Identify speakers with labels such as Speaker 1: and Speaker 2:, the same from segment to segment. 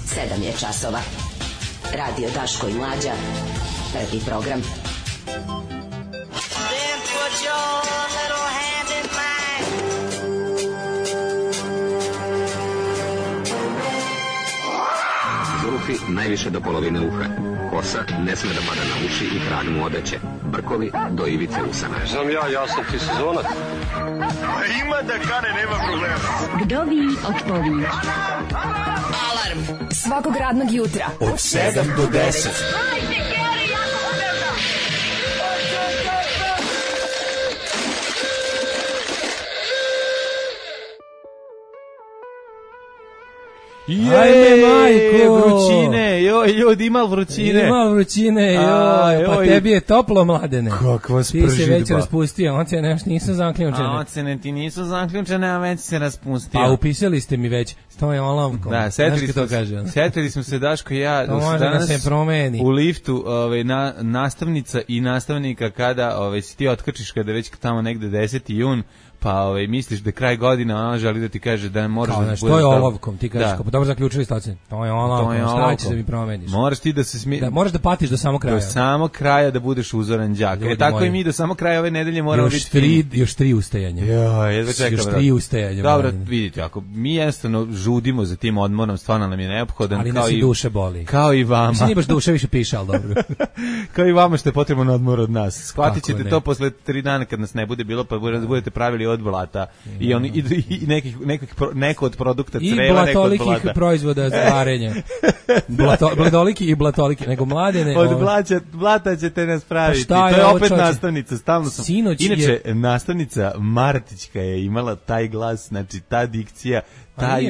Speaker 1: 7 je časova. Radio Daško i Mlađa. Prvi program.
Speaker 2: Then put your little hand in mine.
Speaker 3: Zufi najviše do polovine uha. Kosa ne sme da pada na uši i trag mu odeće. Brkovi do ivice usana.
Speaker 4: Znam ja sam ti sezonac. Ima da kane, nema problema.
Speaker 5: Vdovi otpovi.
Speaker 6: Alarm svakog radnog jutra
Speaker 7: od 7 do 10.
Speaker 8: Ajme, majko! Vrućine, joj, ljudi, ima vrućine.
Speaker 7: Ima vrućine, joj, pa tebi je toplo, Mladene.
Speaker 8: Kakva spržidba.
Speaker 7: Ti se već raspustio, ocene još nisu zaključene.
Speaker 8: A ocene ti nisu zaključene, a već se raspustio.
Speaker 7: Pa upisali ste mi već, stoje olovkom.
Speaker 8: Da, setili smo se, Daško i ja,
Speaker 7: to može da se promeni.
Speaker 8: U liftu nastavnica i nastavnika kada si ti otkačiš kada već tamo negde 10. jun, pa misliš da je kraj godine, ona želi da ti kaže da moraš da budeš...
Speaker 7: To je olovkom, ti kažeš, pa dobro zaključili ste ocene. To je olovkom, šta ćeš da mi promeniš?
Speaker 8: Moraš ti da se
Speaker 7: moraš da patiš do samog kraja.
Speaker 8: Do samog kraja da budeš uzoran đak. Tako i mi do samog kraja ove nedelje moramo biti...
Speaker 7: Još 3 ustajanja.
Speaker 8: Jedva čekam.
Speaker 7: Još 3 ustajanja.
Speaker 8: Dobro, vidite, ako mi jednostavno žudimo za tim odmorom, stvarno nam je neophodan.
Speaker 7: Ali nas i duše boli.
Speaker 8: Kao i vama.
Speaker 7: Mislim, nije baš duše više piše, ali dobro.
Speaker 8: Kao i vama što je potrebno odmor od nas. Shvatit ćete to posle 3 dana kad nas ne bude bilo, pa budete pravili od blata. I neko od produkta creva, neko od blata. I
Speaker 7: blatolikih proizvoda za varenje. Bladoliki i blatoliki, nego Mladene.
Speaker 8: Od blata ćete nas praviti. To je opet nastavnica, stalno sam. Inače, nastavnica Martićka je imala taj glas, znači ta dikcija,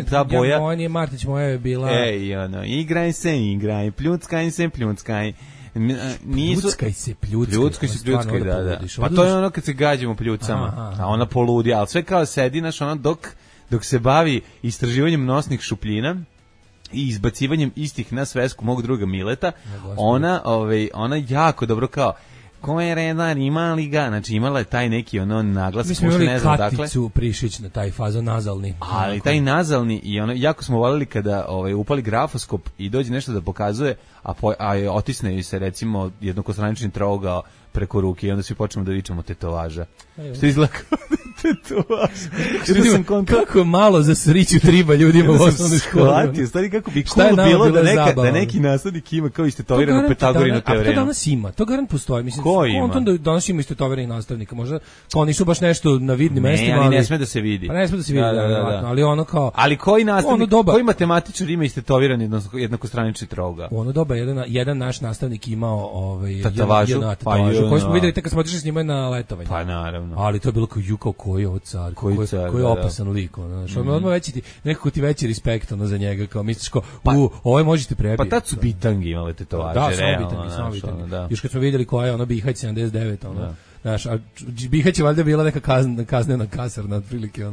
Speaker 8: ta boja.
Speaker 7: Moja nije Martić, moja je bila...
Speaker 8: Igraj se, pljuckaj se, pljuckaj.
Speaker 7: Pljuckaj se,
Speaker 8: da. Pa to je ono kad se gađamo pljucama, a ona poludi, ali sve kao sedi, dok se bavi istraživanjem nosnih šupljina i izbacivanjem istih na svesku mog druga Mileta, ona jako dobro kao ko je redar, ima li ga, znači imala je taj neki naglas.
Speaker 7: Mi smo imali Katicu Prišić na taj fazon nazalni.
Speaker 8: Ali taj nazalni, i jako smo volili kada upali grafoskop i dođe nešto da pokazuje, a otisne se recimo jednokostranični trougao preko ruke i onda svi počnemo da vičemo tetovaža. Što izgleda kao tetovaža.
Speaker 7: Kako malo za sriću triba ljudima u osnovnoj školi.
Speaker 8: Stvari kako bi cool bilo da neki nastavnik ima kao istetoviranu Pitagorinu teoremu.
Speaker 7: A to danas ima, to garant postoji. Mislim,
Speaker 8: ko ima?
Speaker 7: On danas ima istetovirani nastavnika. Možda kao nisu baš nešto na vidnim mestima.
Speaker 8: Ali ne sme da se vidi.
Speaker 7: Pa ne sme da se vidi, ali ono kao...
Speaker 8: Ali koji nastavnik, koji matematičar ima istetoviran jednokostranični trougao?
Speaker 7: U ono doba jedan naš nastavnik imao
Speaker 8: tetovažu,
Speaker 7: koji smo videli kad smo otišli s njima na letovanje.
Speaker 8: Pa naravno.
Speaker 7: Ali to je bilo kao koji je ovo car, koji je opasan lik. Odmah nekako ti veći respekt za njega, kao misliš kao, ovo možete prebiti.
Speaker 8: Pa tad su bitangi imali tetovaže.
Speaker 7: Da, samo bitangi. Još kad smo vidjeli koja je ono Bihać 79, znaš, a Bihać je valjda bila neka kaznena kasarna, otprilike,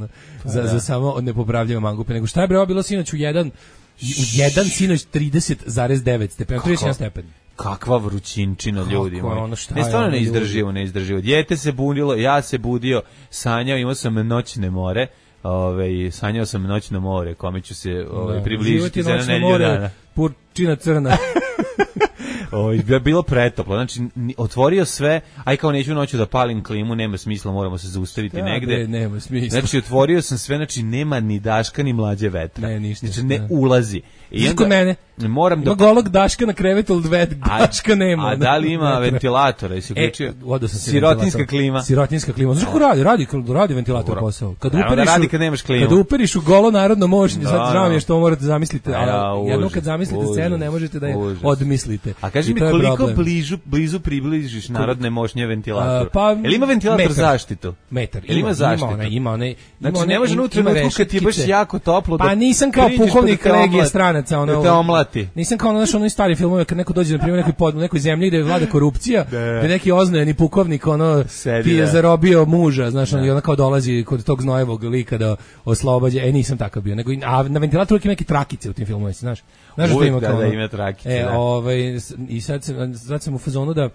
Speaker 7: za samo nepopravljive mangupe. Nego šta je bre, bilo sinoć u jedan sinoć 30,9 stepena, 31 stepen.
Speaker 8: Kakva vrućinčina, ljudi moji. Ne, stvarno neizdrživo. Dijete se bunilo, ja se budio, sanjao, imao sam noćne more, sanjao sam noćno more, kome ću se približiti za nedelju dana.
Speaker 7: Purčina crna.
Speaker 8: Bilo pretoplo, znači otvorio sve, aj kao neću noću da palim klimu, nema smisla, moramo se zaustaviti negde.
Speaker 7: Nema smisla.
Speaker 8: Znači otvorio sam sve, znači nema ni Daška ni Mlađe vetra.
Speaker 7: Ne, ništa.
Speaker 8: Znači ne ulazi.
Speaker 7: I onda mene.
Speaker 8: Ima
Speaker 7: golog Daška na krevetu, Daška nema.
Speaker 8: A da li ima ventilatora? Jesi uključio? Sirotinska klima.
Speaker 7: Sirotinska klima. Znaš kako radi ventilator posao?
Speaker 8: Radi kad nemaš klimu.
Speaker 7: Kad uperiš u golo narodno moćni, sad žao mi je što morate zamisliti, ali jednom kad zamislite scenu ne možete da je odmislite.
Speaker 8: A kaži mi koliko blizu približiš narodne moćnje ventilatoru? Jel ima ventilator zaštitu?
Speaker 7: Metar.
Speaker 8: Jel ima zaštitu?
Speaker 7: Ima one.
Speaker 8: Znači ne može unutra kad ti je baš jako toplo.
Speaker 7: Pa nisam kao pukovnik legije stranaca.
Speaker 8: Da te omlati.
Speaker 7: Nisam kao na onoj stari filmove kad neko dođe na primjer nekoj zemlji gde vlada korupcija, gde neki oznojeni pukovnik ti je zarobio muža, znaš, i ona kao dolazi kod tog znojevog lika da oslobađa. Nisam takav bio, nego na ventilatoru ima neke trakice u tim filmovima, znaš. Znaš kažeš da ima
Speaker 8: kao. Da, ima trakice.
Speaker 7: I sad sam u fazonu da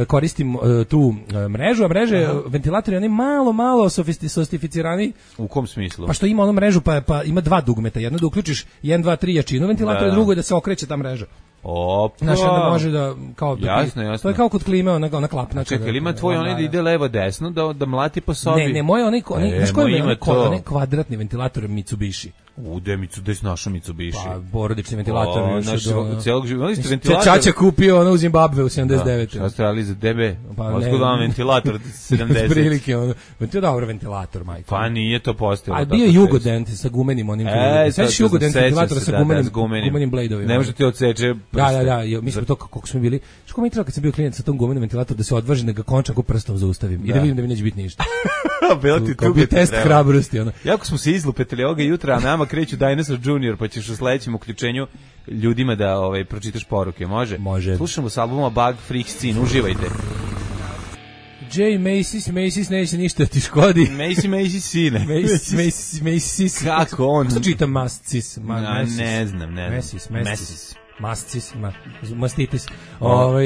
Speaker 7: koristim tu mrežu, a mreže, ventilatori, oni malo sofisticirani.
Speaker 8: U kom smislu?
Speaker 7: Pa što ima onu mrežu, pa ima dva dugmeta, jedno da uključiš 1, 2, 3 jačinu ventilatora, drugo je da se okreće ta mreža.
Speaker 8: Opa.
Speaker 7: Znaš, onda može da, kao,
Speaker 8: jasno.
Speaker 7: To je kao kod klime, ona klapna.
Speaker 8: Čekaj, ili ima tvoj onaj da ide levo desno, da mlati po sobi?
Speaker 7: Ne, moj onaj kvadratni ventilator Mitsubishi.
Speaker 8: Gde si našao Mitsubishi?
Speaker 7: Pa, porodični ventilator.
Speaker 8: Cijelog života.
Speaker 7: Čača kupio ono u Zimbabve u 79.
Speaker 8: Šta ste radili za DB? Otkud vam ventilator 70?
Speaker 7: Prilike, ono. To je dobro ventilator, majko.
Speaker 8: Pa nije to postojalo.
Speaker 7: A bio je Jugodent sa gumenim onim. Sveći Jugodent ventilatora sa gumenim bladeovima.
Speaker 8: Ne može ti odseče prste.
Speaker 7: Da, mi smo to kako smo bili. Što mi treba kad sam bio klijent sa tom gumenim ventilatorom da se odvaži da ga končaku prstom zaustavim i da vidim da mi neće biti ništa.
Speaker 8: Bilo ti tu
Speaker 7: bi test hrabrosti, ono.
Speaker 8: Jako smo se izlupetili ovoga jutra, a nama kreću Dinosaur Junior, pa ćeš u sledećem uključenju ljudima da pročitaš poruke, može?
Speaker 7: Može.
Speaker 8: Slušamo s albuma Bug Freak Scene, uživajte.
Speaker 7: J. Macy's neće ništa ti škodi.
Speaker 8: Macy sine.
Speaker 7: Macy's.
Speaker 8: Kako on?
Speaker 7: Što čitam Mascis?
Speaker 8: Ne znam.
Speaker 7: Mastitis.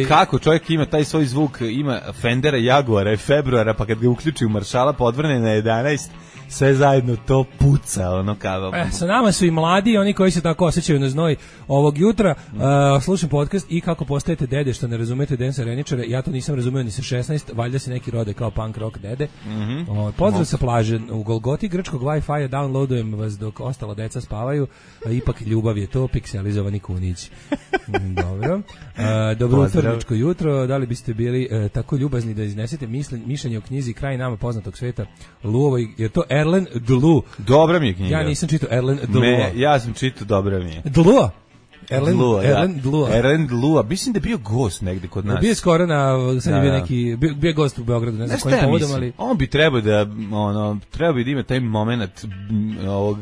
Speaker 8: Kako čovjek ima taj svoj zvuk, ima Fendera, Jaguara i Februara, pa kad ga uključi u maršala podvrne na 11, sve zajedno to puca, ono kao.
Speaker 7: Sa nama su i mladi, oni koji se tako osjećaju na znoj ovog jutra. Slušam podcast i kako postajete dede, što ne razumete Densa Reničara. Ja to nisam razumeo ni sa 16, valjda se neki rode kao punk rock dede. Pozdrav sa plaže u Golgoti grčkog Wi-Fi-a, downloadujem vas dok ostala deca spavaju. Ipak ljubav je to, pikselizovani kunić. Dobro. Dobro utorničko jutro. Da li biste bili tako ljubazni da iznesete mišljenje o knjizi Kraj nama poznatog sveta Luovoj? Je to Erlen Dlu?
Speaker 8: Dobra mi je knjiga.
Speaker 7: Ja nisam čitao Erlen Dlu.
Speaker 8: Ja sam čitao, dobra mi je.
Speaker 7: Dlu?
Speaker 8: Erlen Dlua. Mislim da je bio gost negde kod nas.
Speaker 7: Bio skoro sad je bio neki, bio gost u Beogradu, ne znam kojim povodom, ali...
Speaker 8: On bi trebao da ima taj moment ovog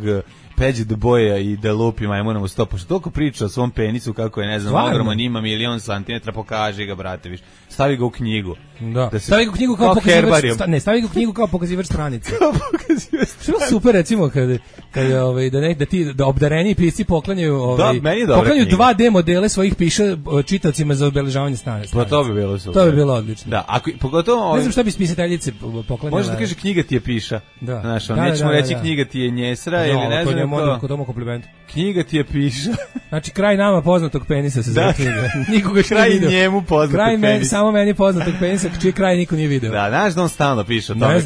Speaker 8: Peđe do boja i da lupi majmunom u stopu. Što toliko priča o svom penisu, kako je, ne znam, ogroman, ima 1.000.000 santimetra, pokaži ga, brate, viš. Stavi ga u knjigu.
Speaker 7: Da stavi ga u knjigu kao pokazivač, stavi ga u knjigu kao pokazivač stranice. Što super, recimo, da obdareni pisci poklanjaju 2D modele svojih piša čitacima za obeležavanje stranice.
Speaker 8: Pa to bi bilo super.
Speaker 7: To bi bilo odlično.
Speaker 8: Da, pogotovo...
Speaker 7: Ne znam šta bi spisateljice poklanjala.
Speaker 8: Može da kaže knjiga ti je piša. Znaš, nećemo reći knjiga ti je njesra ili ne znam. Knjiga ti je piša.
Speaker 7: Znači, kraj nama poznatog penisa se zove knjiga. Nikoga što nije vidio.
Speaker 8: Kraj njemu poznatog penisa.
Speaker 7: Samo meni poznatog penisa, čiji kraj niko nije video.
Speaker 8: Da, znaš da on stalno piše o tome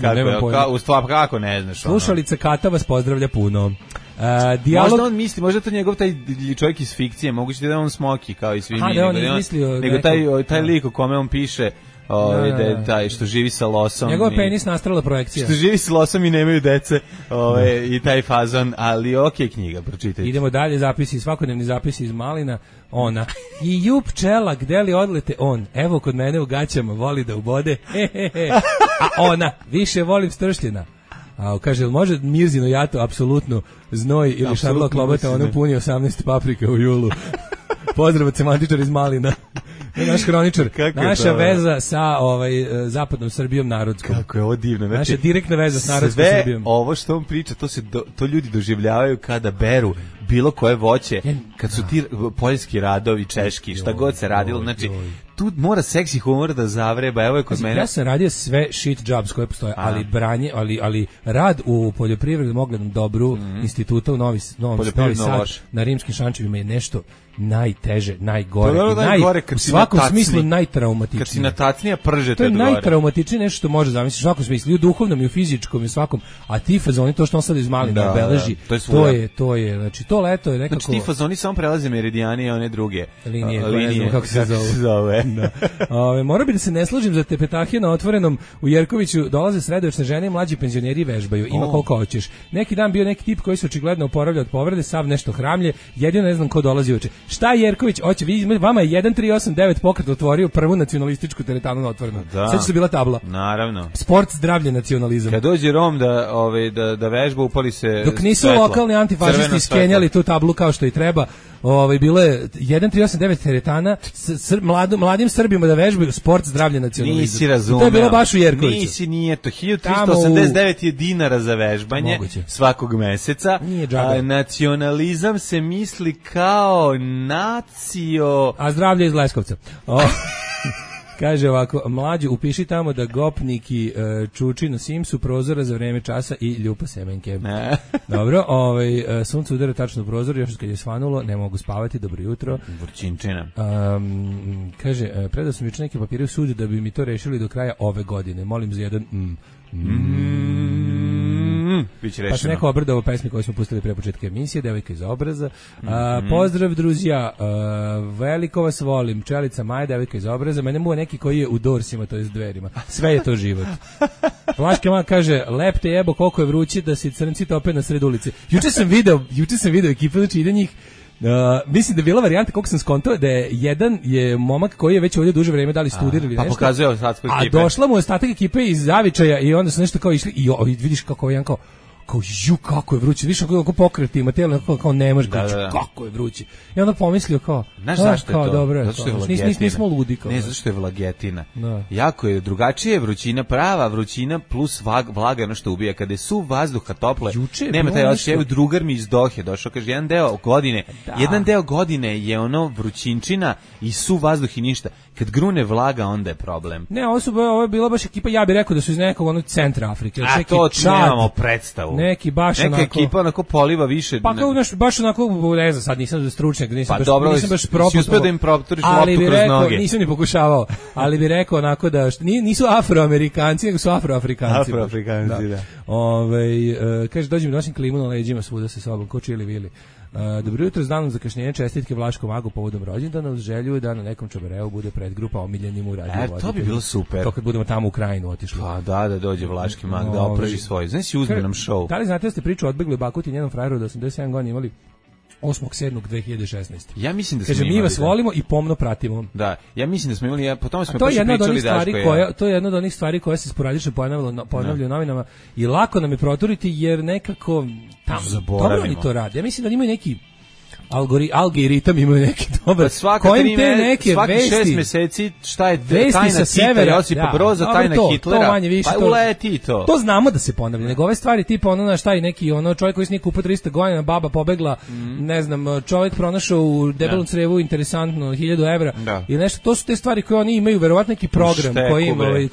Speaker 8: kako ne znaš.
Speaker 7: Slušalica Kata vas pozdravlja puno.
Speaker 8: Možda on misli, možda to njegov taj čovjek iz fikcije, moguće da je on Smoki kao i svi mi. Nego taj lik o kome on piše, da je taj što živi sa losom.
Speaker 7: Njegova penis nastrala projekcija.
Speaker 8: Što živi sa losom i nemaju dece, i taj fazon, ali knjiga, pročitajte.
Speaker 7: Idemo dalje, svakodnevni zapisi iz Malina. Ona. I ju pčela, gde li odlete on? Evo kod mene u gaćama, voli da ubode. A ona, više volim stršljena. Kaže, može Mirzino jato, apsolutno znoj ili Šarlo Klobata, ono puni 18 paprika u julu. Pozdrav od semantičara iz Malina. Naš hroničar. Naša veza sa zapadnom Srbijom narodskom.
Speaker 8: Kako je ovo divno. Znači,
Speaker 7: naša direktna veza s narodskom Srbijom.
Speaker 8: Sve ovo što on priča, to ljudi doživljavaju kada beru bilo koje voće, kad su ti poljski radovi, češki, šta god se radilo, znači tu mora seksi humor da zavreba. Evo je kod mene.
Speaker 7: Ja sam radio sve shit jobs koje postoje, ali rad u poljoprivrednom oglednom dobru instituta u Novi Sad na Rimskim Šančevima je nešto najteže, najgore, u svakom smislu najtraumatičnije.
Speaker 8: Kad si na tacnija pržete
Speaker 7: to je najtraumatičnije nešto što može zamisliti u svakom smislu, i u duhovnom i u fizičkom i u svakom, a ti fazoni, to što on sad iz Malina obeleži, to je, znači to leto je nekako...
Speaker 8: Znači ti fazoni samo prelaze meridijani i one druge
Speaker 7: linije, kako se zove. Mora bi da se ne složim za tepetahije na otvorenom u Jerkoviću, dolaze sredovečne žene i mlađi penzioneri vežbaju, ima koliko hoćeš. Neki dan bio neki tip koji se očigledno oporavlja od povrede, sav nešto hramlje, jedino ne znam ko dolazi uče. Šta Jerković hoće? Vama je 1389 pokret otvorio prvu nacionalističku teretanu na otvorenom. Sad što je bila tabla.
Speaker 8: Naravno.
Speaker 7: Sport, zdravlje, nacionalizam.
Speaker 8: Kad dođe Rom da vežba, upali se
Speaker 7: dok nisu lokalni antifašisti skenjali tu tablu kao što i treba, bilo je 1389 teretana mladim Srbima da vežbaju sport, zdravlje, nacionalizam.
Speaker 8: Nisi razumeo.
Speaker 7: To je bilo baš u Jerkoviću.
Speaker 8: Nije to. 1389 je dinara za vežbanje svakog meseca. A nacionalizam se misli kao nacio...
Speaker 7: A zdravlje iz Leskovca. Kaže ovako, mlađu, upiši tamo da gopniki čuči na Simsu, prozora za vreme časa i ljupa semenke. Dobro, sunce udara tačno u prozor, još kad je svanulo, ne mogu spavati, dobro jutro.
Speaker 8: Vrčinčina.
Speaker 7: Kaže, predao sam juče neke papire u sudu da bi mi to rešili do kraja ove godine. Molim za jedan pa se neko obradao pesmi koju smo pustili pre početka emisije, Devojka iz obraza. Pozdrav druzija, veliko vas volim, Čelica Maja, Devojka iz obraza. Mene mu je neki koji je u Dorsima, to je s Dverima. Sve je to život. Vlaška Ma kaže, lep te jebo, koliko je vruće da se crnci tope na sred ulici. Juče sam video ekipu, znači ide njih. Mislim da je bila varijanta, koliko sam skontao, da je jedan je momak koji je već ovdje duže vreme dali studir ili nešto.
Speaker 8: Pa pokazuje ostatku ekipe.
Speaker 7: A došla mu ostatak ekipe iz Zavičaja i onda su nešto kao išli i vidiš kako je jedan kao kako je vruće, više kako pokret ima tijelo, kao ne može, kako je vruće. I onda pomislio kao,
Speaker 8: znaš zašto je to?
Speaker 7: Dobro,
Speaker 8: zato što je vlagetina.
Speaker 7: Nismo ludi kao.
Speaker 8: Ne, zato što je vlagetina. Jako je drugačije vrućina, prava vrućina plus vlaga je ono što ubija. Kada je suv vazduha tople, nema taj osjećaj. Evo drugar mi iz Dohe došao, kaže, jedan deo godine je ono vrućinčina i suv vazduh i ništa. Kad grune vlaga, onda je problem.
Speaker 7: Ne, ovo je bila baš ekipa, ja bih rekao da su iz nekog onog centra Afrike.
Speaker 8: A to nemamo predstavu.
Speaker 7: Neka
Speaker 8: ekipa onako poliva više.
Speaker 7: Pa kao baš onako, ne znam, sad nisam stručnjak, nisam baš
Speaker 8: propustao. Si uspio da im proputuriš loptu kroz noge.
Speaker 7: Nisam ni pokušavao, ali bih rekao onako da nisu Afroamerikanci, nego su Afroafrikanci.
Speaker 8: Afroafrikanci, da.
Speaker 7: Kaže, dođem, nosim klimu na leđima svuda sa sobom, ko Čili Vili. Dobro jutro, s danom zakašnjenja, čestitke Vlaškom Magu povodom rođendana, uz želju da na nekom čabareu bude predgrupa omiljenim u radiju.
Speaker 8: To bi bilo super.
Speaker 7: To kad budemo tamo u Krajinu otišli.
Speaker 8: Pa da dođe Vlaški Mag da oprži svoj. Znaš si uzme nam show.
Speaker 7: Da li znate da ste priču odbegli Bakuti i njenom frajeru da 87 godina imali 8.7.2016.
Speaker 8: Ja mislim da smo
Speaker 7: imali. Kaže, mi vas volimo i pomno pratimo.
Speaker 8: Da, ja mislim da smo imali, po tome smo pričali Daško.
Speaker 7: To je jedna od onih stvari koje se sporadično ponavljaju u novinama i lako nam je proturiti jer nekako tamo dobro oni to rade. Ja mislim da imaju neki algoritam imaju neki dobar.
Speaker 8: Svaki 6 meseci šta je tajna Tita, Josipa Broza, tajna Hitlera, pa uleti to.
Speaker 7: To znamo da se ponavlja, nego ove stvari tipa ono šta je neki čovjek koji se nije kupao 300 godina, baba pobegla, ne znam, čovjek pronašao u debelom crevu interesantno 1000 evra i nešto, to su te stvari koje oni imaju, verovatno neki program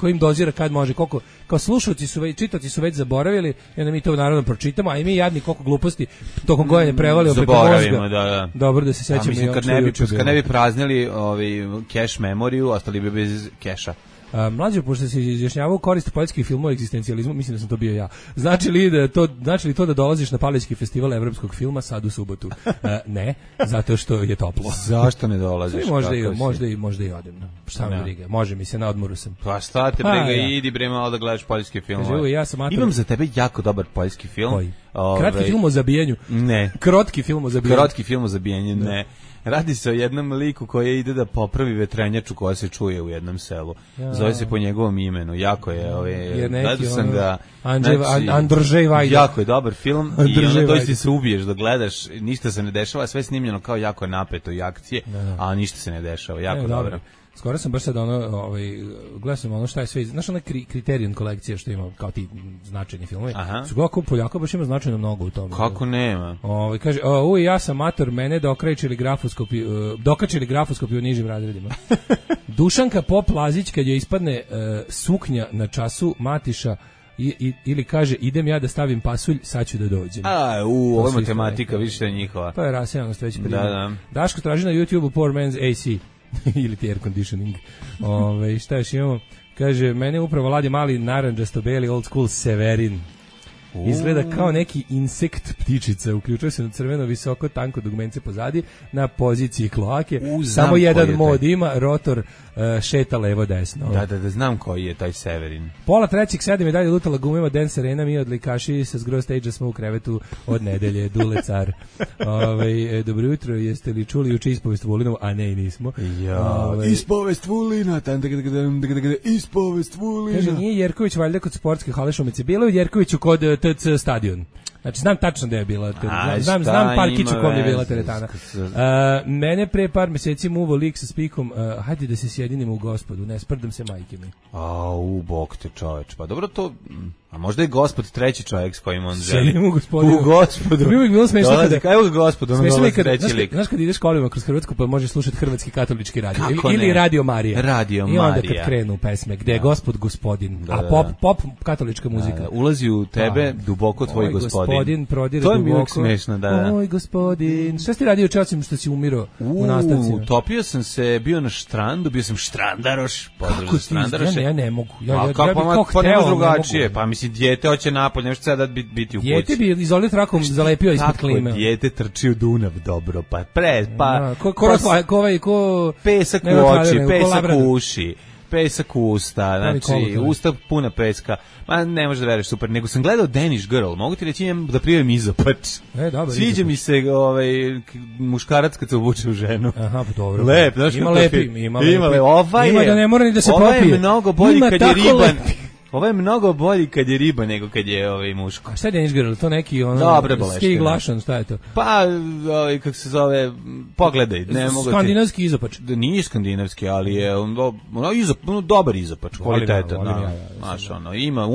Speaker 7: koji im dozira kad može, koliko, kao slušalci su već, čitaoci su već zaboravili i onda mi to naravno pročitamo, a i mi jadni koliko gluposti tokom godina prevalio preko mozga. Dobro da se sećamo.
Speaker 8: Mislim, kad ne bi praznili cache memoriju, ostali bi bez keša.
Speaker 7: Mlađe, pošto se izjašnjavao korist poljskih filmova o egzistencijalizmu, mislim da sam to bio ja. Znači li to da dolaziš na Palićki festival evropskog filma sad u subotu? Ne, zato što je toplo.
Speaker 8: Zašto ne dolaziš?
Speaker 7: Možda i odem. Šta me briga? Može mi se, na odmoru sam.
Speaker 8: Pa šta te briga, idi bre malo da gledaš poljske filmove. Imam za tebe jako dobar poljski film.
Speaker 7: Koji? Kratki film o zabijanju?
Speaker 8: Ne.
Speaker 7: Krotki film o zabijanju?
Speaker 8: Ne. Radi se o jednom liku koji ide da popravi vetrenjaču koja se čuje u jednom selu. Zove se po njegovom imenu. Jako je, gledao sam ga.
Speaker 7: Andržej Vajda.
Speaker 8: Jako je dobar film i onda doista se ubiješ da gledaš, ništa se ne dešava, sve snimljeno kao jako napeto i akcije, a ništa se ne dešava. Jako dobro.
Speaker 7: Skoro sam baš sad gledao sam šta je sve, znaš onaj Criterion kolekcija što ima kao ti značajni filmovi. Su gledao Poljaka baš ima značajno mnogo u tome.
Speaker 8: Kako nema?
Speaker 7: Kaže, ja sam mator, mene dokačili grafoskopi u nižim razredima. Dušanka Pop Lazić kad joj ispadne suknja na času matiša ili kaže idem ja da stavim pasulj, sad ću da dođem.
Speaker 8: Ovo je matematika više njihova.
Speaker 7: To je rasejanost već primjer. Daško traži na YouTube Poor Man's AC. ili ti air conditioning. Šta još imamo? Kaže, mene upravo ladi mali narandžasto beli old school Severin. Izgleda kao neki insekt ptičica, uključuje se na crveno visoko tanko dugmence pozadi na poziciji kloake. Samo jedan mod ima, rotor šeta levo desno.
Speaker 8: Da, znam koji je taj Severin.
Speaker 7: Pola trećeg 7 je dalje lutala gumima Dance Arena, mi odlikaši sa zgro stage smo u krevetu od nedelje, Dule car. Dobro jutro, jeste li čuli juče ispovest Vulinovu? A ne, nismo.
Speaker 8: Ispovest Vulina, ispovest Vulina.
Speaker 7: Kaže, nije Jerković valjda kod sportske hale Šumice, bilo je Jerkoviću kod TC stadion. Znači, znam tačno da je bila znam parkić u kom je bila teretana. Mene pre par meseci muvo lik sa spikom, hajde da se sjedinimo u Gospodu, ne sprdam se majke mi.
Speaker 8: Bog te čoveč. Pa dobro to... A možda je Gospod treći čovjek s kojim on želi.
Speaker 7: Sjedim u Gospodinu.
Speaker 8: U Gospodu.
Speaker 7: To bi uvijek bilo smešno kada...
Speaker 8: Evo ga Gospod, ono dolazi treći lik.
Speaker 7: Znaš kad ideš kolima kroz Hrvatsku pa možeš slušati hrvatski katolički radio. Ili Radio Marija.
Speaker 8: Radio Marija.
Speaker 7: I onda kad krenu pesme, gde je Gospod gospodin. A pop katolička muzika.
Speaker 8: Ulazi u tebe duboko tvoj gospodin.
Speaker 7: Prodire
Speaker 8: to je
Speaker 7: duboko.
Speaker 8: Mi uvijek smešno, da.
Speaker 7: Oj gospodin. Šta si radio časim što si umirao u nastavci?
Speaker 8: Utopio sam se, bio na štrandu, bio sam štrandaroš. Pozdrav za štrandaroše.
Speaker 7: Ja ne mogu.
Speaker 8: Pa nema drugačije. Pa mislim, dijete hoće napolje, nešto sada biti u kući.
Speaker 7: Dijete bi izolit trakom zalepio ispod klime.
Speaker 8: Kako dijete trči u Dunav dobro, pa
Speaker 7: ko
Speaker 8: pesak u oči, pesak u uši. Pesak u usta, znači usta puna peska. Ma ne možeš da veruješ, super. Nego sam gledao Danish Girl, mogu ti reći da prijavim izopač. Sviđa mi se muškarac kad se obuče u ženu.
Speaker 7: Aha, pa dobro.
Speaker 8: Lep, znaš
Speaker 7: ima lepi. Ima
Speaker 8: da
Speaker 7: ne mora ni da se popije.
Speaker 8: Ovo je mnogo bolji kad je riban. Ovo je mnogo bolji kad je riba nego kad je muško.
Speaker 7: A šta je Danish Girl? To neki ski glašan, šta je to?
Speaker 8: Pa, kako se zove, pogledaj.
Speaker 7: Skandinavski izopač.
Speaker 8: Nije skandinavski, ali je dobar izopač, kvalitetan. Znaš, ima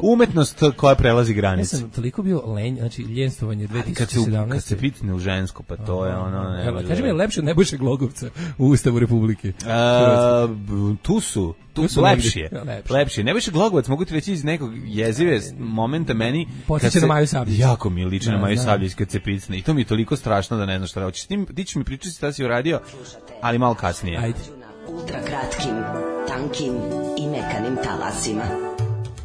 Speaker 8: umetnost koja prelazi granice.
Speaker 7: Ja sam toliko bio ljenstvo,vanje 2017.
Speaker 8: Kad se pitne u žensko, pa to je
Speaker 7: Kaži mi, je lepše od Nebojše Glogovca u Ustavu Republike?
Speaker 8: Tu su lepši. Nebojša Glogovac, mogu ti reći iz nekog jezive momenta meni
Speaker 7: podsjeća na Maju Sabljić.
Speaker 8: Jako mi liči na Maju Sabljić kad se picne i to mi je toliko strašno da ne znam šta hoćeš. Ti ćeš mi pričati šta si uradio, ali malo kasnije.
Speaker 7: Ajde.
Speaker 1: Ultra kratkim, tankim i mekanim talasima.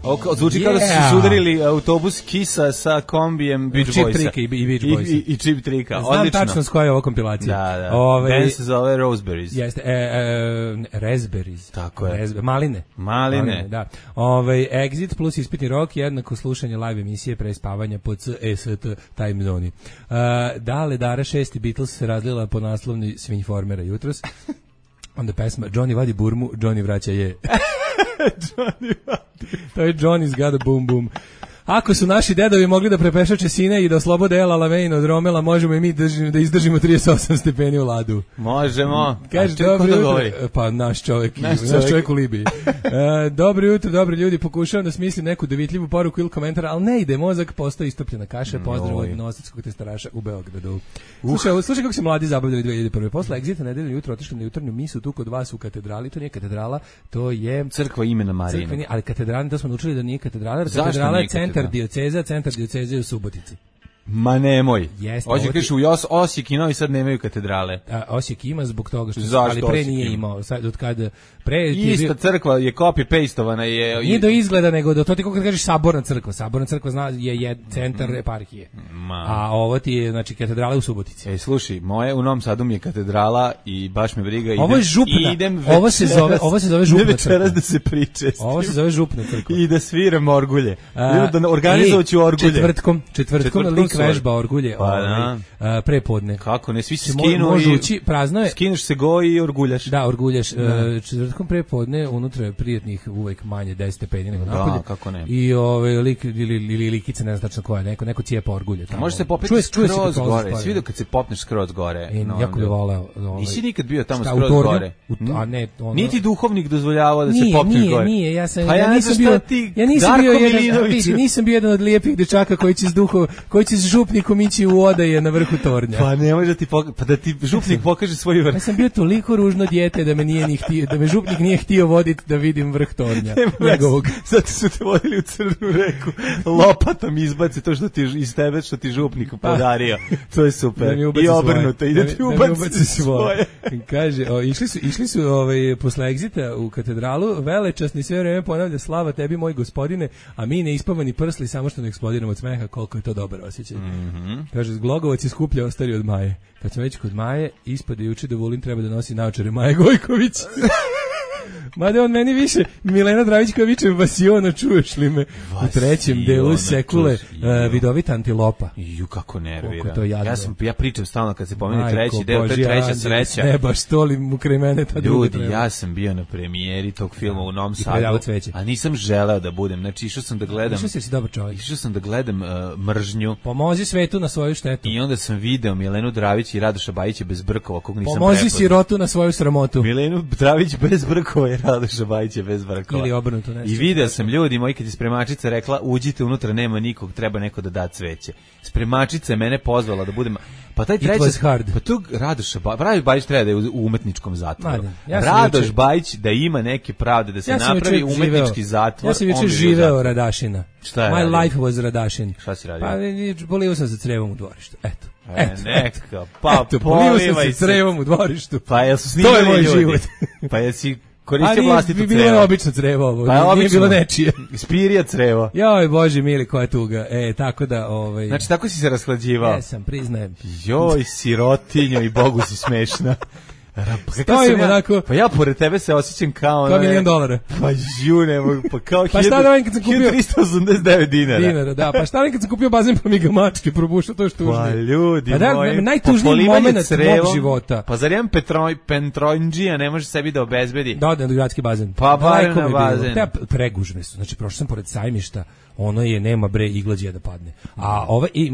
Speaker 8: Ovo zvuči kao da su se sudarili autobus Kisa sa kombijem Beach Boysa. I Chip Trika, odlično.
Speaker 7: Znam tačno s koja je ova kompilacija.
Speaker 8: Da. Ben se zove Roseberries.
Speaker 7: Jeste, Raspberries.
Speaker 8: Tako je.
Speaker 7: Maline, da. Exit plus ispitni rok jednako slušanje live emisije pre spavanja po CST time zoni. Dale Dara 6. Beatles se razlila po naslovni Svinjformera jutros. Onda pesma Johnny vadi burmu, Johnny vraća je. To je Johnny's got a boom boom. Ako su naši dedovi mogli da prepešače sine i da oslobode El Alamein od Romela, možemo i mi da izdržimo 38 stepeni u ladu.
Speaker 8: Možemo.
Speaker 7: Kaže, dobro jutro. Pa naš čovjek u Libiji. Dobro jutro, dobri ljudi, pokušavam da smislim neku dovitljivu poruku ili komentar, ali ne ide, mozak postoji istopljena kaša. Pozdrav od Novosadskog testaraša u Beogradu. Slušaj kako se mladi zabavljali 2001. Posle Exita nedeljno jutro otišli na jutarnju misu tu kod vas u katedrali. To nije katedrala, to je
Speaker 8: crkva imena Marije.
Speaker 7: Ali katedrala, to smo naučili da nije katedrala. Katedrala je centar dioceze u Subotici.
Speaker 8: Ma nemoj. Hoće kažeš u Osijek i Novi Sad nemaju katedrale.
Speaker 7: Osijek ima zbog toga što ali pre nije imao. Sad od kada
Speaker 8: ista crkva je copy pastovana je.
Speaker 7: Nije do izgleda nego do to ti kako kažeš saborna crkva. Saborna crkva je centar eparhije. A ovo ti je znači katedrala u Subotici.
Speaker 8: Slušaj, moje u Novom Sadu mi je katedrala i baš me briga.
Speaker 7: Ovo je župna. Ovo se zove župna crkva.
Speaker 8: Večeras da se priča.
Speaker 7: Ovo se zove župna crkva.
Speaker 8: I da sviram orgulje. Da organizovaću orgulje.
Speaker 7: Četvrtkom vežba orgulje prepodne.
Speaker 8: Kako ne, svi se skinu
Speaker 7: i
Speaker 8: prazno je. Skineš se go i orguljaš.
Speaker 7: Da, orguljaš. Četvrtkom prepodne unutra je prijatnih uvek manje 10 stepeni nego napolje.
Speaker 8: Da, kako ne.
Speaker 7: I lik ili likica, ne znam tačno koja, neko cijepa orgulje tamo.
Speaker 8: Može se popeti skroz gore. Svi dok kad se popneš skroz gore.
Speaker 7: Jako bi voleo.
Speaker 8: Nisi nikad bio tamo skroz gore.
Speaker 7: A ne,
Speaker 8: niti duhovnik dozvoljavao da se popneš gore.
Speaker 7: Nije, ja nisam bio jedan od lijepih dečaka koji će s župnikom ići u odaje na vrhu tornja.
Speaker 8: Pa ne može da ti župnik pokaže svoj vrh.
Speaker 7: Ja sam bio toliko ružno dijete da me župnik nije htio voditi da vidim vrh tornja.
Speaker 8: Zato su te vodili u Crnu reku. Lopatom izbaci to što ti iz tebe što ti župnik podario. To je super. I obrnuto ide ti ubaci svoje.
Speaker 7: Kaže, išli su posle Exita u katedralu, velečasni sve vreme ponavlja slava tebi moj gospodine, a mi neispavani prsli samo što ne eksplodiramo od smeha, koliko je to dobar osjećaj. Kaže, Glogovac je skuplja ostari od Maje. Kad smo već kod Maje, ispade juče da Vulin treba da nosi naočare Maje Gojković. Mada on meni više Milena Dravić koja viče Vasiona, čuješ li me? U trećem delu Sekule vidovita antilopa.
Speaker 8: Ju, kako nervira. Ja pričam stalno kad se pomeni treći deo, to je treća sreća.
Speaker 7: Ne baš to li mu kraj mene ta druga.
Speaker 8: Ljudi, ja sam bio na premijeri tog filma u Novom Sadu, a nisam želeo da budem. Znači, išao sam da gledam. Išao sam da gledam Mržnju.
Speaker 7: Pomozi svetu na svoju štetu.
Speaker 8: I onda sam video Milenu Dravić i Radoša Bajića bez brkova, kog nisam
Speaker 7: prepoznao. Pomozi sirotu na svoju sramotu.
Speaker 8: Milenu Dravić bez brkova i Radoša Bajića bez brkova.
Speaker 7: Ili obrnuto, nešto.
Speaker 8: I video sam ljudi moji kad je spremačica rekla uđite unutra, nema nikog, treba neko da da cveće. Spremačica je mene pozvala da budem. Pa taj treći, pa tu Radoš Bajić treba da je u umetničkom zatvoru. Radoš Bajić da ima neke pravde, da se napravi umetnički zatvor.
Speaker 7: Ja sam juče živeo Radašina.
Speaker 8: Šta je
Speaker 7: My life was Radašin.
Speaker 8: Šta si radio?
Speaker 7: Pa bolio sam sa crevom u dvorištu. Eto.
Speaker 8: Neka, pa polivaj
Speaker 7: sam se crevom u dvorištu.
Speaker 8: Pa jesu snimali ljudi. To je moj život. Pa jesi koristio vlastitu crevo.
Speaker 7: Bilo je obično crevo ovo, pa nije bilo nečije.
Speaker 8: Spirija crevo.
Speaker 7: Joj, Bože mili, koja tuga. Tako da...
Speaker 8: Znači, tako si se rashlađivao?
Speaker 7: Jesam, priznajem.
Speaker 8: Joj, sirotinjo i Bogu si smešna.
Speaker 7: Stojimo onako.
Speaker 8: Pa ja pored tebe se osjećam kao
Speaker 7: $1 milion.
Speaker 8: Pa žune, pa kao
Speaker 7: pa šta da kad sam kupio
Speaker 8: 1389 dinara.
Speaker 7: Da, pa šta da kad sam kupio bazen pa mi ga mačke probušao, to je tužno.
Speaker 8: Pa ljudi moji,
Speaker 7: najtužniji moment mog života.
Speaker 8: Pa zar jedan Petrojndžija ne može sebi da obezbedi?
Speaker 7: Da, na gradski bazen.
Speaker 8: Pa barem na bazen.
Speaker 7: Pregužne su, znači prošao sam pored Sajmišta, ono je, nema bre, iglađe da padne. A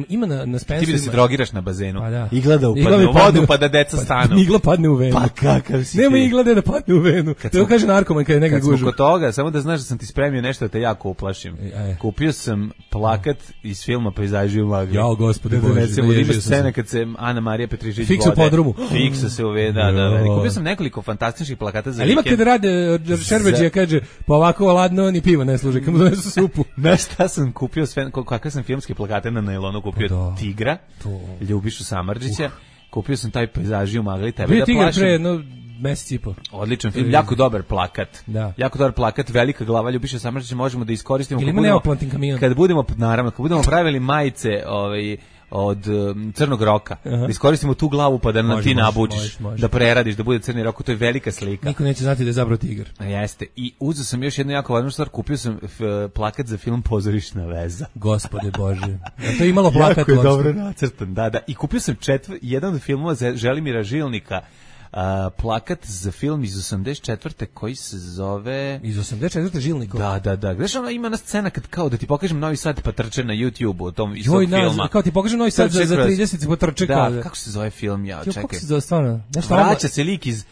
Speaker 7: ima na Spenceru...
Speaker 8: Ti bi da se drogiraš na bazenu.
Speaker 7: Pa da.
Speaker 8: Igla da upadne u vodu pa da deca stanu.
Speaker 7: Igla padne u venu.
Speaker 8: Pa kakav si ti.
Speaker 7: Nema iglade da padne u venu. To kaže narkoman kad je negdje gužu.
Speaker 8: Kad smo kod toga, samo da znaš da sam ti spremio nešto da te jako uplašim. Kupio sam plakat iz filma Pejzaži u magli.
Speaker 7: Jao, gospode Bože.
Speaker 8: Ima scena kad se Ana Marija Petrišić
Speaker 7: Fiksa u podrumu.
Speaker 8: Fiksa se uveda. Kupio sam nekoliko fantastičnih plakata za
Speaker 7: vikend. Ali ima kad rade Šerbeđija kaže, pa ovako ladno ni piva ne služi, kad mu donesu supu.
Speaker 8: Znaš šta sam kupio sve, kakve sam filmske plakate na nailonu kupio? Tigra, Ljubišu Samardžića. Kupio sam taj Pejzaži u magli, tebe da plašim.
Speaker 7: Pre jedno mesec i po.
Speaker 8: Odličan film, jako dobar plakat. Da. Jako dobar plakat, velika glava Ljubiša Samardžića, možemo da iskoristimo.
Speaker 7: Ili ima neoplantin kamion.
Speaker 8: Kad budemo pravili majice od crnog roka, da iskoristimo tu glavu pa da na ti nabuđiš, da preradiš, da bude crni rok, to je velika slika.
Speaker 7: Niko neće znati da je zabrao tigar.
Speaker 8: Jeste. I uzeo sam još jednu jako važnu stvar, kupio sam plakat za film Pozorišna veza.
Speaker 7: Gospode Bože. To je imalo plakat.
Speaker 8: Jako je dobro nacrtan, da. I kupio sam jedan od filmova Želimira Žilnika, plakat za film iz 84. koji se zove...
Speaker 7: Iz 84. Žilnikov?
Speaker 8: Da. Gdeš ono ima na scena kad kao da ti pokažem Novi Sad pa trče na YouTube u tom istog filma.
Speaker 7: Kao ti pokažem Novi Sad za 30 pa trče kao...
Speaker 8: Da, kako se zove film, čekaj.
Speaker 7: Kako se zove stvarno?
Speaker 8: Vraća se lik iz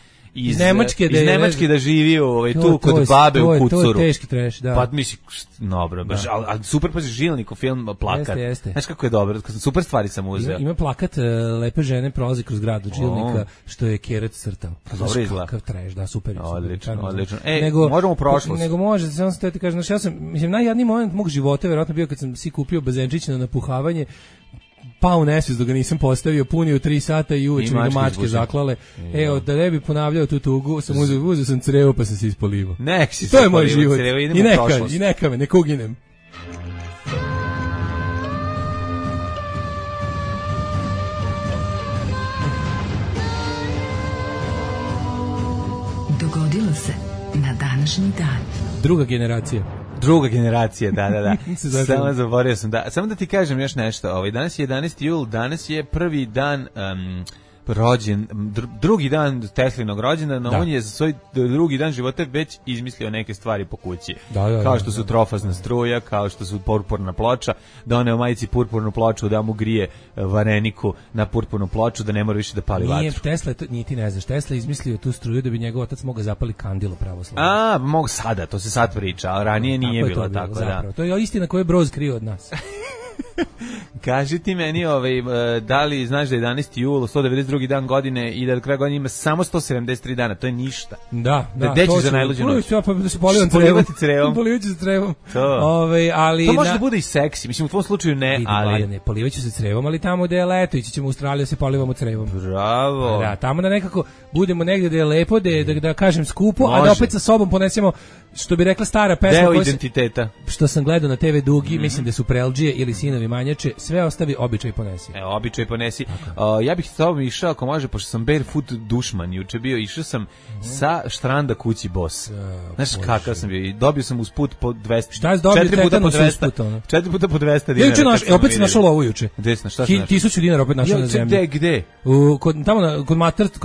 Speaker 8: Nemačke da živi tu kod babe u Kucuru.
Speaker 7: To je teški treš, da.
Speaker 8: Pa misli, dobro, ali super pa Žilnikov film, plakat.
Speaker 7: Jeste.
Speaker 8: Znaš kako je dobro, super stvari sam uzeo.
Speaker 7: Ima plakat lepe žene prolazi kroz grad od Žilnika, što je Kerac crtao.
Speaker 8: Dobro izgleda.
Speaker 7: Kakav treš, da, super.
Speaker 8: Odlično. Možemo u prošlost.
Speaker 7: Nego može, samo sam ti kažem, ja sam, mislim, najjadniji moment mog života verovatno bio kad sam si kupio bazenčić na napuhavanje, pao nesvijest dok ga nisam postavio, punio 3 sata i uveče mi ga mačke zaklale. Evo, da ne bi ponavljao tu tugu, sam uzeo sam crevo pa sam se ispolivao. To je moj život. I neka me, nek uginem.
Speaker 1: Dogodilo se na današnji dan.
Speaker 7: Druga generacija,
Speaker 8: da. Samo zaboravio sam. Samo da ti kažem još nešto. Danas je 11. jul, danas je prvi dan drugi dan Teslinog rođendana, on je za svoj drugi dan života već izmislio neke stvari po kući. Kao što su trofazna struja, kao što su purpurna ploča, da one u majici purpurnu ploču, da mu grije vareniku na purpurnu ploču, da ne mora više da pali vatru.
Speaker 7: Tesla, ti ne znaš, Tesla izmislio tu struju da bi njegov otac mogao zapali kandilo pravoslavno.
Speaker 8: Mogu sada, to se sad priča, a ranije nije bilo tako, da.
Speaker 7: To je istina koju je Broz krio od nas.
Speaker 8: Kaži ti meni, da li znaš da je 11. jul, 192. dan godine i da do kraja godine ima samo 173 dana, to je ništa.
Speaker 7: Da.
Speaker 8: Gde ćeš za najluđu noć?
Speaker 7: Ja pa da se polivam crevom. Polivaću se crevom. To
Speaker 8: može da bude i seksi, mislim u tvom slučaju ne, ali...
Speaker 7: Ne, polivaću se crevom, ali tamo gde je leto, ići ćemo u Australiju da se polivamo crevom.
Speaker 8: Bravo.
Speaker 7: Da, tamo da nekako budemo negde da je lepo, da kažem skupo, a da opet sa sobom ponesemo, što bi rekla stara pesma...
Speaker 8: Deo identiteta.
Speaker 7: Što sam gledao na TV Dugi, mislim da su Prelđije ili Sinovi imanjače, sve ostavi, običaj ponesi.
Speaker 8: Običaj ponesi. Ja bih s tobom išao, ako može, pošto sam barefoot dušman, juče bio, išao sam sa štranda kući Bos. Znaš kakav sam bio, i dobio sam uz put po 200.
Speaker 7: Šta je dobio tetanus uz put?
Speaker 8: 4 puta po 200 dinara.
Speaker 7: Opet si našao lovu juče.
Speaker 8: Desno, šta si našao?
Speaker 7: 1000 dinara opet našao na zemlji.
Speaker 8: Gde?
Speaker 7: Kod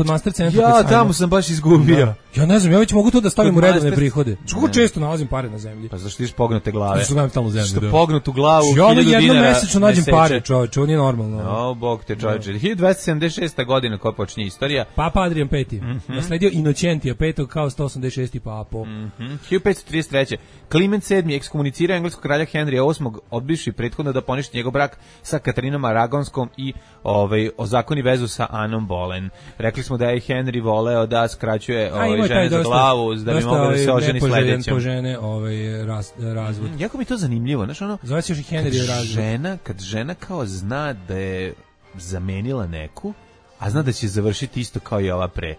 Speaker 7: Master centra.
Speaker 8: Ja, tamo sam baš izgubio.
Speaker 7: Ja ne znam, ja već mogu to da stavim u redovne prihode. Kako često nalazim pare na zemlji?
Speaker 8: Pa zašto tiš pognute glave?
Speaker 7: Što gledam tamo zemlju.
Speaker 8: Što pognutu glavu, 1000 dinara.
Speaker 7: Ja jednom mesečno nađem pare, čovječe, ovo nije normalno.
Speaker 8: Bog te čovječe. 1276. godina koja počinje istorija.
Speaker 7: Papa Adrian V. Nasledio Inocentija V. kao 186. papo.
Speaker 8: 1533. Klement VII. Ekskomunicirao engleskog kralja Henrya VIII. odbivši prethodno da poništi njegov brak sa Katarinom Aragonskom i ozakoni vezu sa Anom Boleyn. Rekli smo da je Henry voleo da skraćuje žene za glavu, da bi mogao da se oženi sledećem.
Speaker 7: Po žene razvod.
Speaker 8: Jako mi to zanimljivo, znaš ono,
Speaker 7: zove se još i Henry razvod.
Speaker 8: Kad žena kao zna da je zamenila neku, a zna da će završiti isto kao i ova pre.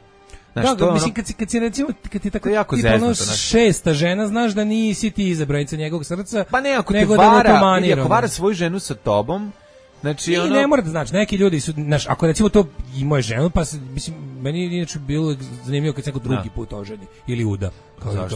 Speaker 7: Znaš, da, mislim, kad si recimo, kad ti tako jako zeznuto, šesta žena, znaš da nisi ti izabranica njegovog srca,
Speaker 8: pa ne, ako
Speaker 7: nego
Speaker 8: te vara,
Speaker 7: da mu to
Speaker 8: ako vara svoju ženu sa tobom, znači,
Speaker 7: ono... ne mora da znači, neki ljudi su, znaš, ako recimo to i moje ženu, pa mislim, meni inače bilo zanimljivo kad se neko drugi put oženi ili uda.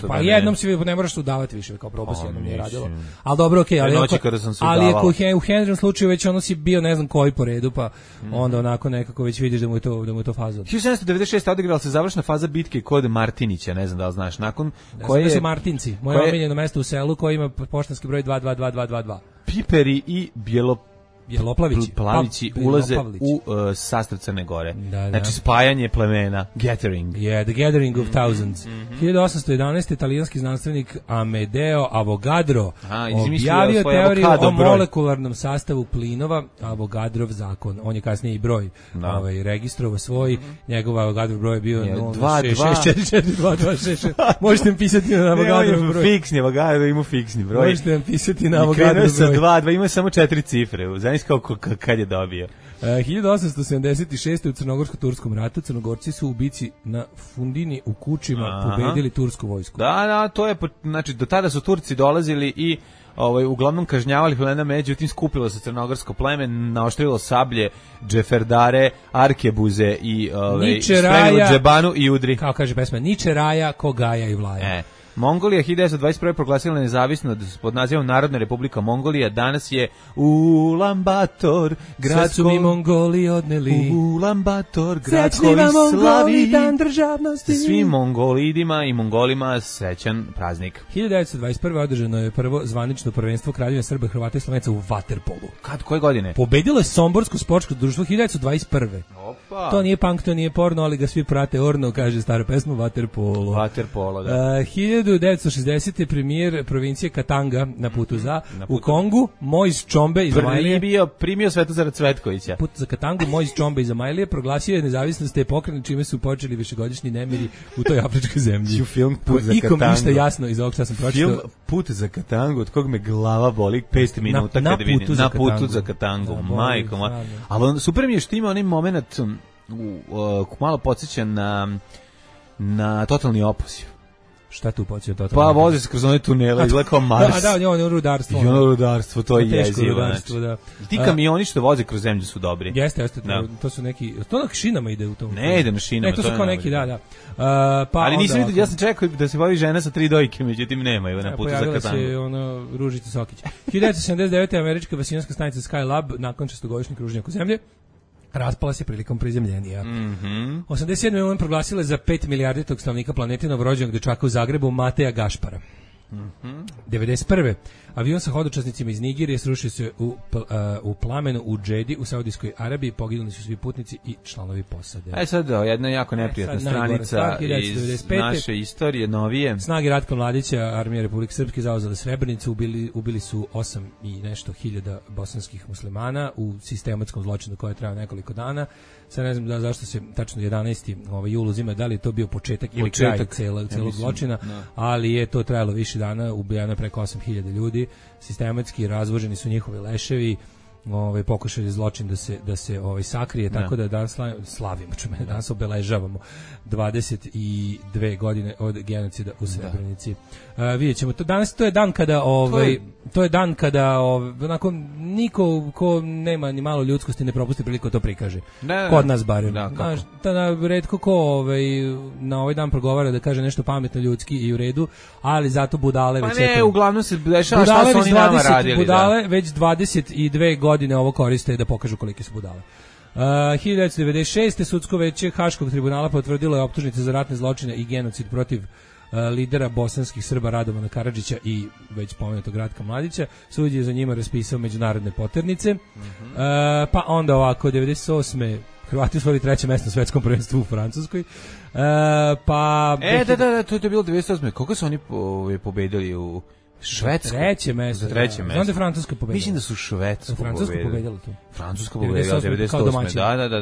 Speaker 7: Pa jednom si ne moraš se udavati više, kao probao si jednom nije radilo. Ali dobro, okej, ali ako u Henrym slučaju već ono si bio ne znam koji po redu, pa onda onako nekako već vidiš da mu je to faza.
Speaker 8: 1796. odigrala se završna faza bitke kod Martinića, ne znam da li znaš, nakon koje
Speaker 7: su Martinci, moje omiljeno mesto u selu koje ima poštanski broj 22222.
Speaker 8: Piperi i Bjeloplavići ulaze u sastav Crne Gore. Da. Znači spajanje plemena, gathering.
Speaker 7: Yeah, the gathering of thousands. 1811. italijanski znanstvenik Amedeo Avogadro objavio teoriju o molekularnom sastavu plinova, Avogadrov zakon. On je kasnije i broj registrovao svoj, njegov Avogadrov broj je bio 066442266. Možete mi pisati na Avogadrov broj.
Speaker 8: Fiksni Avogadro, ima fiksni broj.
Speaker 7: Možete mi pisati na Avogadrov broj.
Speaker 8: Krenuo sa 2, ima samo 4 cifre. Kad je dobio.
Speaker 7: 1876. u Crnogorsko-turskom ratu Crnogorci su u bici na Fundini u Kučima pobedili tursku vojsku.
Speaker 8: Da, to je, znači, do tada su Turci dolazili i uglavnom kažnjavali plena, međutim skupilo se crnogorsko pleme, naoštrilo sablje, džeferdare, arkebuze i spremilo džebanu i udri.
Speaker 7: Kao kaže pesma, Niče raja, ko gaja i vlaja.
Speaker 8: Mongolija 1921. proglasila nezavisnost pod nazivom Narodna republika Mongolija. Danas je Ulan-Bator, grad
Speaker 7: su mi Mongoli odneli.
Speaker 8: Ulan-Bator, grad koji slavi
Speaker 7: dan državnosti.
Speaker 8: Svim Mongolidima i Mongolima srećan praznik.
Speaker 7: 1921. održano je prvo zvanično prvenstvo Kraljevine Srba, Hrvata i Slovenaca u vaterpolu.
Speaker 8: Koje godine?
Speaker 7: Pobedilo je Somborsko sportsko društvo 1921.
Speaker 8: Opa.
Speaker 7: To nije punk, to nije porno, ali ga svi prate orno, kaže stara pesma vaterpolo.
Speaker 8: Vaterpolo, da.
Speaker 7: 1960. premijer provincije Katanga na putu u Kongu, Mojs Čombe iz Amajlije.
Speaker 8: Primio Svetozara Cvetkovića.
Speaker 7: Put za Katangu, Mojs Čombe iz Amajlije proglasio je nezavisnost te pokrajine, čime su počeli višegodišnji nemiri u toj afričkoj zemlji.
Speaker 8: Film Put za Katangu.
Speaker 7: Ikom ništa jasno iz ovog što sam pročitao.
Speaker 8: Film Put za Katangu, od kog me glava boli 5 minuta kada vidim. Na putu za Katangu. Majko moja. Ali super mi je što ima onaj moment malo podsjeća na Totalni opoziv.
Speaker 7: Šta tu podsjeća Totalni
Speaker 8: opoziv? Pa vozi se kroz one tunele, izgleda kao Mars.
Speaker 7: Da, on je rudarstvo.
Speaker 8: I ono rudarstvo, to je jezivo.
Speaker 7: Da.
Speaker 8: Ti kamioni što voze kroz zemlju su dobri.
Speaker 7: Jeste, to su neki, to na šinama ide u tom.
Speaker 8: Ne ide na šinama.
Speaker 7: To su kao neki, da.
Speaker 8: Ali nisam vidio, ja sam čekao da se bavi žena sa 3 dojke, međutim nema je na putu za Katangu.
Speaker 7: Pojavila se Ružica Sokić. 1979. američka vasijanska stanica Skylab nakon 6-godišnjeg kruženja oko zemlje raspala se prilikom prizemljenja. 87. on proglasila za 5 milijarditog stanovnika planete novorođenog dečaka u Zagrebu Mateja Gašpara. 91. avion sa hodočasnicima iz Nigerije srušio se u plamenu u Džedi u Saudijskoj Arabiji, poginuli su svi putnici i članovi posade.
Speaker 8: Sad jedna jako neprijatna stranica iz naše istorije, novije.
Speaker 7: Snage Ratka Mladića, armija Republike Srpske zauzele Srebrenicu, ubili su 8 i nešto hiljada bosanskih muslimana u sistematskom zločinu koji je trajao nekoliko dana. Sad ne znam zašto se tačno 11. jul uzima, da li je to bio početak ili kraj celog zločina, ali je to trajalo više dana, ubijano preko 8.000 ljudi, sistematski razvoženi su njihovi leševi, pokušaj zločin da se sakrije, tako da danas slavimo, danas obeležavamo 22 godine od genocida u Srebrenici. Vidjet ćemo, to je dan kada onako niko ko nema ni malo ljudskosti ne propusti priliku to prikaže. Kod nas barem. Retko ko na ovaj dan progovara da kaže nešto pametno, ljudski i u redu, ali zato budale već...
Speaker 8: Pa ne, uglavnom se dešava šta su oni nama radili.
Speaker 7: Budale već 22 godine ovo koriste da pokažu kolike su budale. 1996. Sudsko veće Haškog tribunala potvrdilo je optužnice za ratne zločine i genocid protiv lidera bosanskih Srba Radovana Karadžića i već pomenutog Ratka Mladića. Sud je za njima raspisao međunarodne poternice. Pa onda ovako, 98. Hrvati osvojili 3. mesto na svetskom prvenstvu u Francuskoj. Pa...
Speaker 8: to je bilo 98. Koliko su oni pobedili u Švedsku?
Speaker 7: 3. mesto. Znam da je Francuska pobedila.
Speaker 8: Mislim da su Švedsku pobedili.
Speaker 7: Francuska pobedila tu.
Speaker 8: Francuska pobedila 98.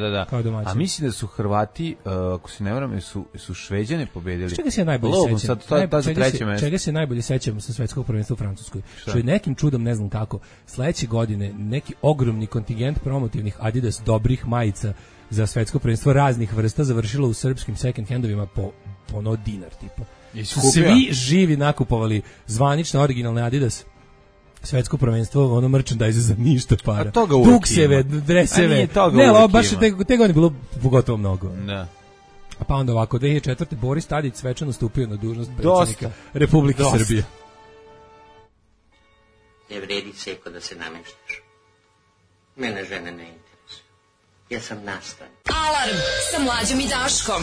Speaker 8: Da. A mislim da su Hrvati, ako se ne varam, su Šveđane pobedili.
Speaker 7: Čega se ja najbolje sećam? Čega se najbolje sećam sa svetskog prvenstva u Francuskoj? Što je nekim čudom, ne znam kako, sledeće godine neki ogromni kontingent promotivnih Adidas dobrih majica za svetsko prvenstvo raznih vrsta završilo u srpskim second handovima po ono dinar tipa. Svi živi nakupovali zvanične originalne Adidas svetsko prvenstvo, ono merchandise za ništa para. Dukseve, dreseve. Ne, baš te godine bilo pogotovo mnogo.
Speaker 8: Da.
Speaker 7: Pa onda ovako, 2004. Boris Tadić svečano stupio na dužnost predsjednika Republike Srbije.
Speaker 5: Ne vredi seko da se nameštaš. Mene žene ne interesuju. Ja sam nastan.
Speaker 6: Alarm sa Mlađom i Daškom.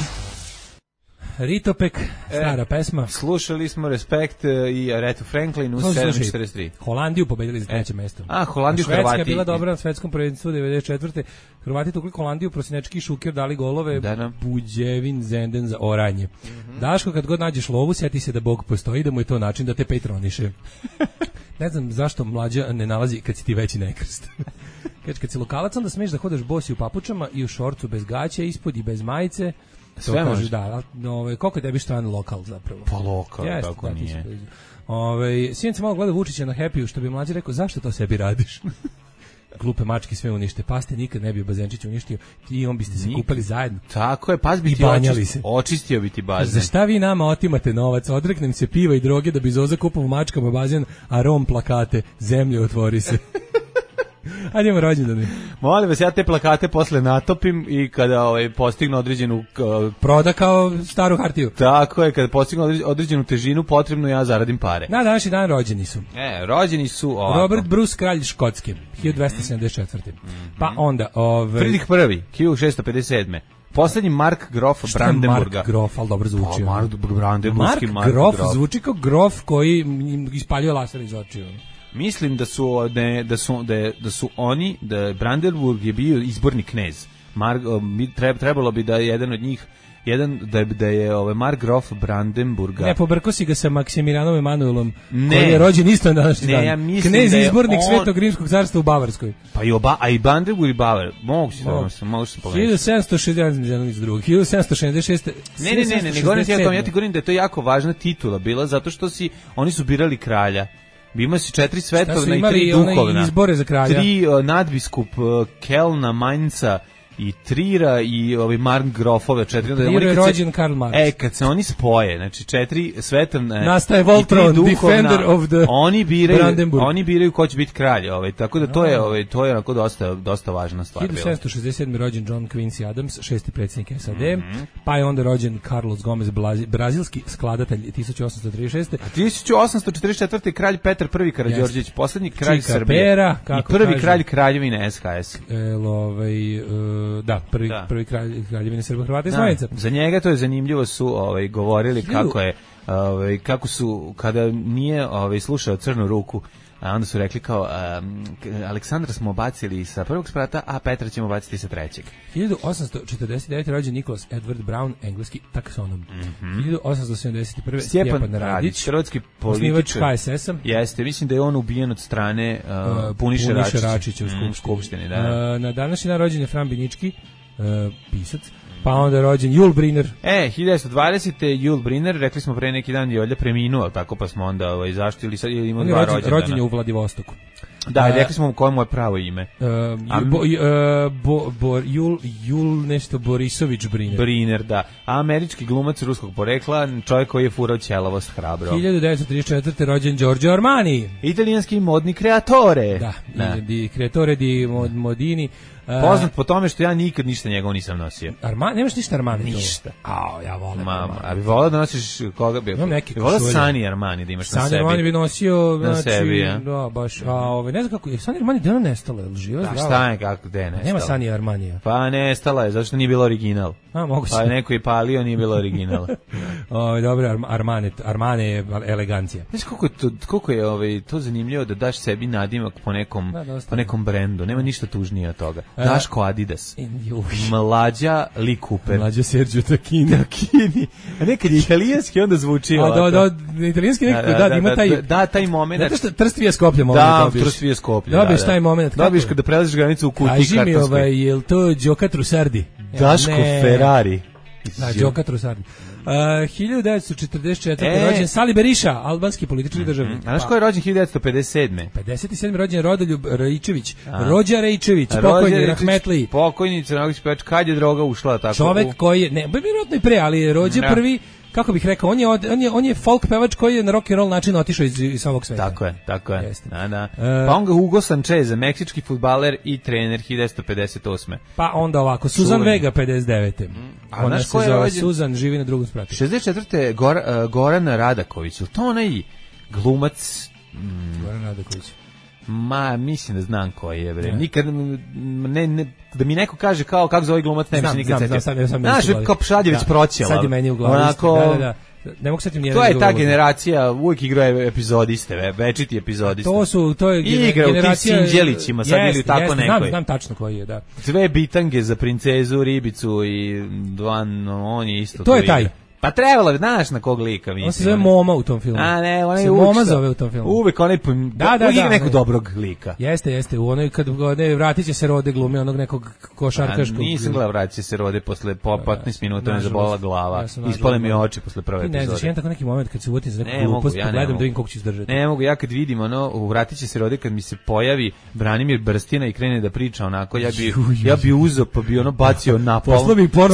Speaker 7: Ritopek, stara pesma.
Speaker 8: Slušali smo Respekt i Aretha Franklin u 7:43.
Speaker 7: Holandiju pobedili za 3. mesto.
Speaker 8: Holandiju Hrvati.
Speaker 7: Švedska je bila dobra na svetskom prvenstvu 94. Hrvati tukli Holandiju, Prosinečki i Šuker dali golove, Buđevin, Zenden za oranje. Daško, kad god nađeš lovu, sjeti se da Bog postoji, da mu je to način da te patroniše. Ne znam zašto Mlađa ne nalazi kad si ti veći nekrst. Kad si lokalac, onda smiješ da hodaš bosi u papučama i u šorcu bez gaća ispod i bez majice.
Speaker 8: Sve može.
Speaker 7: Da, koliko je tebi stran lokal zapravo?
Speaker 8: Pa lokal, kako nije.
Speaker 7: Sinac malo gleda Vučića na Happy-u, što bi Mlađi rekao, zašto to sebi radiš? Glupe mačke sve unište, paste nikad ne bi Bazenčić uništio i on biste se kupali zajedno.
Speaker 8: Tako je, pas bi ti očistio bi ti bazen.
Speaker 7: Za šta vi nama otimate novac? Odreknem se piva i droge da bi Zoza kupovao mačkama bazen, a Rom plakate, zemlje otvori se. Ajde imamo rođendane.
Speaker 8: Molim vas, ja te plakate posle natopim i kada postignu određenu...
Speaker 7: Proda kao staru hartiju.
Speaker 8: Tako je, kada postignu određenu težinu, potrebno ja zaradim pare.
Speaker 7: Na današnji dan rođeni su.
Speaker 8: Rođeni su ovako.
Speaker 7: Robert Bruce, kralj Škotske, 1274. Pa onda...
Speaker 8: Friedrich I, 1657. Poslednji Mark Grof Brandenburga.
Speaker 7: Mark Grof, ali dobro zvuči.
Speaker 8: Mark
Speaker 7: Grof zvuči kao grof koji ispaljuje laser iz očiju.
Speaker 8: Mislim da su oni, da Brandenburg je bio izborni knez. Trebalo bi da je jedan od njih, da je Mark Grof Brandenburga.
Speaker 7: Ne, pobrko si ga sa Maksimilijanom Emanuelom, koji je rođen isto na današnji dan.
Speaker 8: Ja mislim
Speaker 7: knez izbornik Svetog rimskog carstva u Bavarskoj.
Speaker 8: Pa i Brandenburg i Bavar. Mogu se pogledati.
Speaker 7: 1766.
Speaker 8: Ne govorim ti ja ti govorim da je to jako važna titula bila, zato što oni su birali kralja. Ima si 4 svetovna i 3 duhovna.
Speaker 7: Izbore za kralja.
Speaker 8: 3 nadbiskup Kelna, Mainca i Trira i Markgrofove 4.
Speaker 7: Trira je rođen Karl Marx.
Speaker 8: Kad se oni spoje, znači 4 svetovne
Speaker 7: nastaje Voltron, defender of the Brandenburg.
Speaker 8: Oni biraju ko će biti kralj, tako da to je onako dosta važna stvar.
Speaker 7: 1767. rođen John Quincy Adams, 6. predsjednik SAD, pa je onda rođen Carlos Gomez, brazilski skladatelj 1836.
Speaker 8: A 1844. kralj Petar I Karađorđević, poslednji kralj Srbije i prvi kralj kraljevine SHS.
Speaker 7: Da, prvi kraljevine Srba, Hrvata i Slovenaca.
Speaker 8: Za njega to je zanimljivo, su govorili kako su kada nije slušao Crnu ruku, a onda su rekli kao Aleksandra smo bacili sa prvog sprata, a Petra ćemo baciti sa trećeg.
Speaker 7: 1849. rođen Nicholas Edward Brown, engleski taksonom. 1871.
Speaker 8: Stjepan Radić, hrvatski političar,
Speaker 7: osnivač HSS-a.
Speaker 8: Jeste, mislim da je on ubijen od strane Puniše Račića
Speaker 7: u
Speaker 8: skupštini.
Speaker 7: Na današnji dan rođen je Fran Binički, pisac. Pa onda je rođen Jul Briner.
Speaker 8: 1920. Jul Briner, rekli smo pre neki dan je Olja preminuo, tako pa smo onda zaštili sad imamo 2 rođendana.
Speaker 7: Rođen je u Vladivostoku.
Speaker 8: Da, rekli smo koje mu je pravo ime.
Speaker 7: Jul nešto Borisović Briner.
Speaker 8: Briner, da. Američki glumac ruskog porekla, čovjek koji je furao ćelavost hrabro.
Speaker 7: 1934. rođen Giorgio Armani.
Speaker 8: Italijanski modni kreatore.
Speaker 7: Da, di kreatore di modini.
Speaker 8: Poznat po tome što ja nikad ništa njegov nisam nosio.
Speaker 7: Armani, nemaš ništa Armani?
Speaker 8: Ništa.
Speaker 7: Ja volim.
Speaker 8: A bi volao da nosiš koga bi?
Speaker 7: Imam neki
Speaker 8: košulje. Volao Sani Armani da imaš na sebi.
Speaker 7: Sani Armani bi nosio,
Speaker 8: na sebi,
Speaker 7: ja. Da, baš. Ne znam kako, je Sani Armani gde ona nestala, je li živa?
Speaker 8: Da, šta je, kako, gde je nestala?
Speaker 7: Nema Sani Armanija.
Speaker 8: Pa nestala je, zato što nije bilo original.
Speaker 7: Moguće.
Speaker 8: Pa neko je palio, nije bilo original.
Speaker 7: Dobro, Armane je elegancija.
Speaker 8: Znaš koliko je to zanimljivo da daš sebi nadimak po nekom brendu. Nema ništa tužnije od toga. Daško Adidas. Mlađa Lee Cooper.
Speaker 7: Mlađa Sergio Tacchini.
Speaker 8: A nekad je italijanski onda zvuči ovako.
Speaker 7: Da, italijanski nekako, ima taj...
Speaker 8: Da, taj moment.
Speaker 7: Zato što Trstvije Skoplje moment dobiš.
Speaker 8: Da, Trstvije Skoplje.
Speaker 7: Dobiš taj moment.
Speaker 8: Dobiš kada prelaziš granicu u kutiji kartonskoj.
Speaker 7: Kaži mi, je li to Đoka Trusardi?
Speaker 8: Daško Ferrari.
Speaker 7: Da, Đoka Trusardi. 1944. rođen Sali Berisha, albanski politički državnik.
Speaker 8: A znaš ko je rođen 1957.
Speaker 7: 57. rođen Rodoljub Raičević. Rođa Raičević, pokojni, rahmetli.
Speaker 8: Pokojni, crnogorski pevač, kad je droga ušla tako?
Speaker 7: Čovek koji je, vjerojatno i pre, ali je rođen prvi, kako bih rekao, on je folk pevač koji je na rock and roll način otišao iz ovog sveta.
Speaker 8: Tako je. Da. Pa on ga Hugo Sanchez, meksički fudbaler i trener 1958.
Speaker 7: Pa onda ovako, Suzan Vega 59. Ona se zove Suzan, živi na drugom spratu.
Speaker 8: 64. Goran Radaković, to onaj glumac...
Speaker 7: Goran Radaković.
Speaker 8: Mislim da znam koji je, bre. Nikad, da mi neko kaže kako zove glumac, ne bi se nikad setio. Znaš, kao Pšadjević proćela.
Speaker 7: Sad je meni u glavi. Da. Ne mogu setim nijedan.
Speaker 8: To je ta generacija, uvijek igraju epizodiste, večiti epizodiste.
Speaker 7: To je
Speaker 8: generacija... Igra u tim Sinđelićima, sad ili tako nekoj.
Speaker 7: Znam tačno koji je, da.
Speaker 8: Sve bitange za princezu, ribicu i on je isto.
Speaker 7: To je taj.
Speaker 8: Pa trebalo, znaš na kog lika mislim.
Speaker 7: On se zove Moma u tom filmu.
Speaker 8: A ne, on je
Speaker 7: Moma zove u tom filmu.
Speaker 8: Uvek onaj uvijek nekog dobrog lika.
Speaker 7: Jeste, u onoj kad vratit će se Rode glumi onog nekog košarkaškog.
Speaker 8: Nisam gledao vratit će se Rode posle 15 minuta, me zabolila glava. Ispale mi oči posle prve epizode.
Speaker 7: Ne, znači jedan tako neki moment kad se uvutim za neku glupost, gledam da vidim koliko ću izdržati.
Speaker 8: Ne mogu, ja kad vidim vratit će se Rode, kad mi se pojavi Branimir Brstina i krene da priča onako, ja bi uzeo pa bi bacio na pol.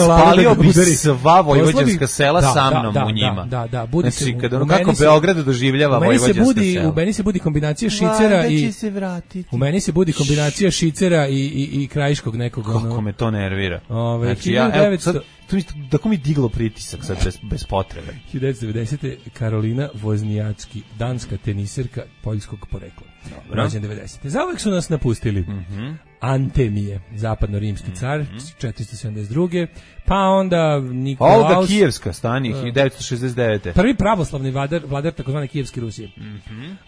Speaker 8: Spalio bi sva vojvođanska sela sa mnom njima.
Speaker 7: Da, budi se.
Speaker 8: Znači, kada kako Beograd doživljava vojvođanska sela.
Speaker 7: U meni se budi kombinacija šicera i... U meni se budi kombinacija šicera i krajiškog nekog.
Speaker 8: Kako me to nervira.
Speaker 7: Znači, ja,
Speaker 8: tako mi diglo pritisak sad bez potrebe.
Speaker 7: 1990. Karolina Voznijacki, danska teniserka poljskog porekla. Rođen 90. Zauvek su nas napustili. Antemije, zapadno-rimski car, 472. Pa onda Nikolaus...
Speaker 8: Olga Kijevska, stani, 1969.
Speaker 7: Prvi pravoslavni vladar takozvane Kijevske Rusije.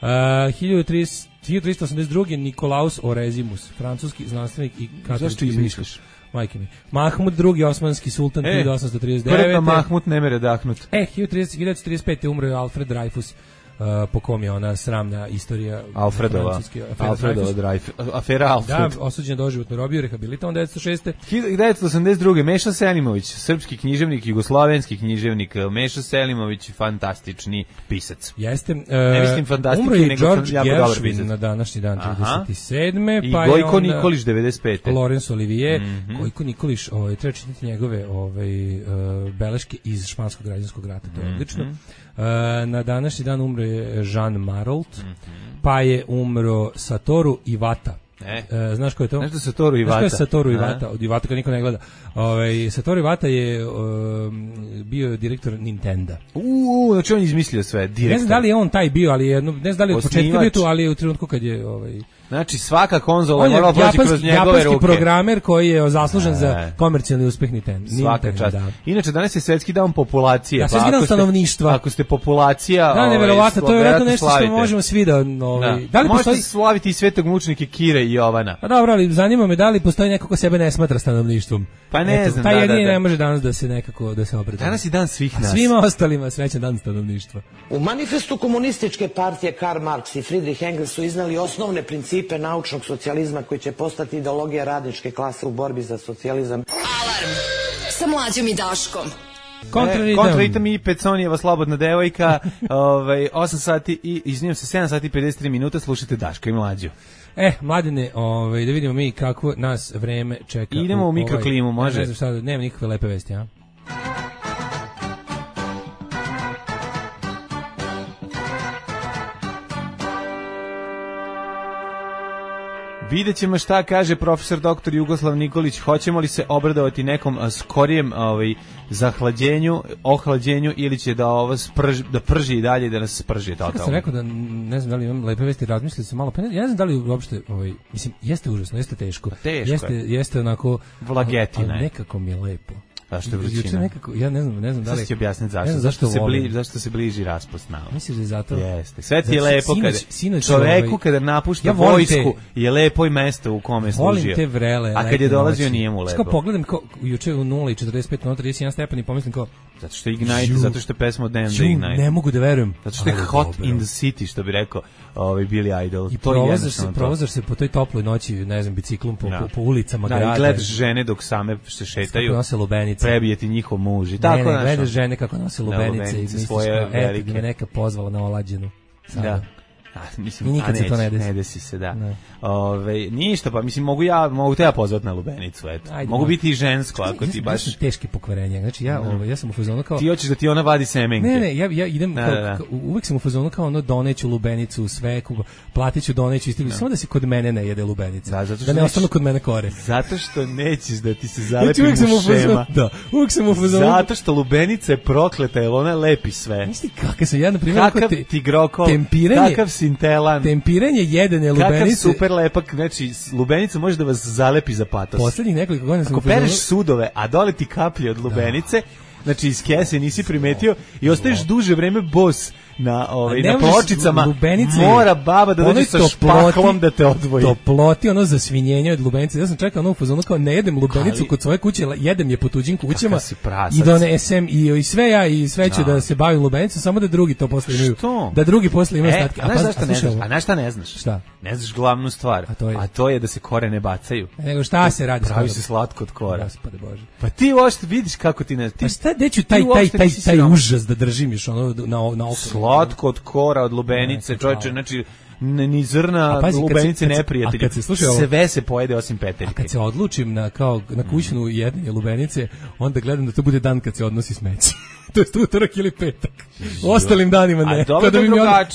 Speaker 7: 1382. Nikolaus Orezimus, francuski znanstvenik i katolički.
Speaker 8: Zašto izmišljaš?
Speaker 7: Majke mi. Mahmud II. Osmanski sultan 1839.
Speaker 8: Prva Mahmud ne mere dahnut.
Speaker 7: 1935. umro je Alfred Dreyfus, po kom je ona sramna istorija
Speaker 8: Alfredova Dreyfus. Afera Alfred.
Speaker 7: Da, osuđen do doživotne robije, rehabilitovan 1906.
Speaker 8: 1982. Meša Selimović, srpski književnik, jugoslovenski književnik. Meša Selimović, fantastični pisac.
Speaker 7: Jeste.
Speaker 8: Ne mislim fantastični,
Speaker 7: umro je
Speaker 8: nego
Speaker 7: George
Speaker 8: jako dobar pisac.
Speaker 7: Na današnji dan 37.
Speaker 8: I Gojko Nikolić 95.
Speaker 7: Laurence Olivier. Gojko Nikolić, treba čitati njegove beleške iz Španskog građanskog rata, to je odlično. Na današnji dan umro je Jean Marolt, pa je umro Satoru Iwata. Znaš ko je to?
Speaker 8: Nešto Satoru Iwata.
Speaker 7: Znaš ko je Satoru Iwata? Od Iwata kad niko ne gleda. Satoru Iwata je bio direktor Nintendo.
Speaker 8: Znači on izmislio sve, direktor.
Speaker 7: Ne znam da li je on taj bio, ali ne znam da li je od početka bio tu, ali je u trenutku kad je...
Speaker 8: Znači svaka konzola je morala proći kroz njegove ruke.
Speaker 7: Japanski programer koji je zaslužen za komercijalni uspeh Nintendo.
Speaker 8: Svaka čast. Inače danas je svetski dan populacije.
Speaker 7: Svetski dan stanovništva.
Speaker 8: Ako ste populacija...
Speaker 7: Da, neverovatno, to je vjerojatno nešto što možemo svi da...
Speaker 8: Da li možete slaviti i svetog mučnike Kire i Jovana.
Speaker 7: Pa dobro, ali zanima me da li postoji neko ko sebe ne smatra stanovništvom.
Speaker 8: Pa ne znam,
Speaker 7: taj jedini ne može danas da se nekako da se obreda.
Speaker 8: Danas je dan svih nas.
Speaker 7: Svima ostalima srećan dan stanovništva.
Speaker 9: U manifestu komunističke partije Karl Marx i Friedrich Engels su iznali osnovne principe naučnog socijalizma koji će postati ideologija radničke klase u borbi za socijalizam.
Speaker 6: Alarm sa Mlađom i Daškom.
Speaker 8: Kontraritam i Peconijeva slobodna devojka. 8 sati i izvinjam se 7 sati i 53 minuta slušate Daška i Mlađu.
Speaker 7: Mladine, da vidimo mi kako nas vreme čeka.
Speaker 8: Idemo u mikroklimu, može?
Speaker 7: Ne znam šta, nema nikakve lepe vesti, a?
Speaker 8: Vidjet ćemo šta kaže profesor dr. Jugoslav Nikolić, hoćemo li se obradovati nekom skorijem ohlađenju ili će da da prži i dalje da nas sprži totalno.
Speaker 7: Kad sam rekao da ne znam da li imam lepe vesti, razmislili sam malo, pa ja ne znam da li uopšte, mislim, jeste užasno, jeste teško. Jeste onako
Speaker 8: vlagetina.
Speaker 7: Nekako mi je lepo.
Speaker 8: Zašto je vrućina?
Speaker 7: Nekako, ja ne znam da li...
Speaker 8: Sad ću objasniti zašto se bliži raspust nama.
Speaker 7: Misliš da je zato?
Speaker 8: Jeste. Sve ti je lepo čoveku kada napušta vojsku je lepo i mesto u kome je služio.
Speaker 7: Volim te vrele.
Speaker 8: A kad je dolazio nije mu lepo.
Speaker 7: Kao pogledam juče u 0:45 na 31 stepen i pomislim kao...
Speaker 8: Zato što je Ignite, zato što je pesma od Damn the Ignite.
Speaker 7: Ne mogu da verujem.
Speaker 8: Zato što je hot in the city, što bi rekao Billy Idol.
Speaker 7: I provozaš se po toj toploj noći, ne znam, biciklom po ulicama grada.
Speaker 8: Da, i gledaš žene dok same se šetaju.
Speaker 7: Nose lubenice.
Speaker 8: Prebije ti njihov muž.
Speaker 7: Ne, gledaš žene kako nose lubenice i misliš kao, eto da me neka pozvala na olađenu.
Speaker 8: Da. Mislim,
Speaker 7: nikad se to
Speaker 8: ne desi se, da. Ništa, pa mislim, mogu te ja pozvati na lubenicu, eto. Mogu biti i žensko, ako ti baš...
Speaker 7: Ja sam teški pokvarenja, znači ja sam u fazonu kao...
Speaker 8: Ti hoćeš da ti ona vadi semenke.
Speaker 7: Ne, ja idem, uvek sam u fazonu kao doneću lubenicu, sve, platiću, doneću, samo da se kod mene ne jede lubenica, da ne ostanu kod mene kore.
Speaker 8: Zato što nećeš da ti se zalepi mušema.
Speaker 7: Da, uvek sam u fazonu...
Speaker 8: Zato što lubenica je prokleta, jer ona lepi sve.
Speaker 7: Misli, kakav sam ja, na primjer,
Speaker 8: kakav tigrokol, kakav sintelan,
Speaker 7: tempiranje jedene lubenice.
Speaker 8: Kakav super lepak, znači lubenica može da vas zalepi za patos.
Speaker 7: Poslednjih nekoliko godina sam...
Speaker 8: Ako pereš sudove, a dole ti kaplje od lubenice, znači iz kese nisi primetio i ostaješ duže vreme bos na pločicama, mora baba da dođe sa špaklom da te odvoji.
Speaker 7: Toploti, zasvinjenje od lubenice. Ja sam čekao u fazonu kao ne jedem lubenicu kod svoje kuće, jedem je po tuđim kućama i donesem i sve ću da se bavim lubenicom, samo da drugi to posle imaju. Da drugi posle imaju statke.
Speaker 8: A na šta ne znaš?
Speaker 7: Šta?
Speaker 8: Ne znaš glavnu stvar, a to je da se kore ne bacaju.
Speaker 7: Nego šta se radi?
Speaker 8: Pravi se slatko od kora.
Speaker 7: Gospode Bože.
Speaker 8: Pa ti uopšte vidiš kako ti ne...
Speaker 7: Pa šta, deću taj užas da držim još na oko.
Speaker 8: Slatko od kora, od lubenice, čovječe, znači ni zrna lubenice neprijatelji. Sve se pojede osim peteljke.
Speaker 7: A kad se odlučim na kućnu jedinje lubenice, onda gledam da to bude dan kad se odnosi smeće. To je utorak ili petak. Ostalim danima ne.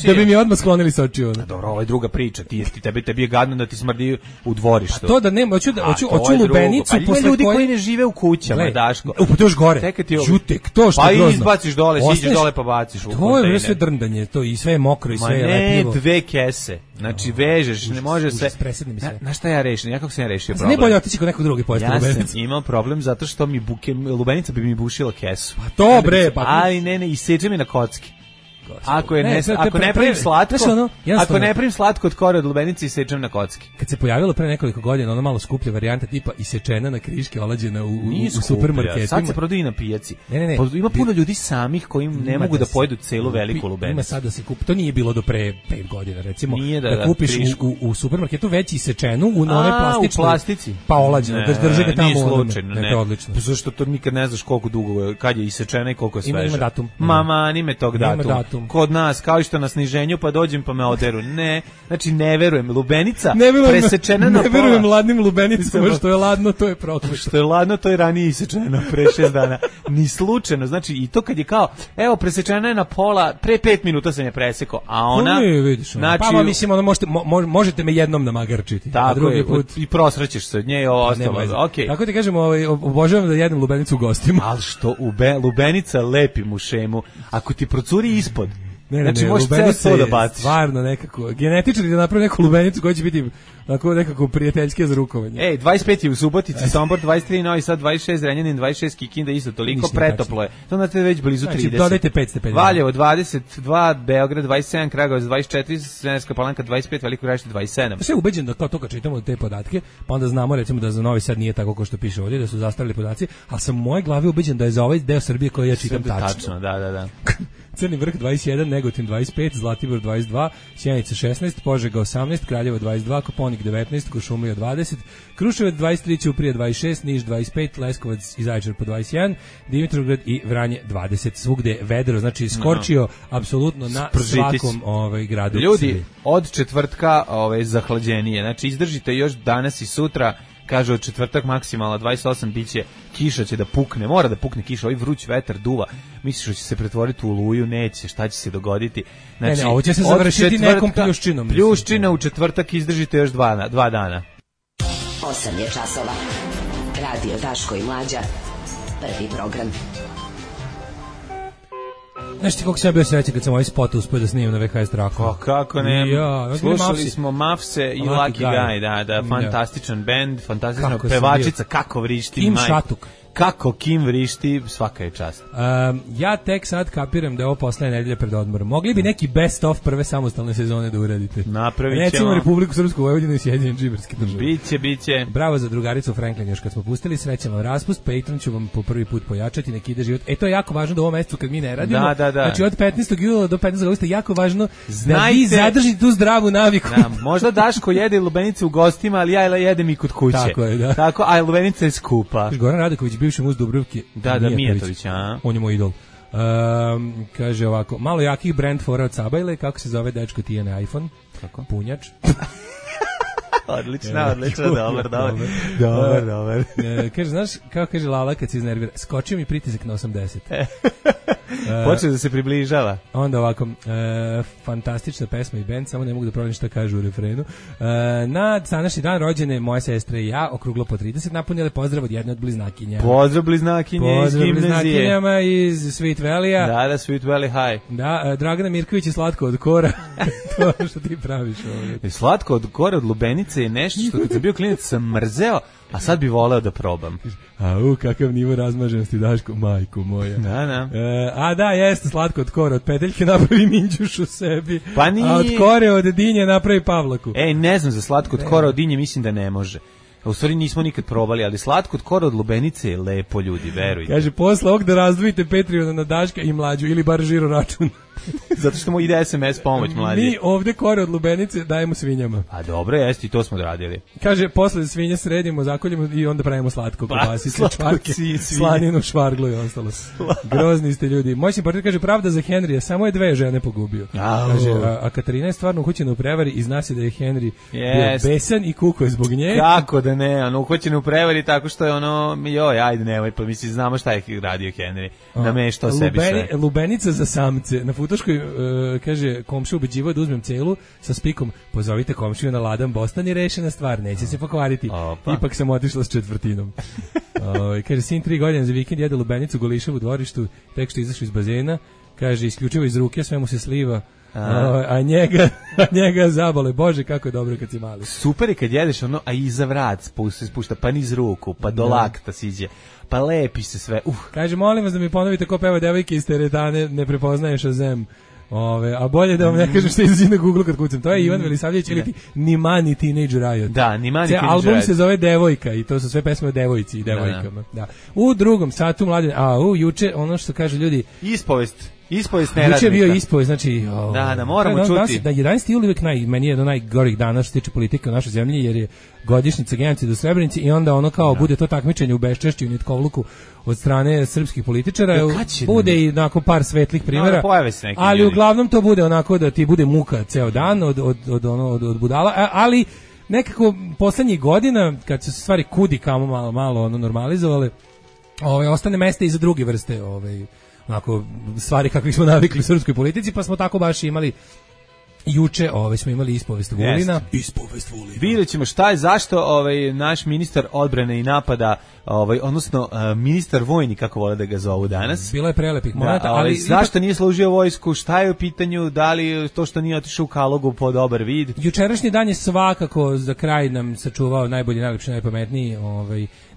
Speaker 7: Da bi mi odmah sklonili sa očiju.
Speaker 8: Dobro, ovo je druga priča. Tebi je gadno da ti smrdi u dvorištu.
Speaker 7: A to da nema, hoću lubenicu
Speaker 8: posle koje... ljudi koji ne žive u kućama, Daško.
Speaker 7: Pa to još gore. Žutek, to što
Speaker 8: je grozno. Pa izbaciš dole, siđeš dole pa baciš u kontejner.
Speaker 7: To je sve drndanje, to i sve je mokro i sve je lepljivo.
Speaker 8: Ne, 2 kese. Znači vežeš, ne može se... Na šta ja rešim? Ja kako sam ja rešio problem?
Speaker 7: Ne bolje otići kod nekog drugog pojesti lubenicu.
Speaker 8: Ja sam imao problem zato što mi lubenica bi mi bušila kesu.
Speaker 7: Pa to bre,
Speaker 8: ali ne, iseče mi na kocki. Ako ne pravim slatko, ako ne pravim slatko od kore od lubenice, isečem na kocki.
Speaker 7: Kad se pojavilo pre nekoliko godina ona malo skuplja varijanta tipa isečena na kriške, olađena u supermarketima.
Speaker 8: Sad se prodaje na pijaci. Ne. Ima puno ljudi samih koji ne mogu da pojedu celu veliku lubenicu.
Speaker 7: Ima sad da se kupi. To nije bilo do pre 5 godina, recimo. Da kupiš u supermarketu već isečenu u onoj
Speaker 8: plastici.
Speaker 7: Pa olađenu, da drže ga tamo.
Speaker 8: Nije slučajno,
Speaker 7: ne. To je odlično.
Speaker 8: Zašto to nikad ne znaš koliko dugo, kad je isečena i koliko je sveža.
Speaker 7: Ima datum.
Speaker 8: Mama, nime tog datuma. Kod nas, kao i što na sniženju, pa dođem pa me oderu. Ne, znači ne verujem. Lubenica presečena na pola.
Speaker 7: Ne verujem ladnim lubenicama, što je ladno, to je prokleto.
Speaker 8: Što je ladno, to je ranije isečeno, pre 6 dana. Ni slučajno, znači i to kad je kao, evo, presečena je na pola, pre 5 minuta sam je presekao, a ona...
Speaker 7: Znači, pa mislim, možete me jednom namagarčiti.
Speaker 8: Tako je, i prosrećeš se od nje i ovo ostalo.
Speaker 7: Tako ti kažem, obožavam da jedem lubenicu u gostima.
Speaker 8: Ali što lubenica lepi mušemu, ako ti procuri ispod,
Speaker 7: znači možeš ceo to da baciš. Stvarno nekako, genetičari da napravi neku lubenicu koja će biti nekako prijateljske za rukovanje.
Speaker 8: 25 je u Subotici, Sombor 23, Novi Sad 26, Zrenjanin 26, Kikinda isto toliko, pretoplo je. To znate već blizu 30.
Speaker 7: Znači dodajte 5 stepeni.
Speaker 8: Valjevo 22, Beograd 27, Kragujevac 24, Smederevska Palanka 25, Veliko Gradište 27.
Speaker 7: Sve ubeđen da kao to kad čitamo te podatke, pa onda znamo recimo da za Novi Sad nije tako kao što piše ovdje, da su zastarili podaci, ali sam u mojoj glavi ubeđen da je za ovaj deo Srbije koji ja čitam tačno.
Speaker 8: Da.
Speaker 7: Crni Vrh 21, Negotin 25, Zlatibor 22, Sjenica 16, Požega 18, Kraljevo 22, Koponik 19, Kuršumlija 20, Kruševac 23, Ćuprija 26, Niš 25, Leskovac i Zaječar po 21, Dimitrovgrad i Vranje 20. Svugde vedro, znači skorčio apsolutno na svakom gradu.
Speaker 8: Ljudi, od četvrtka zahlađenije, znači izdržite još danas i sutra. Kaže od četvrtak maksimalno 28, biće kiša, će da pukne, mora da pukne kiša, ovaj vruć vetar duva, misliš da će se pretvoriti u oluju, neće, šta će se dogoditi? Znači,
Speaker 7: ovo će se završiti nekom pljuščinom.
Speaker 8: Pljuščina u četvrtak izdržite još dva dana.
Speaker 1: 8 je časova. Radio Daško i Mlađa. Prvi program.
Speaker 7: Znaš ti koliko sam ja bio srećan kad sam ovaj spot uspio da snimim na VHS traku?
Speaker 8: Kako ne? Slušali smo Mafse i Lucky Guy, da, fantastičan band, fantastična pevačica, kako vrišti.
Speaker 7: Kim Šatuk.
Speaker 8: Kako Kim vrišti, svaka je čast.
Speaker 7: Ja tek sad kapiram da je ovo poslednja nedelja pred odmorom. Mogli bi neki best of prve samostalne sezone da uradite.
Speaker 8: Napravit ćemo.
Speaker 7: Recimo Republiku Srpsku, Vojvodinu i Sjedinjene Džiberske države.
Speaker 8: Biće.
Speaker 7: Bravo za drugaricu Franklin još kad smo pustili. Srećan vam raspust, Patreon ću vam po prvi put pojačati, neki ide život. To je jako važno da u ovom mesecu kad mi ne radimo.
Speaker 8: Da.
Speaker 7: Znači od 15. jula do 15. augusta jako važno da vi zadržite tu zdravu naviku.
Speaker 8: Da, možda Daško jede lubenice u gostima, ali ja jedem i kod kuće.
Speaker 7: Tako je, da.
Speaker 8: Tako, a lubenica je skupa.
Speaker 7: Goran Radaković, bivši muz Dubrovke.
Speaker 8: Da, Mijatović, a?
Speaker 7: On je moj idol. Kaže ovako, malo jakih brand fora od Sabajle, kako se zove dečko Tijene iPhone?
Speaker 8: Kako?
Speaker 7: Punjač.
Speaker 8: Odlično, dobar.
Speaker 7: Kaže, znaš, kako kaže Lala kad se iznervira, skočio mi pritisak na 80.
Speaker 8: Počeo da se približava.
Speaker 7: Onda ovako, fantastična pesma i band, samo ne mogu da pronađem šta kažu u refrenu. Na današnji dan rođene moje sestre i ja, okruglo po 30, napunile pozdrav od jedne od bliznakinja.
Speaker 8: Pozdrav bliznakinje iz gimnazije.
Speaker 7: Pozdrav bliznakinjama iz Sweet Valley-a.
Speaker 8: Da, Sweet Valley High.
Speaker 7: Da, Dragana Mirković je slatko od kora. To što ti praviš ovdje.
Speaker 8: Slatko od kora od lubenice je nešto što kad sam bio klinac sam mrzeo, a sad bi voleo da probam.
Speaker 7: Kakav nivo razmaženosti, Daško, majko moja.
Speaker 8: Da.
Speaker 7: Da, jeste slatko od kore, od peteljke napravi minđuš u sebi,
Speaker 8: pa nije.
Speaker 7: A od kore, od dinje napravi pavlaku.
Speaker 8: Ne znam za slatko od kore od dinje, mislim da ne može. U stvari nismo nikad probali, ali slatko od kora od lubenice je lepo, ljudi, verujte.
Speaker 7: Kaže, posle ovog da razdvojite Patreona na Daška i Mlađu, ili bar žiro račun.
Speaker 8: Zato što mu ide SMS pomoć mlađi.
Speaker 7: Mi ovde kore od lubenice dajemo svinjama.
Speaker 8: A dobro, jeste, i to smo odradili.
Speaker 7: Kaže, posle svinje sredimo, zakoljemo i onda pravimo slatko, kobasice, čvarke, slaninu, švarglu i ostalo. Grozni ste ljudi. Moj simpatija kaže, pravda za Henrija, samo je 2 žene pogubio. Kaže, a Katarina je stvarno uhoćena u prevari i zna se da je Henry bio besan i kuko je zbog nje.
Speaker 8: Kako da ne, uhoćena u prevari tako što je ajde nemoj, pa mislim, znamo šta je radio Henry. Nameštao sebi sve.
Speaker 7: Lubenica za samce. Na Futoškoj, kaže, komšija ubeđivao da uzmem celu sa spikom, pozovite komšiju na ladan Bostan i rešena stvar, neće se pokvariti. Ipak sam otišla s četvrtinom. Kaže, sin 3 godine za vikend jede lubenicu golišav u dvorištu, tek što izašao iz bazena, kaže, isključivo iz ruke, sve mu se sliva, a njega zabole. Bože, kako je dobro kad si mali.
Speaker 8: Super je kad jedeš a iza vrat spušta, pa niz ruku, pa do lakta siđe, pa lepi se sve.
Speaker 7: Kaže, molim vas da mi ponovite ko peva devojke iz teretane, ne prepoznaje Shazam. A bolje da vam ne kažem što izlazi na Google kad kucam. To je Ivan Velisavljević ili ti Nimani Teenage Riot.
Speaker 8: Da, Nimani Teenage Riot.
Speaker 7: Album se zove Devojka i to su sve pesme o devojci i devojkama. Da. U drugom satu mladen, juče ono što kažu ljudi,
Speaker 8: ispovest neradnika.
Speaker 7: Juče je bio ispovest, znači
Speaker 8: da moramo čuti.
Speaker 7: Da 11. jul uvijek meni je jedan od najgorih dana što se tiče politike u našoj zemlji, jer je godišnjica genocida u Srebrenici i onda bude to takmičenje u beščešću i nitkovluku od strane srpskih političara. Bude i onako par svetlih primjera, ali uglavnom to bude onako da ti bude muka ceo dan od budala, ali nekako poslednjih godina kad su se stvari kudi kamo malo normalizovale, ostane mesta i za druge vrste onako stvari kakvih smo navikli u srpskoj politici, pa smo tako baš imali juče, smo imali ispovest Vulina. Ispovest Vulina.
Speaker 8: Vidjet ćemo šta je, zašto naš ministar odbrane i napada, odnosno ministar vojni, kako vole da ga zovu danas.
Speaker 7: Bilo je prelepih momenta, ali
Speaker 8: zašto nije služio vojsku, šta je u pitanju, da li to što nije otišao u Kalogu po dobar vid.
Speaker 7: Jučerašnji dan je svakako za kraj nam sačuvao najbolji, najlepši, najpametniji.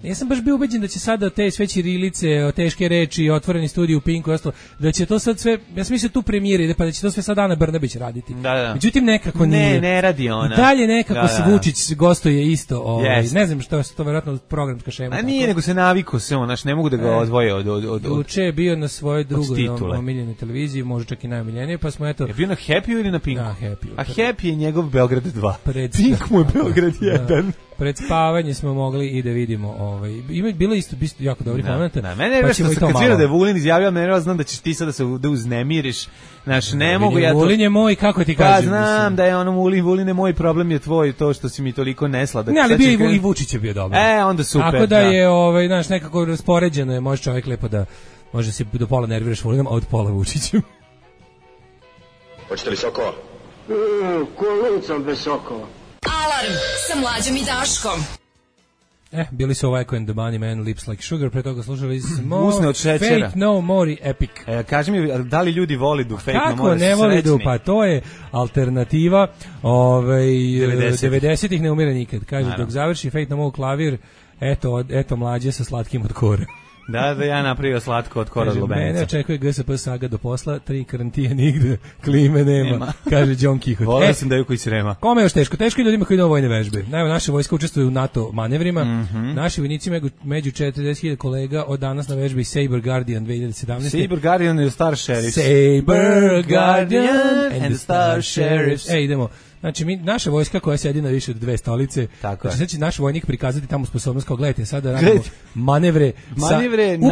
Speaker 7: Nisam baš bio ubeđen da će sada te sve ćirilice, teške reči, otvoreni studij u Pinku i ostalo, da će to sad sve, ja sam mislio tu premijer ide, pa da će to sve sad Ana Brnabić raditi.
Speaker 8: Da.
Speaker 7: Međutim, nekako nije.
Speaker 8: Ne radi ona.
Speaker 7: Dalje nekako se Vučić gostuje isto. Ne znam što je to verovatno programska šema.
Speaker 8: A nije, nego se naviko se on, ne mogu da ga odvoje od
Speaker 7: Juče je bio na svojoj drugoj omiljenoj televiziji, možda čak i najomiljenije, pa smo eto...
Speaker 8: Je bio na Happy ili na Pinku?
Speaker 7: Na Happy.
Speaker 8: A Happy je njegov Beograd 2. Pink mu je Beograd 1.
Speaker 7: Pred spavanje smo mogli i da vidimo, bilo isto jako dobri momenta.
Speaker 8: Da, mene je što kad svira da je Vulin izjavio, mene znam da ćeš ti sada da uznemiriš. Znaš, ne mogu ja to...
Speaker 7: Vulin je moj, kako ti kažem?
Speaker 8: Pa znam da je ono Vulin je moj, problem je tvoj, to što si mi toliko nesladak.
Speaker 7: Ne, ali bio i Vučić je bio dobar.
Speaker 8: Onda super.
Speaker 7: Tako da je, znaš, nekako raspoređeno je, može čovjek lepo da, može se do pola nerviraš Vulinom, a od pola Vučićem.
Speaker 4: Hoćete li sokova?
Speaker 2: Kolucam bez sokova.
Speaker 6: Alarm sa Mlađom i Daškom.
Speaker 7: Bili su Ovako and the Money Man, Lips Like Sugar, pre toga slušali smo
Speaker 8: Usne od šećera.
Speaker 7: Fate No More Epic.
Speaker 8: Kaži mi, da li ljudi voli du Fate No More?
Speaker 7: Kako ne voli du? Pa to je alternativa 90-ih ne umire nikad. Kaže, dok završi Fate No More klavir, eto mlađe sa slatkim od kore.
Speaker 8: Da, ja napravio slatko od kora od lubenica. Mene
Speaker 7: očekuje GSP saga do posla, 3 karantije nigde, klime nema. Kaže John Quixote.
Speaker 8: Volio sam da je koji srema.
Speaker 7: Kome je još teško? Teško je ljudima koji idu vojne vežbe. Naime, naše vojska učestvuju u NATO manevrima. Naši vojnici među 40.000 kolega od danas na vežbi Saber Guardian 2017.
Speaker 8: Saber Guardian and the Star Sheriffs.
Speaker 7: Saber Guardian and the Star Sheriffs. Idemo. Znači, naša vojska koja sedi na više od 2 stolice, znači sad će naš vojnik prikazati tamo sposobnost, kao gledajte, sada radimo manevre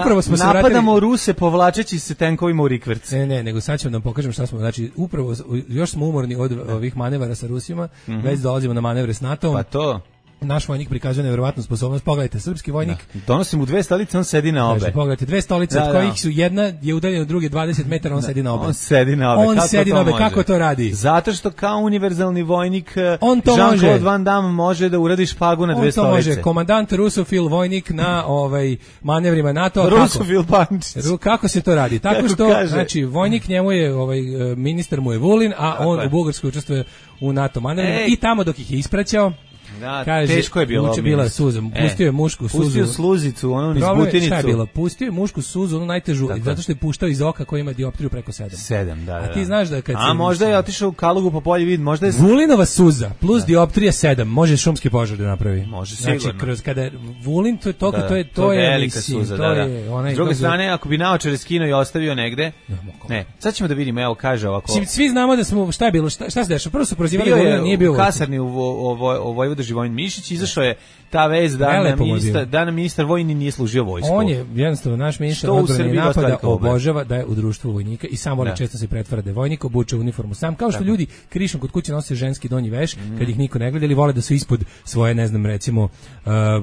Speaker 7: upravo smo se
Speaker 8: napadamo Ruse povlačeći se tenkovima u rikverc.
Speaker 7: Ne, nego sad ćemo da vam pokažem šta smo, znači, upravo, još smo umorni od ovih manevara sa Rusima, već dolazimo na manevre s NATO-om.
Speaker 8: Pa to...
Speaker 7: Naš vojnik prikazuje nevjerovatnu sposobnost. Pogledajte, srpski vojnik.
Speaker 8: Donosi mu 2 stolice, on sedi na obe.
Speaker 7: Pogledajte, 2 stolice, od kojih su jedna je udaljena od druge 20 metara, on sedi na obe.
Speaker 8: On sedi na obe.
Speaker 7: Kako to radi?
Speaker 8: Zato što kao univerzalni vojnik
Speaker 7: Jean-Claude
Speaker 8: Van Damme može da uradi špagu na 2 stolice.
Speaker 7: On to može. Komandant Rusofil vojnik na manevrima NATO.
Speaker 8: Rusofil Pančić.
Speaker 7: Kako se to radi? Tako što, znači, vojnik njemu je, ministar mu je Vulin, a on u Bugarskoj učestvuje u NATO manevrima i tamo dok ih je ispraćao.
Speaker 8: Da, kaže, teško je bilo.
Speaker 7: Bila suza. Pustio je mušku suzu.
Speaker 8: Pustio sluzicu, onu niz butinicu.
Speaker 7: Šta je bilo? Pustio je mušku suzu, onu najtežu, zato što je puštao iz oka koji ima dioptriju preko 7.
Speaker 8: Da.
Speaker 7: A ti znaš da kad
Speaker 8: A možda je otišao u Kalugu po polju vid, možda je...
Speaker 7: Vulinova suza plus dioptrija 7, može šumski požar da napravi.
Speaker 8: Može sigurno.
Speaker 7: Znači, kroz kada Vulin, to je
Speaker 8: velika suza, da. S druge strane, ako bi naočare skinuo i ostavio negde... Ne, sad ćemo da vidimo, evo kaže ovako...
Speaker 7: Svi znamo da smo, šta je bilo, šta se dešava? Prvo su prozivali Vulina, nije bio
Speaker 8: u kasarni u Vojvoda Živojin Mišić, izašao je ta vez da nam ministar vojni nije služio vojsku.
Speaker 7: On je jednostavno naš ministar odbrane i napada obožava da je u društvu vojnika i sam voli često se pretvara da je vojnik, obuče uniformu sam, kao što ljudi krišom kod kuće nose ženski donji veš kad ih niko ne gleda, ili vole da su ispod svoje, ne znam, recimo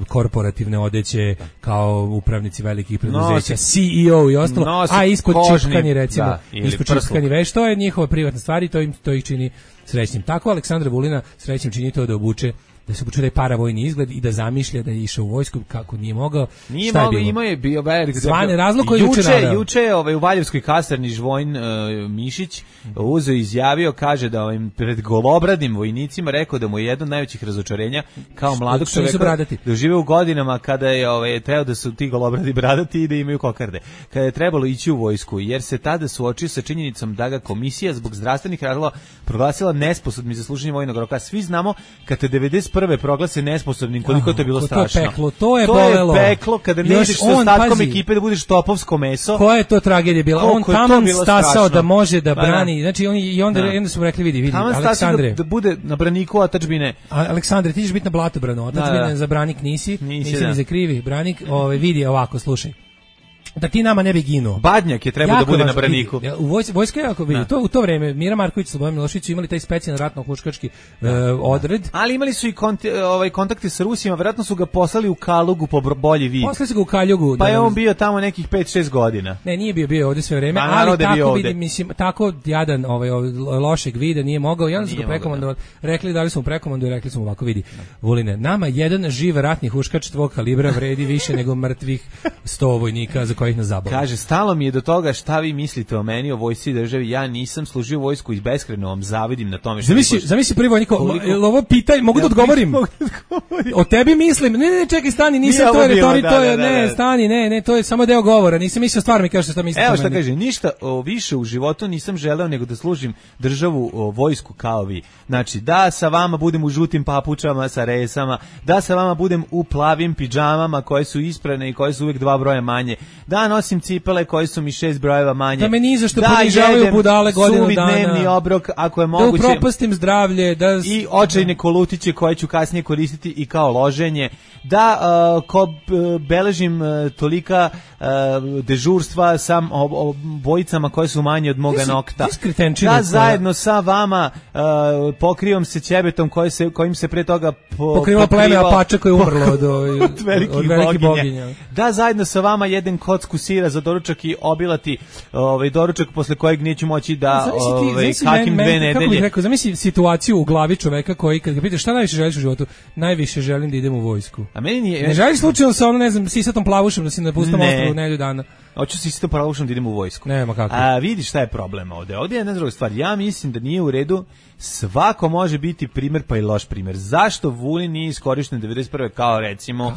Speaker 7: korporativne odeće kao upravnici velikih preduzeća, CEO i ostalo, a ispod čipkani, recimo, ispod čipkani veš, to je njihova privatna stvar i to ih čini srećnim. Tako Aleksandra Vulina srećnim čini to da obuče, da se počuje paravojni izgled i da zamišlja da je išao u vojsku kako nije mogao.
Speaker 8: Nije mogao, imao je bio velik
Speaker 7: zvane razlog koji
Speaker 8: juče u Valjevskoj kasarni Živojin Mišić uzeo izjavio, kaže da pred golobradim vojnicima rekao da mu je jedno od najvećih razočarenja kao mladog čovjeka da žive u godinama kada je trebao da su ti golobradi bradati i da imaju kokarde. Kada je trebalo ići u vojsku, jer se tada suočio sa činjenicom da ga komisija zbog zdravstvenih razloga proglasila nesposobnim za služenje vojnog roka. Svi znamo kad te 91. proglase nesposobnim, koliko to je bilo strašno.
Speaker 7: To je bolelo.
Speaker 8: To je peklo kada ne ideš sa ostatkom ekipe da budeš topovsko meso.
Speaker 7: Koja je to tragedija bila? On tamo stasao da može da brani. Znači onda smo rekli vidi Aleksandre.
Speaker 8: Da bude na braniku otadžbine.
Speaker 7: Aleksandre, ti ćeš biti na blatobranu. Otadžbine za branik nisi ni za krivi branik. Vidi ovako, slušaj. Da ti nama ne bi ginuo.
Speaker 8: Badnjak je trebao da bude na braniku.
Speaker 7: U vojska je jako vidi. U to vreme Mira Marković i Slobodan Milošević su imali taj specijalni ratno-huškački odred.
Speaker 8: Ali imali su i kontakte sa Rusima, verovatno su ga poslali u Kalugu po bolji vid.
Speaker 7: Poslali su ga u Kaljugu.
Speaker 8: Pa je on bio tamo nekih 5-6 godina.
Speaker 7: Ne, nije bio ovdje sve vreme, ali tako vidi, mislim, tako jadan lošeg vida nije mogao. I onda su ga prekomandovali, dali su mu prekomandu i rekli su mu ovako, vidi, Vuline, nama jedan živ ratni huškač tvog kalibra vredi više nego mrtvih 100 vojnika za kojih nas zabavlja.
Speaker 8: Kaže, stalo mi je do toga šta vi mislite o meni, o vojsci i državi. Ja nisam služio vojsku i beskrajno vam zavidim na tome što...
Speaker 7: Zamisli prvi vojnik, ovo pitanje, mogu da odgovorim? O tebi mislim, ne, čekaj, stani, nisam to je retorika, to je, ne, stani, ne, to je samo deo govora, nisam mislio stvarno mi kažeš šta mislite o meni.
Speaker 8: Evo šta kaže, ništa više u životu nisam želeo nego da služim državu, vojsku kao vi. Znači, da sa vama budem u žutim papučama sa resama, da sa vama budem u plavim pidžamama koje su isprane i koje su uvijek 2 broja manje, da nosim cipele koje su mi 6 brojeva manje,
Speaker 7: da me ni za što ponižavaju budale godinu dana,
Speaker 8: suvi dnevni obrok ako je moguće,
Speaker 7: da upropastim zdravlje,
Speaker 8: i očajne kolutiće koje ću kasnije koristiti i kao loženje, da beležim tolika dežurstva sam bojicama koje su manje od moga nokta, da zajedno sa vama pokrivam se ćebetom kojim se pre toga
Speaker 7: pokrivalo pleme Apača koje je umrlo od velikih boginja.
Speaker 8: Da zajedno sa vama jedem kocku sira za doručak i obilati doručak posle kojeg neću moći da kakim 2 nedelje.
Speaker 7: Kako bih rekao, zamisli situaciju u glavi čoveka koji kad ga pitaš šta najviše želiš u životu, najviše želim da idem u vojsku.
Speaker 8: A meni nije.
Speaker 7: Ne želiš slučajno sa ne znam, sisatom plavušom da si na pustom ostrvu nedelju dana.
Speaker 8: Hoću se isto pravušom da idem u vojsku.
Speaker 7: Nema kako.
Speaker 8: A vidiš šta je problem ovde? Ovde je jedna druga stvar. Ja mislim da nije u redu. Svako može biti primer pa i loš primer. Zašto Vulin nije iskorišten 91. kao recimo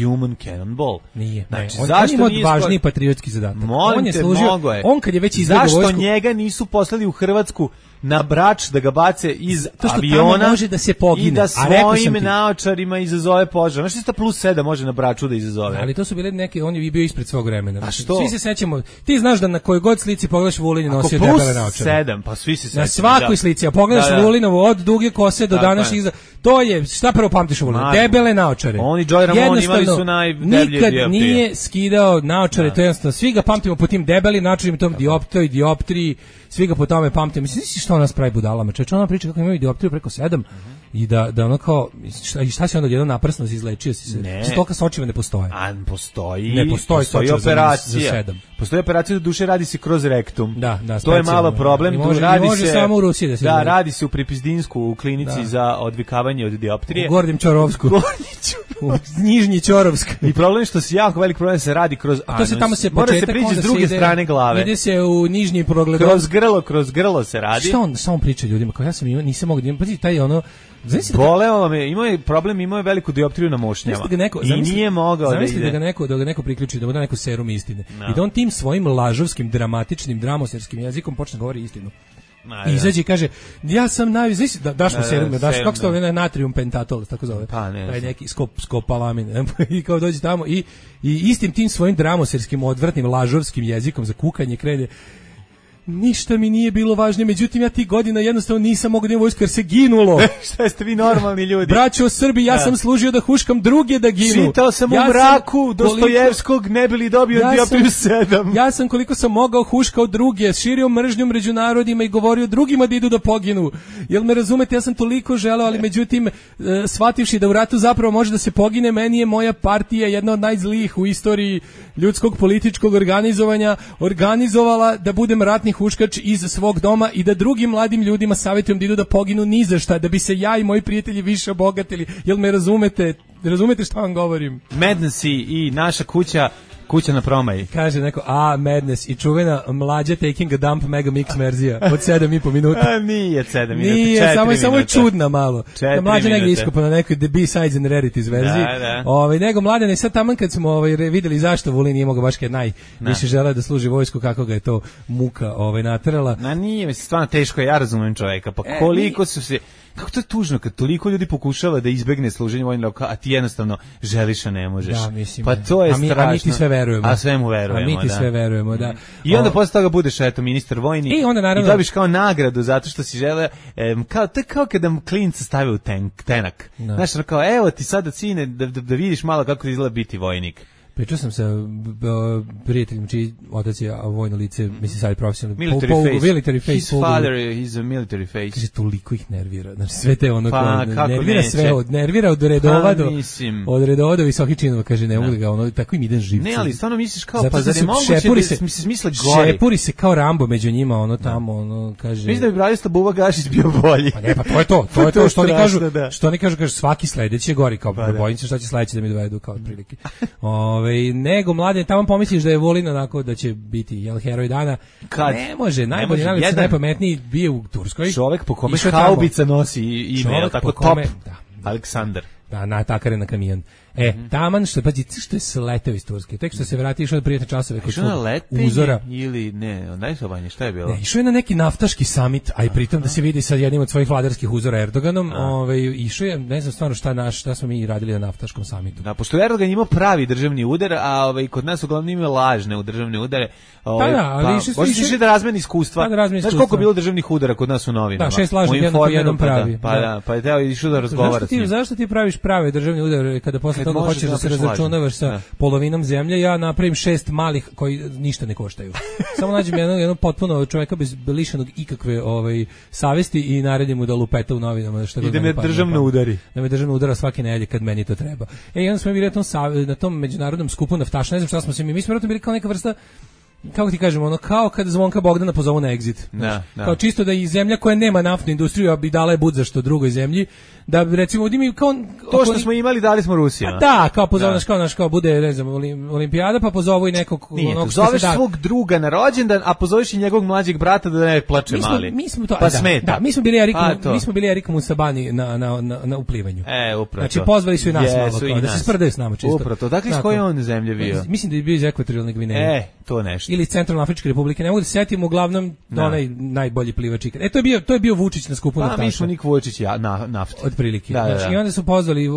Speaker 8: Human Cannonball?
Speaker 7: Nije.
Speaker 8: Znači,
Speaker 7: on ima važniji patriotski zadatak. On je služio. On kad je već izveo vojsku.
Speaker 8: Zašto njega nisu poslali u Hrvatsku na Brač da ga bace iz aviona
Speaker 7: može da se pogine,
Speaker 8: i da svojim naočarima izazove požar. Znaš što +7 može na Braču da izazove?
Speaker 7: Ali to su bile neke, on je bio ispred svog vremena. A što? Svi se sećamo, ti znaš da na kojoj god slici pogledaš Vulin nosio debele naočare.
Speaker 8: +7, pa svi se sećamo.
Speaker 7: Na svakoj slici, a pogledaš Vulinovo od duge kose do današnjih to je, šta prvo pamtiš u Vulinu? Debele naočare.
Speaker 8: Oni i Joy Ramon imali su najdeblje
Speaker 7: nikad nije skidao naočare, to je jednostavno, svi ga pamtimo po tim debelim naočarima, tom dioptriji, svi ga po tome pamtimo. Mislim, što nas pravi budalama? Čovječe, ona priča kako imaju dioptriju preko 7 i da ono kao, šta si onda jedno naprsno si izlečio si se? Stoka s očima ne postoje.
Speaker 8: A postoji.
Speaker 7: Ne postoji
Speaker 8: operacija.
Speaker 7: Za 7.
Speaker 8: Postoji operacija, do duše radi se kroz rektum.
Speaker 7: Da,
Speaker 8: to je malo problem.
Speaker 7: Može samo u Rusiji da se
Speaker 8: da, radi se u Pripizdinsku, u klinici za odvikavanje od dioptrije.
Speaker 7: U Gornjem Ćorovsku. U Nižnji Ćorovsk.
Speaker 8: I problem je što se jako velik problem se radi kroz anus.
Speaker 7: To se tamo se
Speaker 8: mora se prići s druge strane glave.
Speaker 7: Ide se u nižnji progledov.
Speaker 8: Kroz grlo se radi.
Speaker 7: Šta on samo priča ljudima, kao ja sam nisam mogao da imam, pa taj ono
Speaker 8: boleo me, imao je veliku dioptriju na mošnjama. I nije mogao da ide.
Speaker 7: Da ga neko priključi, da mu da neko serum istine. I da on tim svojim lažovskim, dramatičnim, dramoserskim jezikom počne govori istinu. I izađe i kaže, ja sam najviše, daš mu serum, kako se to je natrium pentatol, tako zove.
Speaker 8: Pa ne.
Speaker 7: Taj neki skopalamin. I kao dođe tamo i istim tim svojim dramoserskim, odvratnim, lažovskim jezikom za kukanje krene. Ništa mi nije bilo važnije, međutim ja ti godina jednostavno nisam mogao da imam vojsku jer se ginulo.
Speaker 8: Šta jeste vi normalni ljudi?
Speaker 7: Braćo Srbi, ja sam služio da huškam druge da ginu.
Speaker 8: Čitao sam u mraku Dostojevskog, ne bi li dobio dioptriju 7.
Speaker 7: Ja sam koliko sam mogao huškao druge, širio mržnju među narodima i govorio drugima da idu da poginu. Jel me razumete, ja sam toliko želeo, ali međutim shvativši da u ratu zapravo može da se pogine, meni je moja partija jedna od najzlijih u istoriji ljudskog političkog organizovanja organizovala da budem ratni huškač iz svog doma i da drugim mladim ljudima savjetujem da idu da poginu ni za šta, da bi se ja i moji prijatelji više obogatili. Jel me razumete? Razumete šta vam govorim?
Speaker 8: Madness i naša kuća na Promaji.
Speaker 7: Kaže neko, Madness i čuvena mlađa Taking a Dump Mega Mix verzija od 7,5 minuta.
Speaker 8: Nije 7 minuta,
Speaker 7: nije, samo je čudna malo. Mlađa negdje iskopa na nekoj The B-Sides and Rarities verziji. Nego Mladen je sad taman kad smo vidjeli zašto Vulin nije mogao baš kad najviše želeo da služi vojsku, kako ga je to muka naterala.
Speaker 8: Nije, stvarno teško, ja razumem čoveka, pa koliko su se... Kako to je tužno kad toliko ljudi pokušava da izbegne služenje vojnog roka, a ti jednostavno želiš, a ne možeš.
Speaker 7: Da, mislim.
Speaker 8: Pa to je strašno.
Speaker 7: A mi ti sve verujemo.
Speaker 8: A sve mu verujemo,
Speaker 7: a mi ti sve verujemo, da.
Speaker 8: I onda posle toga budeš ministar vojni i dobiš kao nagradu zato što si želeo, to je kao kada klinca stave u tenak. Znaš, kao, evo ti sada sine da vidiš malo kako izgleda biti vojnik.
Speaker 7: Pričao sam sa prijateljem čiji otac je vojno lice, mislim sad je profesionalno.
Speaker 8: Military face. His father is a military face.
Speaker 7: Kaže, toliko ih nervira. Znači, sve te nervira sve, nervira od redova do visokih činova. Kaže, ne mogu da ga tako im idem živci.
Speaker 8: Ne, ali stvarno misliš kao, pa zar je moguće da se misle gori?
Speaker 7: Šepuri se kao Rambo među njima, tamo, kaže...
Speaker 8: Mislim da bi Branislav Buba Gašić bio bolji.
Speaker 7: Pa ne, pa to je to, što oni kažu, svaki sledeći je gori, kao bojim se šta će sledeći da mi dovedu, kao otprilike. nego mladen, tamo pomisliš da je Vulin onako da će biti heroj dana. Ne može, najbolji najlepši, najpametniji bio u Turskoj.
Speaker 8: Čovek po kome haubica nosi ime, tako top. Aleksandar.
Speaker 7: Da, natakare na kamion. Taman što je sleteo iz Turske. Tek što se vratio, išao na prijatne časove kod svog uzora.
Speaker 8: Ili ne, najsobanje, šta je bilo?
Speaker 7: Ne, išao je na neki naftaški summit, a i pritom da se vidi sa jednim od svojih vladarskih uzora Erdoganom. Išao je, ne znam stvarno šta smo mi radili na naftaškom summitu.
Speaker 8: Da, pošto Erdogan imao pravi državni udar, a kod nas uglavnom imaju lažne u državne udare.
Speaker 7: Ali
Speaker 8: išli da razmeni iskustva. Znaš koliko je bilo državnih udara kod nas u novinama?
Speaker 7: Da, 6 lažnih, jedan pravi.
Speaker 8: Pa je teo išao da razgovara s njim.
Speaker 7: Zašto ti praviš prave državne udare kada posle toga hoćeš da se razračunavaš sa polovinom zemlje? Ja napravim 6 malih koji ništa ne koštaju. Samo nađem jednog potpuno čoveka lišenog ikakve savesti i naredim mu da lupeta u novinama.
Speaker 8: I da me državno udari.
Speaker 7: Da me državno udara svake nedelje kad meni to treba. I onda smo bili na tom međunarodnom skupu naftaša, ne znam šta smo se mi smo vjerojatno bili kao neka vrsta, kako ti kažemo, kao kad Zvonka Bogdana pozovu na exit. Kao čisto da i zemlja koja nema naftnu industriju, a bi dala je bud za što drugoj zemlji, da recimo mi kao
Speaker 8: to što smo imali dali smo Rusima.
Speaker 7: Da, kao pozovu kao bude, ne znam, olimpijada, pa pozovu i nekog
Speaker 8: onog što zoveš svog druga na rođendan, a pozoveš i njegovog mlađeg brata da ne plače mali.
Speaker 7: Mi smo to,
Speaker 8: pa smeta.
Speaker 7: Da, mi smo bili Erikom u Sabani na uplivanju.
Speaker 8: Upravo.
Speaker 7: Znači pozvali su i nas malo, kao da se sprdaju s nama čisto.
Speaker 8: Upravo. Dakle, s koje on zemlje bio?
Speaker 7: Mislim da je bio iz Ekvatorijalne Gvineje.
Speaker 8: To nešto.
Speaker 7: Ili Centralnoafričke Republike, ne mogu da se setim, uglavnom onaj najbolji plivač ikad. To je bio Vučić na skupu naftaša.
Speaker 8: Pa mi smo Nik Vučić na nafti.
Speaker 7: Otprilike. Znači i onda su pozvali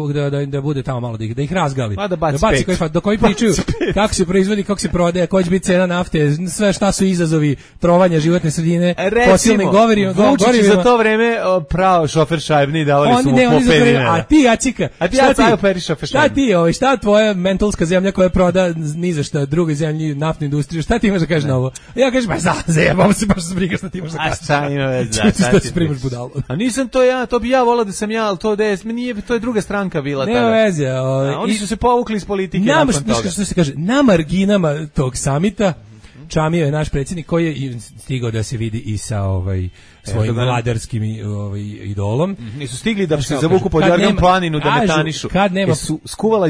Speaker 7: da bude tamo malo da ih razgali.
Speaker 8: Da baci
Speaker 7: dok koji pričaju kako se proizvodi, kako se prodaje, koja će biti cena nafte, sve šta su izazovi trovanja životne sredine, fosilnih gorivima.
Speaker 8: Vučić za to vreme pravo šofer šajbni davali su mu po 5 dinara.
Speaker 7: A ti Acika, šta tvoja mentalska zemlja koja proda ni za šta drugoj zemlji naftnu industriju, šta ti imaš da kažeš na ovo? Ja kažem, zajebam se, baš se briga šta ti imaš da kažeš.
Speaker 8: A šta ima veze?
Speaker 7: Šta ti primaš budalo?
Speaker 8: A nisam to ja, to bi ja volao da sam ja, ali to je druga stranka bila tada.
Speaker 7: Nema veze.
Speaker 8: Oni su se povukli iz politike nakon toga.
Speaker 7: Što se kaže, na marginama tog samita čamio je naš predsjednik koji je stigao da se vidi i sa svojim vladarskim idolom.
Speaker 8: Nisu stigli da se zavuku pod Jorgan planinu da metanišu.
Speaker 7: Kad nema
Speaker 8: skuvala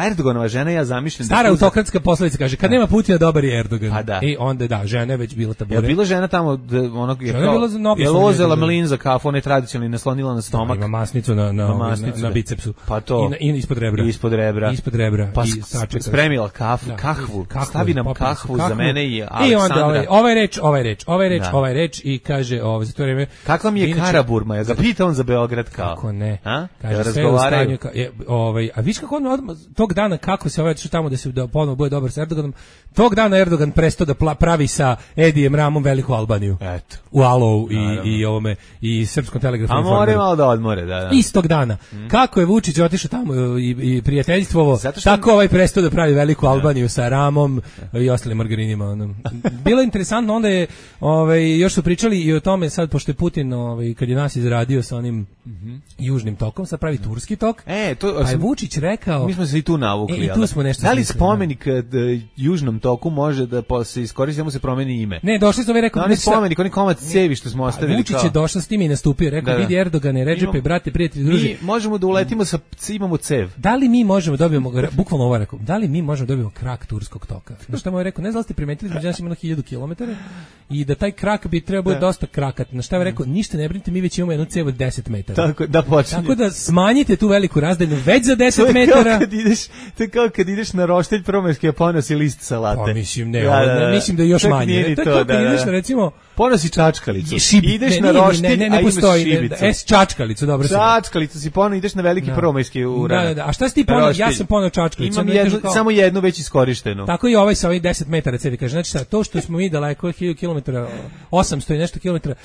Speaker 8: Erdoganova žena, ja zamišljam.
Speaker 7: Stara autokratska poslovica kaže, kad nema Putina dobar je Erdogan. I onda žena je već bila tabure.
Speaker 8: Je bila žena tamo onog je lozela mlin za kafu, ona je tradicionalno naslonila na stomak.
Speaker 7: Ima masnicu na bicepsu.
Speaker 8: Pa to.
Speaker 7: I ispod rebra. Ispod rebra.
Speaker 8: Pa spremila kahvu. Stavi nam kahvu za mene i Aleksandra.
Speaker 7: Ovaj reč i kaže za to vreme.
Speaker 8: Kakva mi je Karaburma? Ja ga pita on za Beograd kao.
Speaker 7: Kako ne?
Speaker 8: Kaže razgovaraju.
Speaker 7: A viš kako on tog dana kako se što tamo da ponovo bude dobar sa Erdoganom. Tog dana Erdogan prestao da pravi sa Edijem Ramom veliku Albaniju.
Speaker 8: Eto.
Speaker 7: U Alovu i Srpskom telegrafnom
Speaker 8: informeru. A more malo da odmore, da.
Speaker 7: Istog dana. Kako je Vučić otišao tamo i prijateljstvovo, tako ovaj prestao da pravi veliku Albaniju sa Ramom i ostalim margarinima. Bilo je interesantno, onda je još su pričali i o tome sad, pošto je Putin kad je nas izradio sa onim južnim tokom, sad pravi turski tok, pa je Vučić rekao...
Speaker 8: Mi smo se i tu navukli.
Speaker 7: I tu smo nešto
Speaker 8: da li spomenik južnom toku može da se iskoristi, da mu se promeni ime?
Speaker 7: Ne, došli smo i rekao...
Speaker 8: Oni spomenik, oni komad cevi što smo ostavili.
Speaker 7: Vučić je došao s tim i nastupio, rekao, vidi Erdogane, Redžepe, brate, prijatelji, druži.
Speaker 8: Mi možemo da uletimo imamo cev.
Speaker 7: Da li mi možemo dobijemo, bukvalno ovo rekao, da li mi možemo dobijemo krak turskog toka? Na što mu je rekao, ne znam da ste primetili, među nas ima 1000 km i da taj krak bi trebao biti dosta krakat. Na šta je rekao, ništa ne brinite, mi već imamo jednu cev od 10 metara. Tako da smanjite tu veliku razdaljinu već za 10 metara.
Speaker 8: To je kao kad ideš na roštelj promerski, a ponosi list salate.
Speaker 7: Pa mislim, mislim da je još manje. To je kao kad ideš na, recimo...
Speaker 8: Ponosi čačkalicu. Ideš na roštilj,
Speaker 7: ne postoji šibicu. Čačkalicu, dobro se.
Speaker 8: Čačkalicu si poneo, ideš na veliki promorski uranak.
Speaker 7: Da. A šta si ti poneo? Ja sam poneo čačkalicu.
Speaker 8: Imam samo jednu već iskorištenu.
Speaker 7: Tako i ovaj sa ovih 10 metara cevi kaže. Znači to što smo mi daleko 1000 km, 800 i nešto kilometara,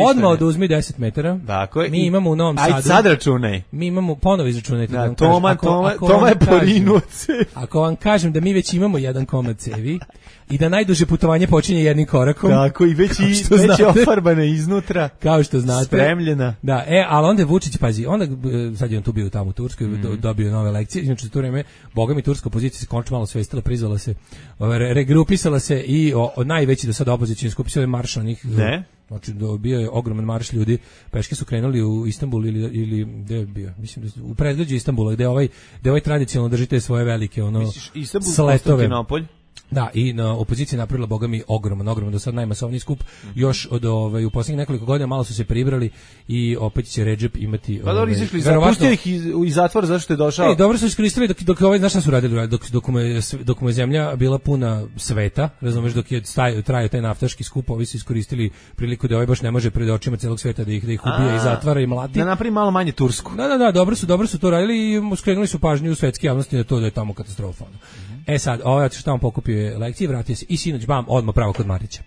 Speaker 7: odmah oduzmi 10 metara.
Speaker 8: Dakle,
Speaker 7: mi imamo u Novom Sadu.
Speaker 8: Ajde sad računaj.
Speaker 7: Mi imamo ponovo izračunajte.
Speaker 8: Toma je porinuo cev.
Speaker 7: Ako vam kažem da mi već imamo jedan komad cevi, i da najduže putovanje počinje jednim korakom.
Speaker 8: Tako, i već je ofarbana iznutra.
Speaker 7: Kao što znate.
Speaker 8: Spremljena.
Speaker 7: Da, ali onda je Vučić, pazi, onda sad je on tu bio tamo u Turskoj, dobio nove lekcije. Inače, to vreme, boga mi, turska opozicija se končno malo svestila, prizvala se, regrupisala se i najveći do sada opozicijni skup se marš na njih.
Speaker 8: Ne?
Speaker 7: Znači, bio je ogroman marš ljudi, peške su krenuli u Istanbul ili gde je bio? Mislim da u predgrađu Istanbula, gde ovaj tradicionalno drži te svoje velike sletove. Da, i na opoziciji napravila, boga mi, ogroman, do sad najmasovniji skup, još u posljednjih nekoliko godina malo su se pribrali i opet će Redžep imati...
Speaker 8: Pa dobro, izašli, pustio ih iz zatvora zašto je došao...
Speaker 7: dobro su iskoristili dok znaš šta su radili, dok mu je zemlja bila puna sveta, razumeš, dok je trajao taj naftaški skup, ovi su iskoristili priliku da ovaj baš ne može pred očima celog sveta da ih ubija i zatvara i mlati.
Speaker 8: Da napravi malo manje Tursku.
Speaker 7: Da, dobro su to radili i skrenuli su pažnju u svetske javnosti na to da je tamo katastrofa. Sad, što on pokupio je lekcije, vratio se i sinoć, odmah pravo kod Marića.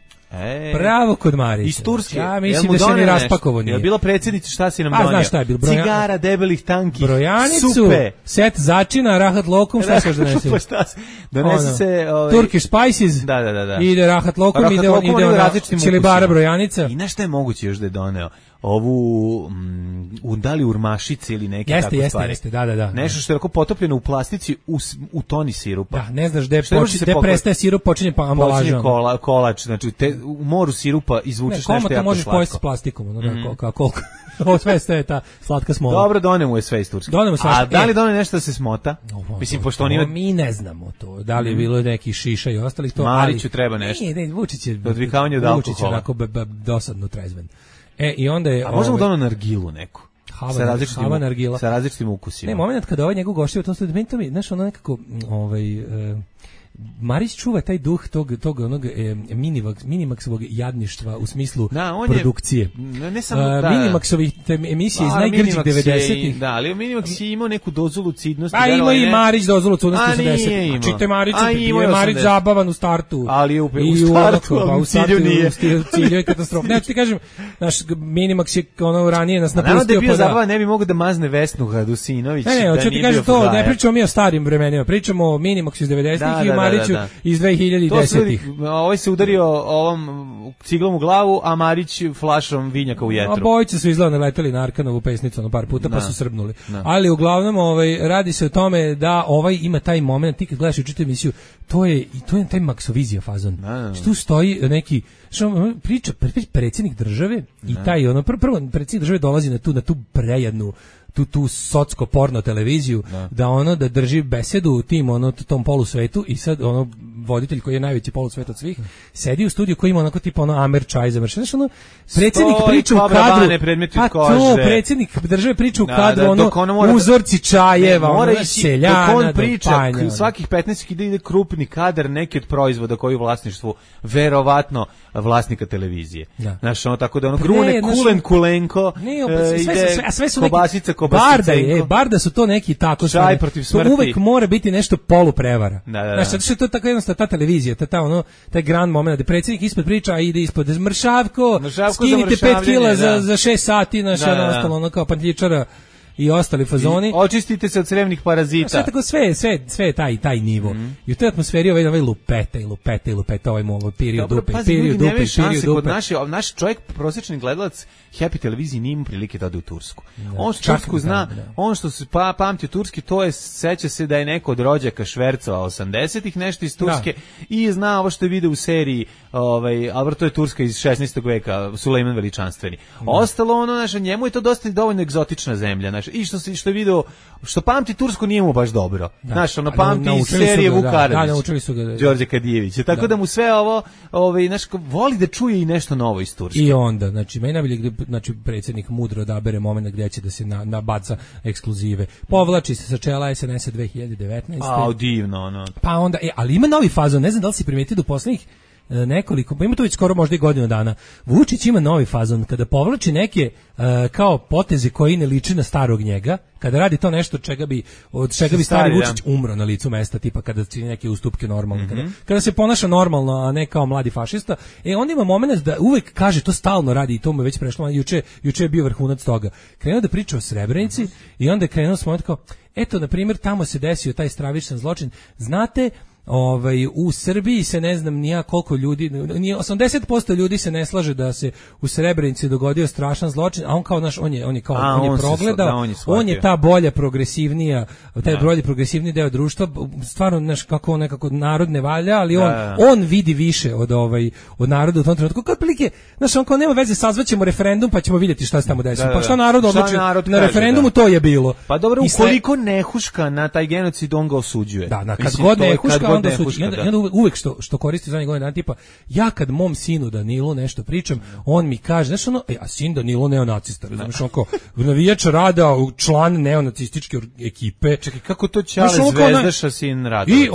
Speaker 7: Pravo kod Marića.
Speaker 8: Iz Turske.
Speaker 7: Ja mislim da se ne raspakovo nije.
Speaker 8: Je bila predsjednica, šta si nam donio?
Speaker 7: Znaš šta je bilo?
Speaker 8: Cigara, debelih tanki,
Speaker 7: brojanicu,
Speaker 8: supe,
Speaker 7: set začina, rahat lokum, šta se donese?
Speaker 8: Donese se...
Speaker 7: Turkish spices, ide rahat lokum, ide čilibara brojanica.
Speaker 8: I nešto je moguće još da je doneo? Ovu da li urmašice ili neke tako stvari.
Speaker 7: Jeste, da.
Speaker 8: Nešto što je tako potopljeno u plastici u toni sirupa.
Speaker 7: Da, ne znaš gde prestaje sirup, počinje ambalaža.
Speaker 8: Kolač, znači u moru sirupa izvučeš nešto jako slatko. Ne, možeš pojesti
Speaker 7: s plastikom, koliko. Ovo sve je ta slatka smola.
Speaker 8: Dobro, donemo je sve iz Turske. A da li donemo nešto da se smota? Mislim, pošto on ima...
Speaker 7: Mi ne znamo to. Da li je bilo neki šiša i ostalih to.
Speaker 8: Mariću treba nešto.
Speaker 7: Ne, Vučić je...
Speaker 8: Odvikavanje od alkohola.
Speaker 7: Vučić je onako dosadno trezven. I onda je...
Speaker 8: A možemo da ono nargilu neku? Sa različitim ukusima.
Speaker 7: Ne, moment kada ovaj njegov goštiva, to mi, znaš, ono nekako, Marić čuva taj duh tog onog Minimaxovog jadništva u smislu produkcije.
Speaker 8: Ne samo
Speaker 7: Minimaxovih emisije iz najgrđih 90-ih.
Speaker 8: Da, ali Minimax je imao neku dozu lucidnosti.
Speaker 7: A ima i Marić dozu lucidnosti 80-ih. Čite Mariću, je Marić zabavan u startu.
Speaker 8: Ali je u startu, ali u cilju nije.
Speaker 7: U cilju je katastrofa. Ne, ti kažem, naš Minimax je ranije nas napustio.
Speaker 8: Da je bio zabavan, ne bi mogo da mazne Vesnu Radusinović.
Speaker 7: Ne, hoću ti kažem to, ne pričamo mi o starim vremenima, pričamo o Minimax iz 90-ih i Mariću iz 2010-ih.
Speaker 8: Ovaj se udario ovom ciglom u glavu, a Marić flašom vinjaka u jetru.
Speaker 7: Obojice su izgledno leteli na Arkanovu pesnicu par puta, pa su srbnuli. Ali uglavnom radi se o tome da ima taj moment, ti kad gledaš i čitaš emisiju, to je taj maksovizija fazon. Tu stoji neki priča predsjednik države i taj prvo predsjednik države dolazi na tu prejednu tu socko porno televiziju da drži besedu u tom polusvetu i sad voditelj koji je najveći polusvet od svih sedi u studiju koji ima onako tipa Amer čaj završen. Znaš, predsjednik priča u kadru, predsjednik države priča u kadru, uzorci čajeva, seljana,
Speaker 8: dok on priča, svakih 15 ide krupni kadar neki od proizvoda koji u vlasništvu verovatno vlasnika televizije. Znaš, tako da grune kulenko,
Speaker 7: sve su
Speaker 8: kobasica,
Speaker 7: Barda su to neki tako
Speaker 8: čaj protiv smrti.
Speaker 7: Uvek mora biti nešto poluprevara. Znaš, zato što je to tako jednostavno ta televizija, taj grand moment, da predsjednik ispod priča, a ide ispod Mršavko, skinite 5 kila za 6 sati, znaš, ostalo kao pantljičara i ostali fazoni.
Speaker 8: Očistite se od crevnih parazita.
Speaker 7: Sve tako, sve je taj nivo. I u toj atmosferi ovaj lupeta, ovaj mu period dupe.
Speaker 8: Naš čovjek, prosječni gledalac Happy televiziji nije imao prilike da ode u Tursku. On što Tursku zna, on što se pamti u Turski, to je, seća se da je neko od rođaka švercova 80-ih, nešto iz Turske, i zna ovo što je video u seriji, ali to je Turska iz 16. veka, Sulejman Veličanstveni. Ostalo njemu je to dosta dovoljno egzotična zemlja, i što je video, što pamti Tursku nije mu baš dobro. Pamti iz serije Vuk Karadžić, Đorđe Kadijević. Tako da mu sve ovo, voli da čuje i nešto novo iz Turske.
Speaker 7: I onda, meni najbolje predsjednik mudro odabere moment gdje će da se nabaca ekskluzive. Povlači se sa čela SNS-a 2019.
Speaker 8: Divno,
Speaker 7: Pa onda, ali ima novi fazon, ne znam da li si primetio do posljednjih nekoliko, pa ima to već skoro možda i godinu dana. Vučić ima novi fazon kada povlači neke kao poteze koji ne liče na starog njega, kada radi to nešto od čega bi stari Vučić umro na licu mesta, tipa kada čini neke ustupke normalno, kada se ponaša normalno, a ne kao mladi fašista. Onda ima moment da uvek kaže, to stalno radi i to mu je već prešlo, juče je bio vrhunac toga. Krenuo da priča o Srebrenici i onda je krenuo s momentom kao, eto, na primjer, tamo se desio taj stravičan zločin, znate, u Srbiji se ne znam nija koliko ljudi, 80% ljudi se ne slaže da se u Srebrenici dogodio strašan zločin, a on kao naš, on je progledao, on je ta bolja progresivnija, taj bolji progresivni deo društva, stvarno naš kako nekako narod ne valja, ali on vidi više od naroda u tom trenutku. Kao otprilike, znaš, on kao nema veze, sazvaćemo referendum pa ćemo vidjeti šta se tamo desilo. Pa šta narod odluči na referendumu, to je bilo.
Speaker 8: Pa dobro, ukoliko ne huška na taj genocid, on ga osuđuje.
Speaker 7: Da, kad god ne huška, onda osuđuje. Uvek što koristi zadnjih godina tipa, ja kad mom sinu Danilu nešto pričam, on mi kaže, znaš ono, a sin Danilo neonacista, znaš on kao, navijač Rada, član neonacističke ekipe.
Speaker 8: Čekaj, kako to Ćale Zvezdaša sin Rada?
Speaker 7: I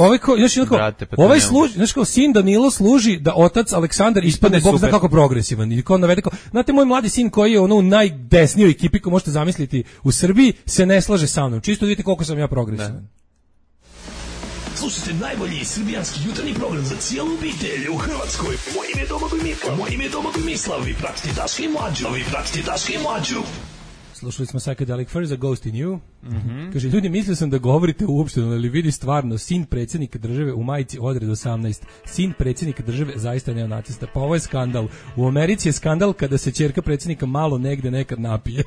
Speaker 7: ovaj služi, znaš kao, sin Danilo služi da otac Aleksandar ispadne bog zna kako progresivan. I kao navede kao, znate, moj mladi sin koji je ono u najdesnijoj ekipi koju možete zamisliti u Srbiji, se ne slaže sa mnom. Čisto vidite koliko sam ja progresivan.
Speaker 10: Slušajte najbolji srbijanski jutarnji program za cijelu obitelj u Hrvatskoj. Moje ime je Domagoj Mislav. Vi pratite Daška i Mlađu.
Speaker 7: Slušali smo Psychedelic Furs, A Ghost in You. Kaže, ljudi, mislio sam da govorite uopšteno, ali vidi stvarno, sin predsjednika države u majici odred 18. Sin predsjednika države zaista neonacista. Pa ovo je skandal. U Americi je skandal kada se ćerka predsjednika malo negde nekad napije.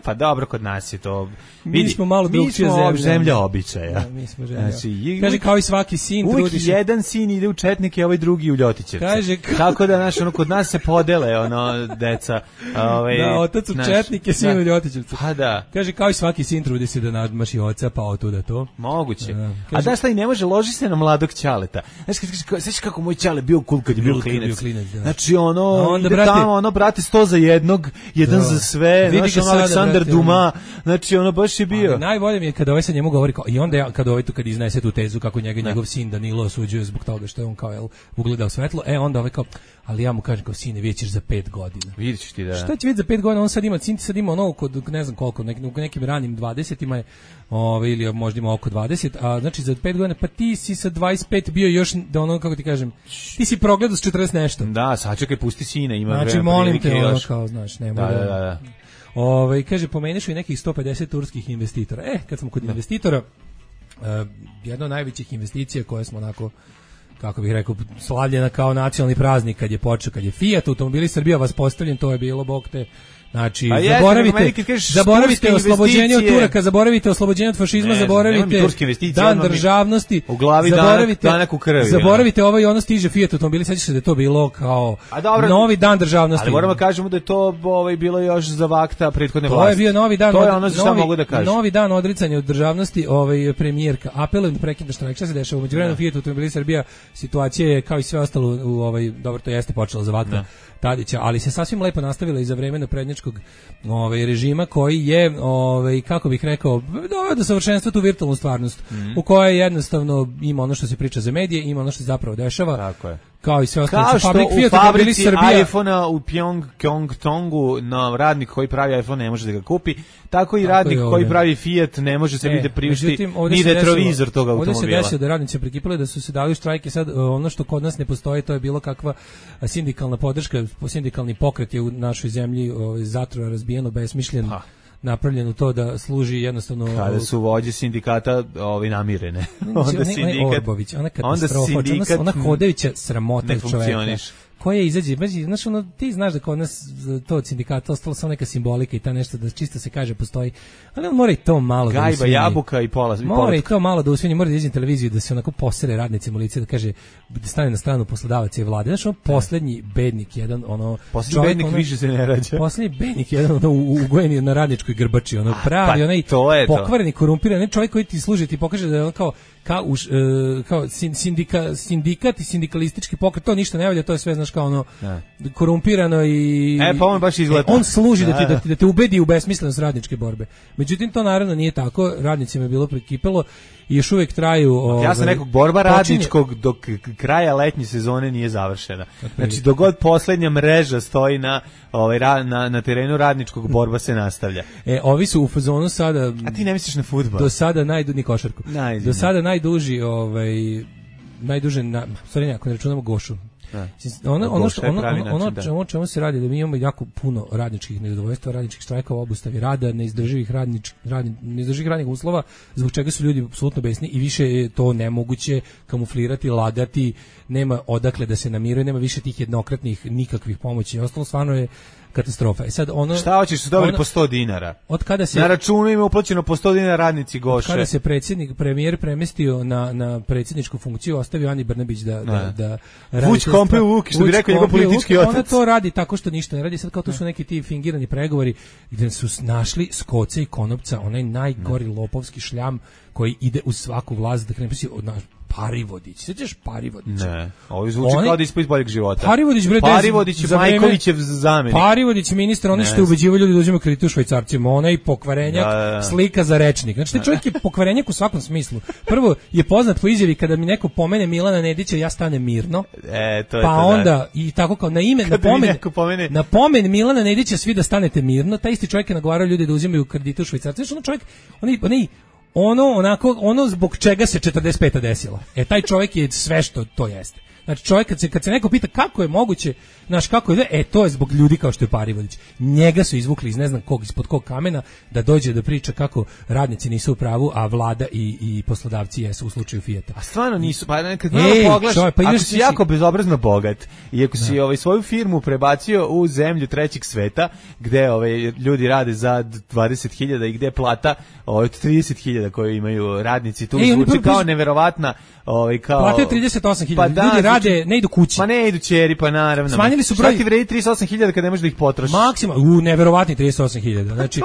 Speaker 8: Pa dobro, kod nas je to...
Speaker 7: Mi smo malo drugčija
Speaker 8: zemlja običaja.
Speaker 7: Da, mi smo zemlja. Znači, kaže, kao i svaki sin,
Speaker 8: uvijek jedan sin ide u četnike, a ovaj drugi u Ljotićevce. Kaže, tako da, znaš, kod nas se podele, deca.
Speaker 7: Da, otac u četnike, sin u Ljotićevce.
Speaker 8: Pa da.
Speaker 7: Kaže, kao i svaki sin trudi se da nadmaši oca, pa otuda to.
Speaker 8: Moguće. Kaže, a da šta i ne može, loži se na mladog Ćaleta. Znaš kako moj Ćale bio cool kad je bio klinac. Znači, ide tamo, brate, 100 za jednog, jedan za sve, znaš, Aleksandar Duma, znači, baš je bio.
Speaker 7: Ali najbolje mi je kada ovaj sa njemu govori, i onda kad iznese tu tezu kako njegov sin Danilo osuđuje zbog toga što je on kao ugledao svetlo, onda ovaj kao, ali ja mu kažem kao, sine, vidjet ćeš za 5 godina.
Speaker 8: Vidjet ćeš ti, da.
Speaker 7: Šta će vidjeti za 5 godina? On sad ima ono kod ne znam koliko, u nekim ranim 20-ima je, ili možda ima oko 20, a znači za 5 godina, pa ti si sa 25 bio još, da ono, kako ti kažem, ti si progledao s 40 nešto.
Speaker 8: Da, sačekaj, pusti sine, ima
Speaker 7: znači, molim te, ono kao, znaš, nema
Speaker 8: da.
Speaker 7: Kaže, pomeniš i nekih 150 turskih investitora. Kad smo kod investitora, jedna od najvećih investicija koje smo onako, kako bih rekao, slavljena kao nacionalni praznik kad je počeo, kad je Fiat automobili Srbija vas postavljen, to je bilo, bog te, znači, zaboravite oslobođenje od Turaka, zaboravite oslobođenje od fašizma, zaboravite dan državnosti,
Speaker 8: u glavi danak u krvi.
Speaker 7: Zaboravite ovo i ono stiže Fiat automobili, sećaš se da je to bilo kao novi dan državnosti.
Speaker 8: Ali moramo kažemo da je to bilo još za vakta prethodne vlasti.
Speaker 7: To je bio novi dan,
Speaker 8: to je ono što mogu da kažem.
Speaker 7: Novi dan odricanja od državnosti, premijerka apelujem da prekida štrajk. Šta se dešava? U međuvremenu Fiat automobili Srbija, situacija je kao i sve ostalo dobro, to jeste počelo za vakta Tadića, ali se sasvim lepo nastavila i za vreme naprednjačkog režima koji je, kako bih rekao, doveo do savršenstva tu virtualnu stvarnost, u kojoj jednostavno ima ono što se priča za medije, ima ono što se zapravo dešava.
Speaker 8: Tako je.
Speaker 7: Kao i sve ostalo.
Speaker 8: Kao što u fabrici iPhone-a u Pyeongchang-tongu radnik koji pravi iPhone ne može da ga kupi, tako i radnik koji pravi Fiat ne može sebi da priušti ni retrovizor tog automobila.
Speaker 7: Ovdje se desilo da radnici prikipali da su se dali u štrajk i sad ono što kod nas ne postoji, to je bilo kakva sindikalna podrška, sindikalni pokret je u našoj zemlji zatrova razbijeno, besmišljen, napravljeno to da služi jednostavno...
Speaker 8: Kada su vođe sindikata namirene.
Speaker 7: Onda sindikat... Ona katastrofa, ona hodajuća sramota čoveka. Koja izađe, znaš, ti znaš da kod nas to od sindikata ostalo samo neka simbolika i ta nešto da čisto se kaže postoji, ali on mora i to malo da usvinji.
Speaker 8: Gajba, jabuka i pola.
Speaker 7: Mora i to malo da usvinji, mora da izađe na televiziju da se onako posere radnicima u lice, da kaže, da stane na stranu poslodavaca i vlade. Znaš, poslednji bednik jedan,
Speaker 8: poslednji bednik više se ne rađa.
Speaker 7: Poslednji bednik jedan, ugojen na radničkoj grbači, pravi, onaj pokvareni, korumpiran, čovjek koji ti služi, ti pokaže da je on kao sindikat i sindikalistički pokret, to ništa ne valja, to je sve, znaš, kao korumpirano i...
Speaker 8: pa on baš izgleda.
Speaker 7: On služi da te ubedi u besmislenost radničke borbe. Međutim, to naravno nije tako, radnicima je bilo prekipelo i još uvijek traju...
Speaker 8: Ja sam nekog borba radničkog dok kraja letnje sezone nije završena. Znači, dok god posljednja mreža stoji na terenu radničkog, borba se nastavlja.
Speaker 7: Ovi su u fazonu sada...
Speaker 8: A ti ne misliš na fudbal?
Speaker 7: Do sada ni košarku. Do sada najduži, ako ne računamo Gošu. Ono čemu se radi, da mi imamo jako puno radničkih nezadovoljstva, radničkih štrajkova, obustavi rada, neizdrživih radnih uslova, zbog čega su ljudi apsolutno besni i više je to nemoguće kamuflirati, lagati, nema odakle da se namiruje, nema više tih jednokratnih nikakvih pomoći i ostalo, stvarno je katastrofa. I sad
Speaker 8: šta hoćeš, su dobili po 100 dinara?
Speaker 7: Od kada se
Speaker 8: na računu ima uplaćeno po 100 dinara radnici Goše.
Speaker 7: Kada se premijer premestio na predsjedničku funkciju, ostavio Ani Brnabić da
Speaker 8: Vuč kompe u Vuki, što bi rekao njegov politički otac.
Speaker 7: Ona to radi tako što ništa ne radi. Sad kao to su neki ti fingirani pregovori gdje su našli Skoca i Konopca, onaj najgori lopovski šljam koji ide u svaku vlast da krene od naš Parivodić. Sjećaš Parivodića?
Speaker 8: Ne. Ovo zvuči kao da ispod boljeg života.
Speaker 7: Parivodić
Speaker 8: je Majkovićev zamenik.
Speaker 7: Parivodić ministar, oni što ubeđivaju ljudi da uzimaju kredite u švajcarcima, onaj pokvarenjak, slika za rečnik. Znači, taj čovjek je pokvarenjak u svakom smislu. Prvo je poznat po izjavi kada mi neko pomene Milana Nedića, ja stanem mirno.
Speaker 8: To je
Speaker 7: pa onda i tako kao na ime na pomen Milana Nedića svi da stanete mirno. Taj isti čovjek je nagovarao ljude da uzimaju kredite u švajcarcima. Znači, čovjek, ono zbog čega se 45. desila. Taj čovjek je sve što to jeste. Znači čovjek kad se neko pita kako je moguće, kako je, to je zbog ljudi kao što je Parivodić. Njega su izvukli iz ne znam kog, ispod kog kamena da dođe da priča kako radnici nisu u pravu, a vlada i poslodavci jesu u slučaju Fijata.
Speaker 8: A stvarno nisu, pa kad malo pogledaš, ako si jako bezobrazno bogat i ako si svoju firmu prebacio u zemlju trećeg sveta, gde ljudi rade za 20.000 i gde plata od 30.000 koje imaju radnici, tu zvuči kao neverovatna
Speaker 7: plate 38.000, pa ljudi rade, ne idu kući.
Speaker 8: Pa ne idu ćeri, pa naravno.
Speaker 7: Smanjili su broj.
Speaker 8: Šta ti vredi 38.000 kad ne možeš da ih potrošiš?
Speaker 7: Maksimalno, neverovatni 38.000. Znači,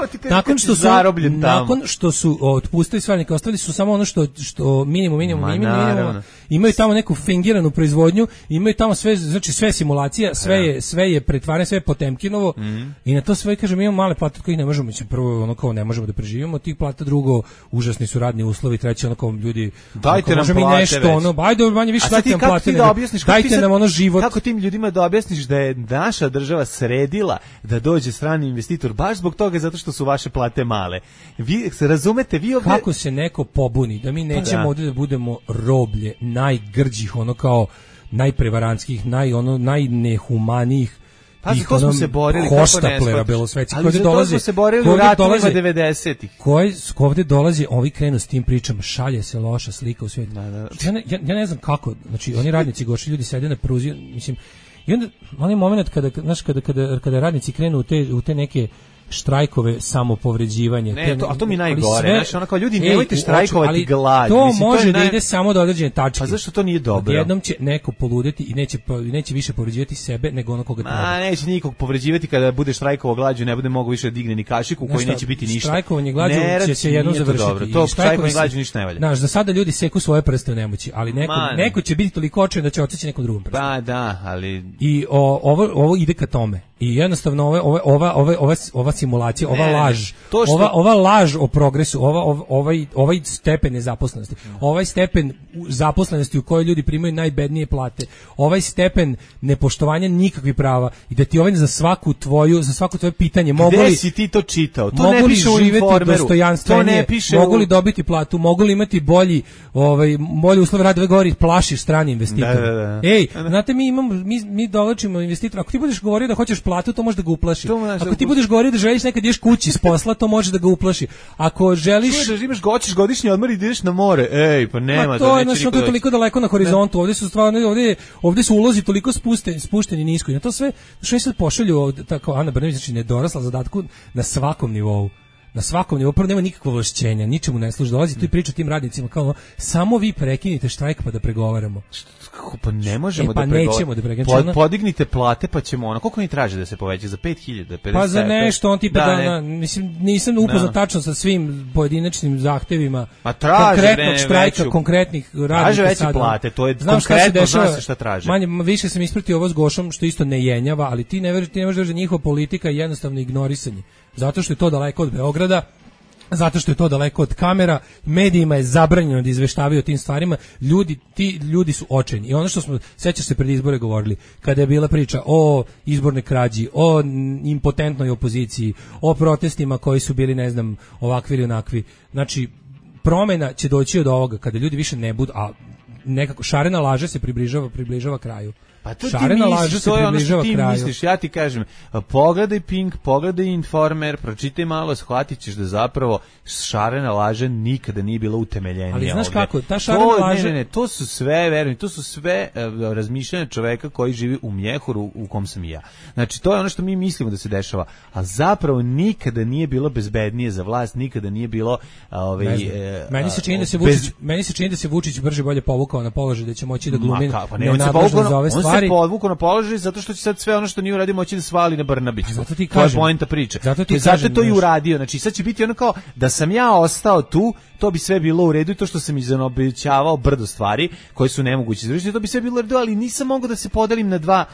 Speaker 7: nakon što su otpustili sve radnike, ostavili su samo ono što minimum. Imaju tamo neku fingiranu proizvodnju, imaju tamo sve, znači sve simulacija, sve je pretvaranje, sve je Potemkinovo. I na to sve kažem, imamo male plate od kojih ne možemo, prvo kao ne možemo da preživimo, tih plata, drugo užasni su radni uslovi, treće kao ljudi
Speaker 8: dajte nam plate.
Speaker 7: Ajde, manje više dajte nam plate.
Speaker 8: Dajte nam ono život. Kako tim ljudima da objasniš da je naša država sredila da dođe strani investitor baš zbog toga zato što su vaše plate male. Vi se razumete, vi ovdje...
Speaker 7: Kako se neko pobuni da mi nećemo ovdje da budemo roblje najgrđih, kao najprevarantskih, najnehumanijih,
Speaker 8: pa zato smo se borili
Speaker 7: hoštaplera belosvetci
Speaker 8: koji dolaze, smo se borili u ratovima 90-ih.
Speaker 7: Koji ovdje dolazi, ovi krenu s tim pričama, šalje se loša slika u svijetu. Ja ne znam kako, znači oni radnici Goši, ljudi sede na pruzi, mislim, i onda onaj moment kada radnici krenu u te neke štrajkove, samopovređivanje.
Speaker 8: A to mi najgore, znači kao ljudi nemojte štrajkovati glađu.
Speaker 7: To može da ide samo do određene tačke.
Speaker 8: Pa zašto to nije dobro?
Speaker 7: Jednom će neko poludeti i neće više povređivati sebe nego ono koga treba.
Speaker 8: Neće nikog povređivati kada bude štrajkovao glađu, ne bude mogao više da digne ni kašiku koji neće biti ništa.
Speaker 7: Štrajkovanje glađu će se jednom završiti.
Speaker 8: To štrajkovanje glađu ništa ne valja.
Speaker 7: Znaš, za sada ljudi seku svoje prste u nemoći, ali neko će biti toliko očajan da će otići nekom drugom prstu.
Speaker 8: Pa da, ali
Speaker 7: i ovo ide ka tome. I jednostavno ova simulacija, ova laž o progresu, ovaj stepen nezaposlenosti, ovaj stepen zaposlenosti u kojoj ljudi primaju najbednije plate, ovaj stepen nepoštovanja nikakvih prava i da ti za svako tvoje pitanje
Speaker 8: gde si ti to čitao? To
Speaker 7: mogu
Speaker 8: ne
Speaker 7: li
Speaker 8: piše u
Speaker 7: živeti
Speaker 8: informeru,
Speaker 7: dostojanstvenije, mogu li dobiti platu, mogu li imati bolji uslov rada, govori plašiš strani investitor. Znate, mi dovlačimo investitora, ako ti budeš govorio da hoćeš platu, to može da ga uplaši. Ako ti budeš govorio da želiš nekad ideš kući s posla, to može da ga uplaši. Ako želiš
Speaker 8: hoćeš godišnji odmor i ideš na more, pa nema
Speaker 7: to je toliko daleko na horizontu. Ovdje su stvarno ovdje su ulozi toliko spušteni nisko. I na to sve što se pošalju tako Ana Brnabić, znači nedorasla zadatku na svakom nivou. Na svakom nivou, prvo nema nikakvo ovlašćenja, ničemu ne služi, dolazi tu i priča tim radnicima kao samo vi prekinite štrajk pa da pregovaramo.
Speaker 8: Pa ne možemo
Speaker 7: nećemo da pregovaramo.
Speaker 8: Podignite plate pa ćemo koliko oni traže da se poveća, za 5.000, 50?
Speaker 7: Pa za nešto, on tipa mislim, nisam upoznat tačno sa svim pojedinačnim zahtevima konkretnog štrajka, konkretnih radnika.
Speaker 8: Traže veće plate, to je konkretno, znaš šta traže.
Speaker 7: Više sam ispratio ovo s Gošom, što isto ne jenjava, ali ti ne možeš da njihova politika je jednostavno ignorisanje. Zato što je to daleko od Beograda, zato što je to daleko od kamera, medijima je zabranjeno da izveštavaju o tim stvarima, ti ljudi su očajni. I ono što smo, sećaš se pred izbore govorili, kada je bila priča o izbornoj krađi, o impotentnoj opoziciji, o protestima koji su bili, ne znam, ovakvi ili onakvi. Znači, promjena će doći od ovoga, kada ljudi više ne budu, a nekako šarena laža se približava kraju.
Speaker 8: Pa to
Speaker 7: šarena laža se približava kraju.
Speaker 8: Ti misliš, ja ti kažem, pogledaj Pink, pogledaj Informer, pročitaj malo, shvatit ćeš da zapravo šarena laža nikada nije bila utemeljenija.
Speaker 7: Ali znaš
Speaker 8: ovdje.
Speaker 7: kako, ta šarena laža...
Speaker 8: Ne, to su sve, verujem, to su sve razmišljanja čoveka koji živi u Mjehuru u kom sam i ja. Znači, to je ono što mi mislimo da se dešava, a zapravo nikada nije bilo bezbednije za vlast, nikada nije bilo...
Speaker 7: Meni se čini da se Vučić brže bolje povukao na položaj, da će moći da glumi
Speaker 8: nenadležno za ove stvari. On se povukao na položaj zato što će sad sve ono što nije uradio moći da svali na Brnabića.
Speaker 7: Zato ti kažem.
Speaker 8: To je poenta priče. Zato to i uradio. Znači sad će biti ono kao da sam ja ostao tu, to bi sve bilo u redu i to što sam izanobećavao brdo stvari koje su nemoguće izvršiti, to bi sve bilo u redu, ali nisam mogao da se podelim na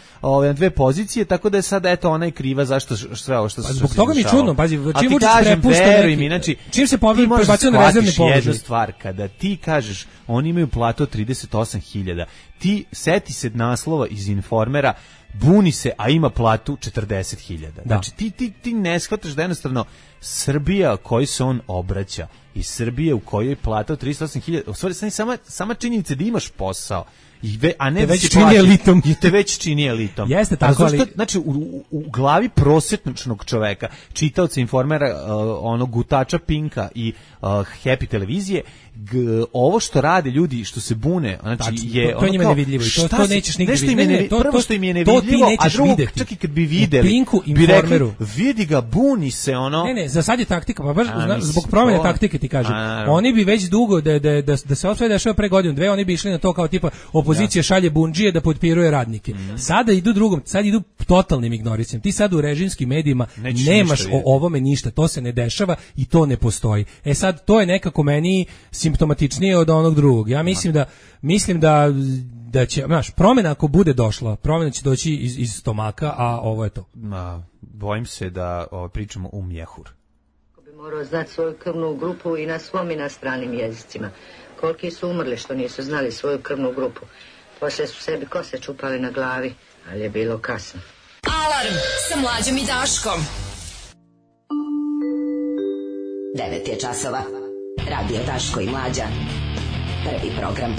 Speaker 8: dve pozicije, tako da je sad eto ona je kriva zašto sve ovo što se
Speaker 7: zbog toga mi je čudno, pazi,
Speaker 8: čim Vučić prepušta neki, znači
Speaker 7: čim se prebacio na rezervni položaj.
Speaker 8: Jedna stvar, kada ti kažeš oni imaju platu od 38.000, ti seti se naslova iz Informera, buni se, a ima platu 40.000. Znači ti ne shvataš da jednostavno Srbija kojoj se on obraća i Srbija u kojoj je plata od 38.000, u stvari sama činjenica da imaš posao, a ne
Speaker 7: te već čini elitom.
Speaker 8: Te već čini elitom.
Speaker 7: Jeste tako, ali...
Speaker 8: Znači, u glavi prosječnog čoveka, čitaoca Informera, onog gutača Pinka i Happy televizije, ovo što rade ljudi, što se bune, znači je...
Speaker 7: To je njima nevidljivo i to nećeš nigdje vidjeti.
Speaker 8: Prvo što im je nevidljivo, a drugo, čak i kad bi videli,
Speaker 7: Pinku,
Speaker 8: bi rekli, vidi ga, buni se, ono...
Speaker 7: Ne, za sad je taktika, pa baš zbog promjene taktike ti kažem. Oni bi već dugo, da se ovo sve dešava pre godinu, dve, oni bi išli na to kao tipa opozicija šalje bundžije da potpiruje radnike. Sada idu drugom, sad idu totalnim ignorisanjem. Ti sad u režimskim medijima nemaš o ovome ništa, to se ne dešava i to ne postoji. E sad, to je nekako meni simptomatičnije od onog drugog. Ja mislim da će, znaš, promjena ako bude došla, promjena će doći iz stomaka, a ovo je to.
Speaker 8: Bojim se da pričamo u Mjehur.
Speaker 11: Bi morao znati svoju krvnu grupu i na svom i na stranim jezicima. Koliki su umrli što nisu znali svoju krvnu grupu. Poslije su sebi kose čupali na glavi, ali je bilo kasno.
Speaker 6: Alarm sa Mlađom i Daškom.
Speaker 1: 9 je časova. Radio Daško i Mlađa. Prvi program.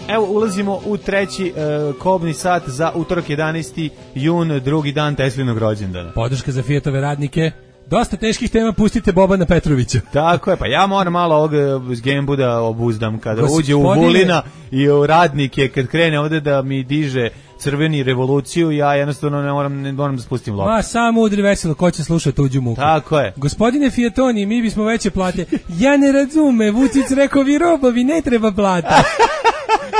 Speaker 8: Evo, ulazimo u treći kobni sat za utorak 11. jun, drugi dan Teslinog rođendana.
Speaker 7: Podrška za Fiatove radnike. Dosta teških tema, pustite Bobana Petrovića.
Speaker 8: Tako je, pa ja moram malo ovog Gembu da obuzdam kada uđe u Vulina i u radnike, kad krene ovde da mi diže crveni revoluciju, ja jednostavno ne moram da spustim loptu.
Speaker 7: Ma, samo udri veselo, ko će slušati tuđu muku.
Speaker 8: Tako je.
Speaker 7: Gospodine Fiatoni, mi bismo veće plate. Ja ne razume, Vučić rekao, vi robovi, ne treba plata.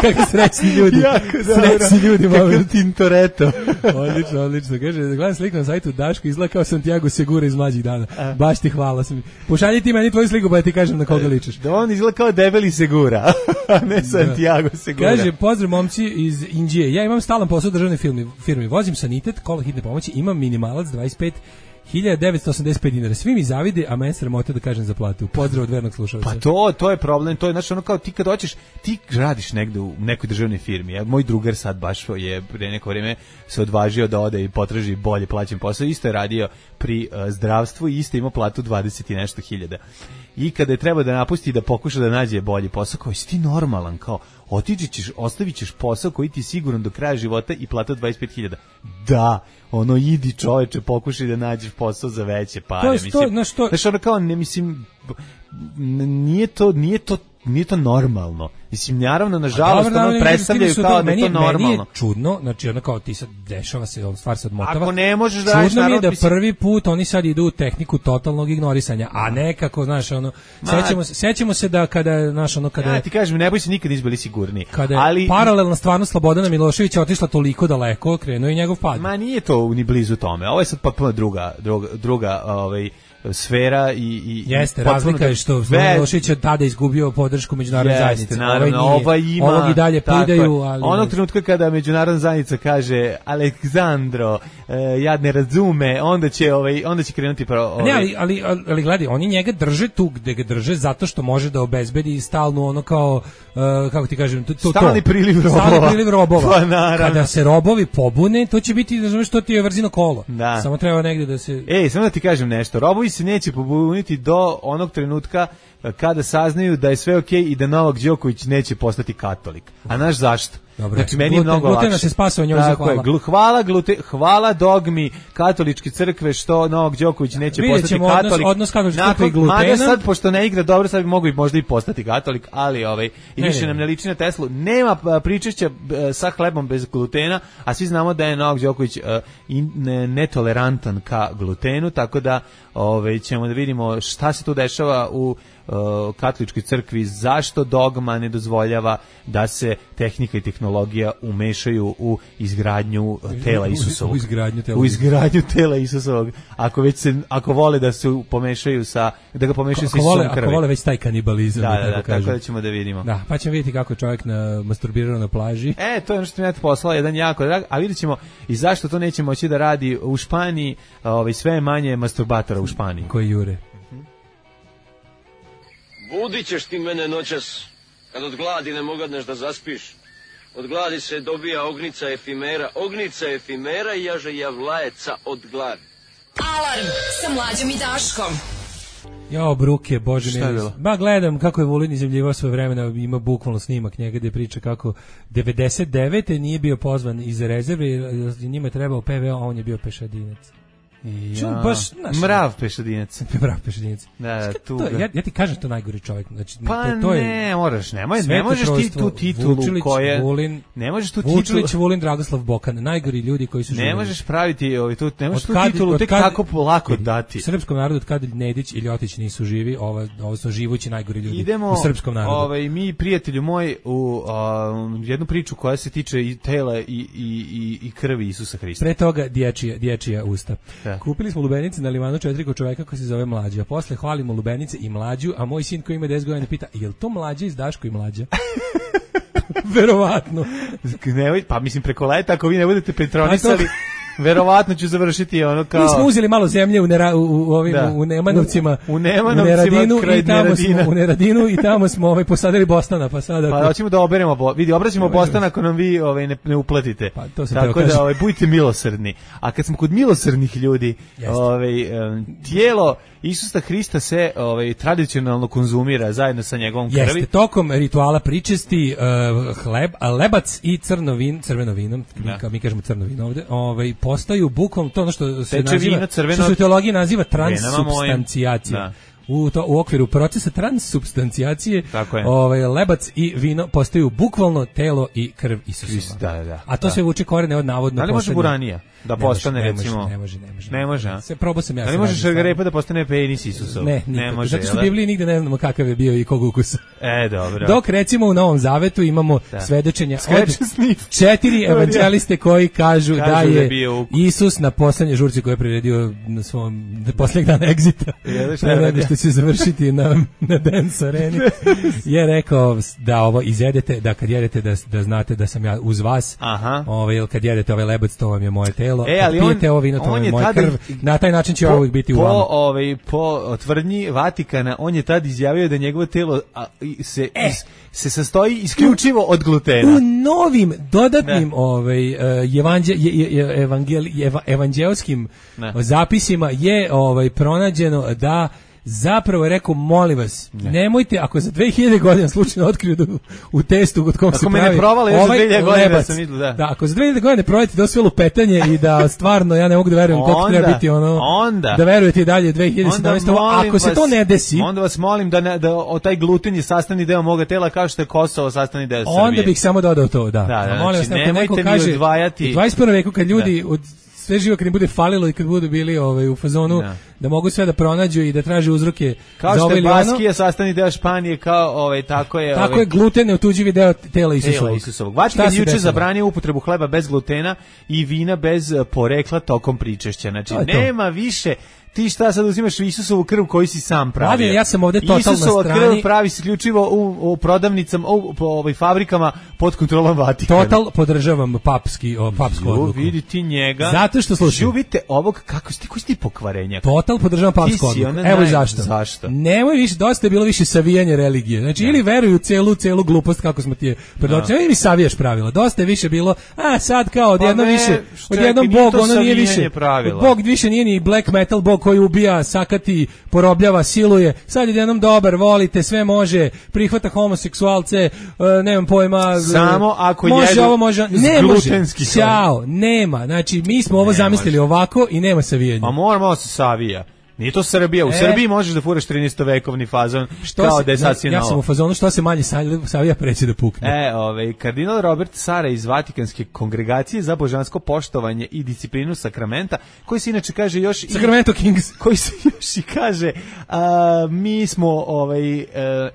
Speaker 7: Kako srećni ljudi. Srećni ljudi.
Speaker 8: Kako Tintoretto.
Speaker 7: Odlično. Kaže, gledam sliku na sajtu Daško, izgleda kao Santiago Segura iz mlađih dana. Baš ti hvala. Pošalji ti meni tvoju sliku, pa ja ti kažem na koga ličiš.
Speaker 8: Da on izgleda kao debeli Segura, a ne Santiago Segura.
Speaker 7: Kaže, pozdrav momci iz Indije. Ja imam stalan posao u državnoj firmi. Vozim sanitet, kola hitne pomoći, imam minimalac 25.985 dinara. Svi mi zavide, a meni sramota da kažem za platu. Pozdrav od vernog slušalca.
Speaker 8: Pa to je problem, to je znači ono kao ti kad hoćeš, ti radiš negde u nekoj državnoj firmi. Ja, moj drugar sad baš je pre neko vrijeme se odvažio da ode i potraži bolje plaćen posao. Isto je radio pri zdravstvu i isto ima platu 20 i nešto hiljada. I kada je treba da napusti da pokuša da nađe bolji posao, kao si ti normalan, kao ostavit ćeš posao koji ti siguran do kraja života i plata 25.000. Da, ono idi čoveče, pokušaj da nađeš posao za veće pare. Znaš, ono kao, ne mislim, nije to normalno. Mislim, naravno, nažalost, ono predstavljaju kao da je to normalno.
Speaker 7: Meni je čudno, znači ono kao ti sad dešava se, on stvar sad motava.
Speaker 8: Ako ne možeš da radiš,
Speaker 7: čudno mi je da prvi put oni sad idu u tehniku totalnog ignorisanja, a nekako, znaš, ono, sećamo se da kada, znaš, ono, kada...
Speaker 8: Ja ti kažem, ne boj se nikad izbili sigurniji.
Speaker 7: Kada je paralelna stvarnost Slobodana Miloševića otišla toliko daleko, krenuo i njegov pad.
Speaker 8: Ma nije to ni blizu tome, ovo je sad potpuno druga sfera i
Speaker 7: jeste, razlika je što Milošević od tada izgubio podršku međunarodne zajednice. Ovog i dalje pridaju, ali...
Speaker 8: Onog trenutka kada međunarodna zajednica kaže Aleksandro, ja ne razume, onda će krenuti
Speaker 7: Ne, ali gledaj, oni njega drže tu gde ga drže zato što može da obezbedi stalnu ono kao, kako ti kažem,
Speaker 8: stalni priliv robova.
Speaker 7: Pa, kada se robovi pobune, to će biti, znaš što ti je vrzino kolo.
Speaker 8: Da.
Speaker 7: Samo treba negde da se...
Speaker 8: Samo da ti kažem nešto, robovi se neće pobuniti do onog trenutka kada saznaju da je sve okej i da Novak Đoković neće postati katolik. A znaš zašto?
Speaker 7: Dobro.
Speaker 8: Znači meni je mnogo lakše.
Speaker 7: Glutena se spasao, njoj zahvala.
Speaker 8: Hvala dogmi katoličke crkve što Novak Đoković neće postati katolik.
Speaker 7: Odnos katoličke crkve i glutena.
Speaker 8: Mada sad, pošto ne igra dobro, sad bi mogao i možda i postati katolik, ali i više nam ne liči na Teslu. Nema pričešća sa hlebom bez glutena, a svi znamo da je Novak Đoković netolerantan ka glutenu, tako da ćemo da vidimo šta se tu dešava u katoličkoj crkvi, zašto dogma ne dozvoljava da se tehnika i tehnologija umešaju u izgradnju tela Isusovog. U izgradnju tela Isusovog. Ako vole da se pomešaju sa Isusom krvi. Ako
Speaker 7: vole već taj kanibalizam.
Speaker 8: Da, tako da ćemo da vidimo.
Speaker 7: Da, pa ćemo vidjeti kako čovjek masturbirao na plaži.
Speaker 8: To je ono što mi je poslao jedan jako drag, a vidjet ćemo i zašto to neće moći da radi u Španiji, sve je manje masturbatora u Španiji.
Speaker 7: Koji jure.
Speaker 2: Budit ćeš ti mene noćas, kad od gladi ne mogadneš da zaspiš. Od gladi se dobija ognica efimera i jaže javlajeca od gladi.
Speaker 6: Alarm sa Mlađom i Daškom.
Speaker 7: Jao, bruke, bože meni. Ba, gledam kako je Vulin izjavljivao svoje vremena, ima bukvalno snimak njega gde priča kako 99. nije bio pozvan iz rezerve, njima je trebao PVO, a on je bio pešadinac.
Speaker 8: Mrav pešadinac.
Speaker 7: Da, ja ti kažem to najgori čovjek. Znači,
Speaker 8: ne možeš ti tu titulu koje... Ne možeš tu titulu...
Speaker 7: Vučilić, Vulin, Dragoslav Bokan, najgori ljudi koji su živjeli.
Speaker 8: Ne možeš praviti ne možeš tu titulu tek tako lako dati.
Speaker 7: Srpskom narodu od kada Nedić i Ljotić nisu živi, ovo su živući najgori ljudi u srpskom narodu.
Speaker 8: Mi, prijatelju moj, u jednu priču koja se tiče i tela i krvi Isusa Hrista.
Speaker 7: Pre toga dječija usta. Kupili smo lubenice na Limanu 4 kod čoveka koji se zove Mlađa. Posle hvalimo lubenice i Mlađu, a moj sin koji ima 10 godina pita, jel to Mlađa iz Daško i Mlađa? Verovatno.
Speaker 8: Pa mislim preko leta, ako vi ne budete petronisali, verovatno ću završiti ono kao...
Speaker 7: Mi smo uzeli malo zemlje u Nemanovcima, u Neradinu i tamo smo posadili Bostana, pa sada...
Speaker 8: Pa hoćemo da oberemo, obraćamo Bostana ako nam vi ne uplatite.
Speaker 7: Pa, to
Speaker 8: tako da budite milosrdni. A kad smo kod milosrdnih ljudi, tijelo Isusa Hrista se tradicionalno konzumira zajedno sa njegovom krvi.
Speaker 7: Jeste, tokom rituala pričesti lebac i crveno vino, mi kažemo crno vino ovde, postaju bukom to ono što se naziva, što se u teologiji naziva transsubstancijacija. U okviru procesa transsubstancijacije lebac i vino postaju bukvalno telo i krv Isusova. A to se vuče korene od navodno...
Speaker 8: Da li može buranija da postane, recimo... Ne može, a?
Speaker 7: Probao sam ja.
Speaker 8: Da li može šargarepa da postane penis Isusov?
Speaker 7: Ne može. Zato što u Bibliji nigde ne znamo kakav je bio i kog ukusa.
Speaker 8: Dobro.
Speaker 7: Dok recimo u Novom Zavetu imamo svedočenja od 4 evanđeliste koji kažu da je Isus na poslednjoj žurci koju je priredio na svom posljednjeg dana egzita, pre što će završiti na Dance Areni, je rekao da ovo izjedete, da kad jedete da znate da sam ja uz vas, jer kad jedete ovaj lebac, to vam je moje telo, kad pijete ovo vino, to vam je moja krv, na taj način će ovo biti u vama.
Speaker 8: Po tvrdnji Vatikana, on je tad izjavio da njegovo telo se sastoji isključivo od glutena.
Speaker 7: U novim dodatnim evanđelskim zapisima je pronađeno da zapravo je rekao, molim vas, nemojte, ako za 2000 godina slučajno otkriju u testu kod kog se pravi
Speaker 8: ako me ne provale još za 2000 godina da sam vidio,
Speaker 7: da, ako za 2000 godina ne provalite da sve lupetanje i da stvarno ja ne mogu da verujem koliko treba biti da verujete i dalje 2017. Ako se to ne desi,
Speaker 8: onda vas molim da taj gluten je sastavni deo moga tela kao što je Kosovo sastavni deo Srbije.
Speaker 7: Onda bih samo dodao to, da. Molim vas, neko kaže, u 21. veku kad ljudi sve živo kad im bude falilo i kad budu bili u fazonu da mogu sve da pronađu i da traže uzroke
Speaker 8: kao
Speaker 7: za
Speaker 8: ovaj ili ono. Kao što je Baskija sastavni deo Španije, kao tako je...
Speaker 7: Tako je gluten neotuđivi deo tela Isusovog.
Speaker 8: Vatikan juče zabranio upotrebu hleba bez glutena i vina bez porekla tokom pričešća. Znači, nema više... Ti šta sad uzimaš Isusovu krv koju si sam pravio?
Speaker 7: Mladen, ja sam ovde totalno na strani.
Speaker 8: Isusova krv pravi se isključivo u prodavnicama, u fabrikama pod kontrolom Vatikana.
Speaker 7: Total podržavam papsku odluku.
Speaker 8: Vidi ti njega.
Speaker 7: Zato što slušaj.
Speaker 8: Vidite ovog, koji si ti pokvarenjak?
Speaker 7: total podržavam papsku odluku. Evo i zašto. Nemoj više, dosta je bilo više savijanje religije. Znači, ili veruju celu glupost kako smo ti je predočili, ili mi savijaš pravila. Dosta je više bilo, sad kao odjednom više, odjednom Bog, ono nije više, Bog više nije ni black metal Bog koji ubija, sakati, porobljava, siluje. Sad odjednom dobar, volite, sve može, prihvata homoseksualce, nemam pojma.
Speaker 8: Samo ako
Speaker 7: može
Speaker 8: jedu
Speaker 7: ovo, može, ne može. Ćao, nema. Znači, mi smo ovo zamislili ovako i nema savijanja.
Speaker 8: A moramo se savija. Nije to Srbija. U Srbiji možeš da furaš 13-vekovni fazon kao da je sasvim
Speaker 7: ja sam u fazonu što se manje savija preći da pukne.
Speaker 8: Kardinal Robert Sara iz Vatikanske kongregacije za božansko poštovanje i disciplinu sakramenta, koji se inače kaže još
Speaker 7: Sacramento Kings,
Speaker 8: koji se još i kaže mi smo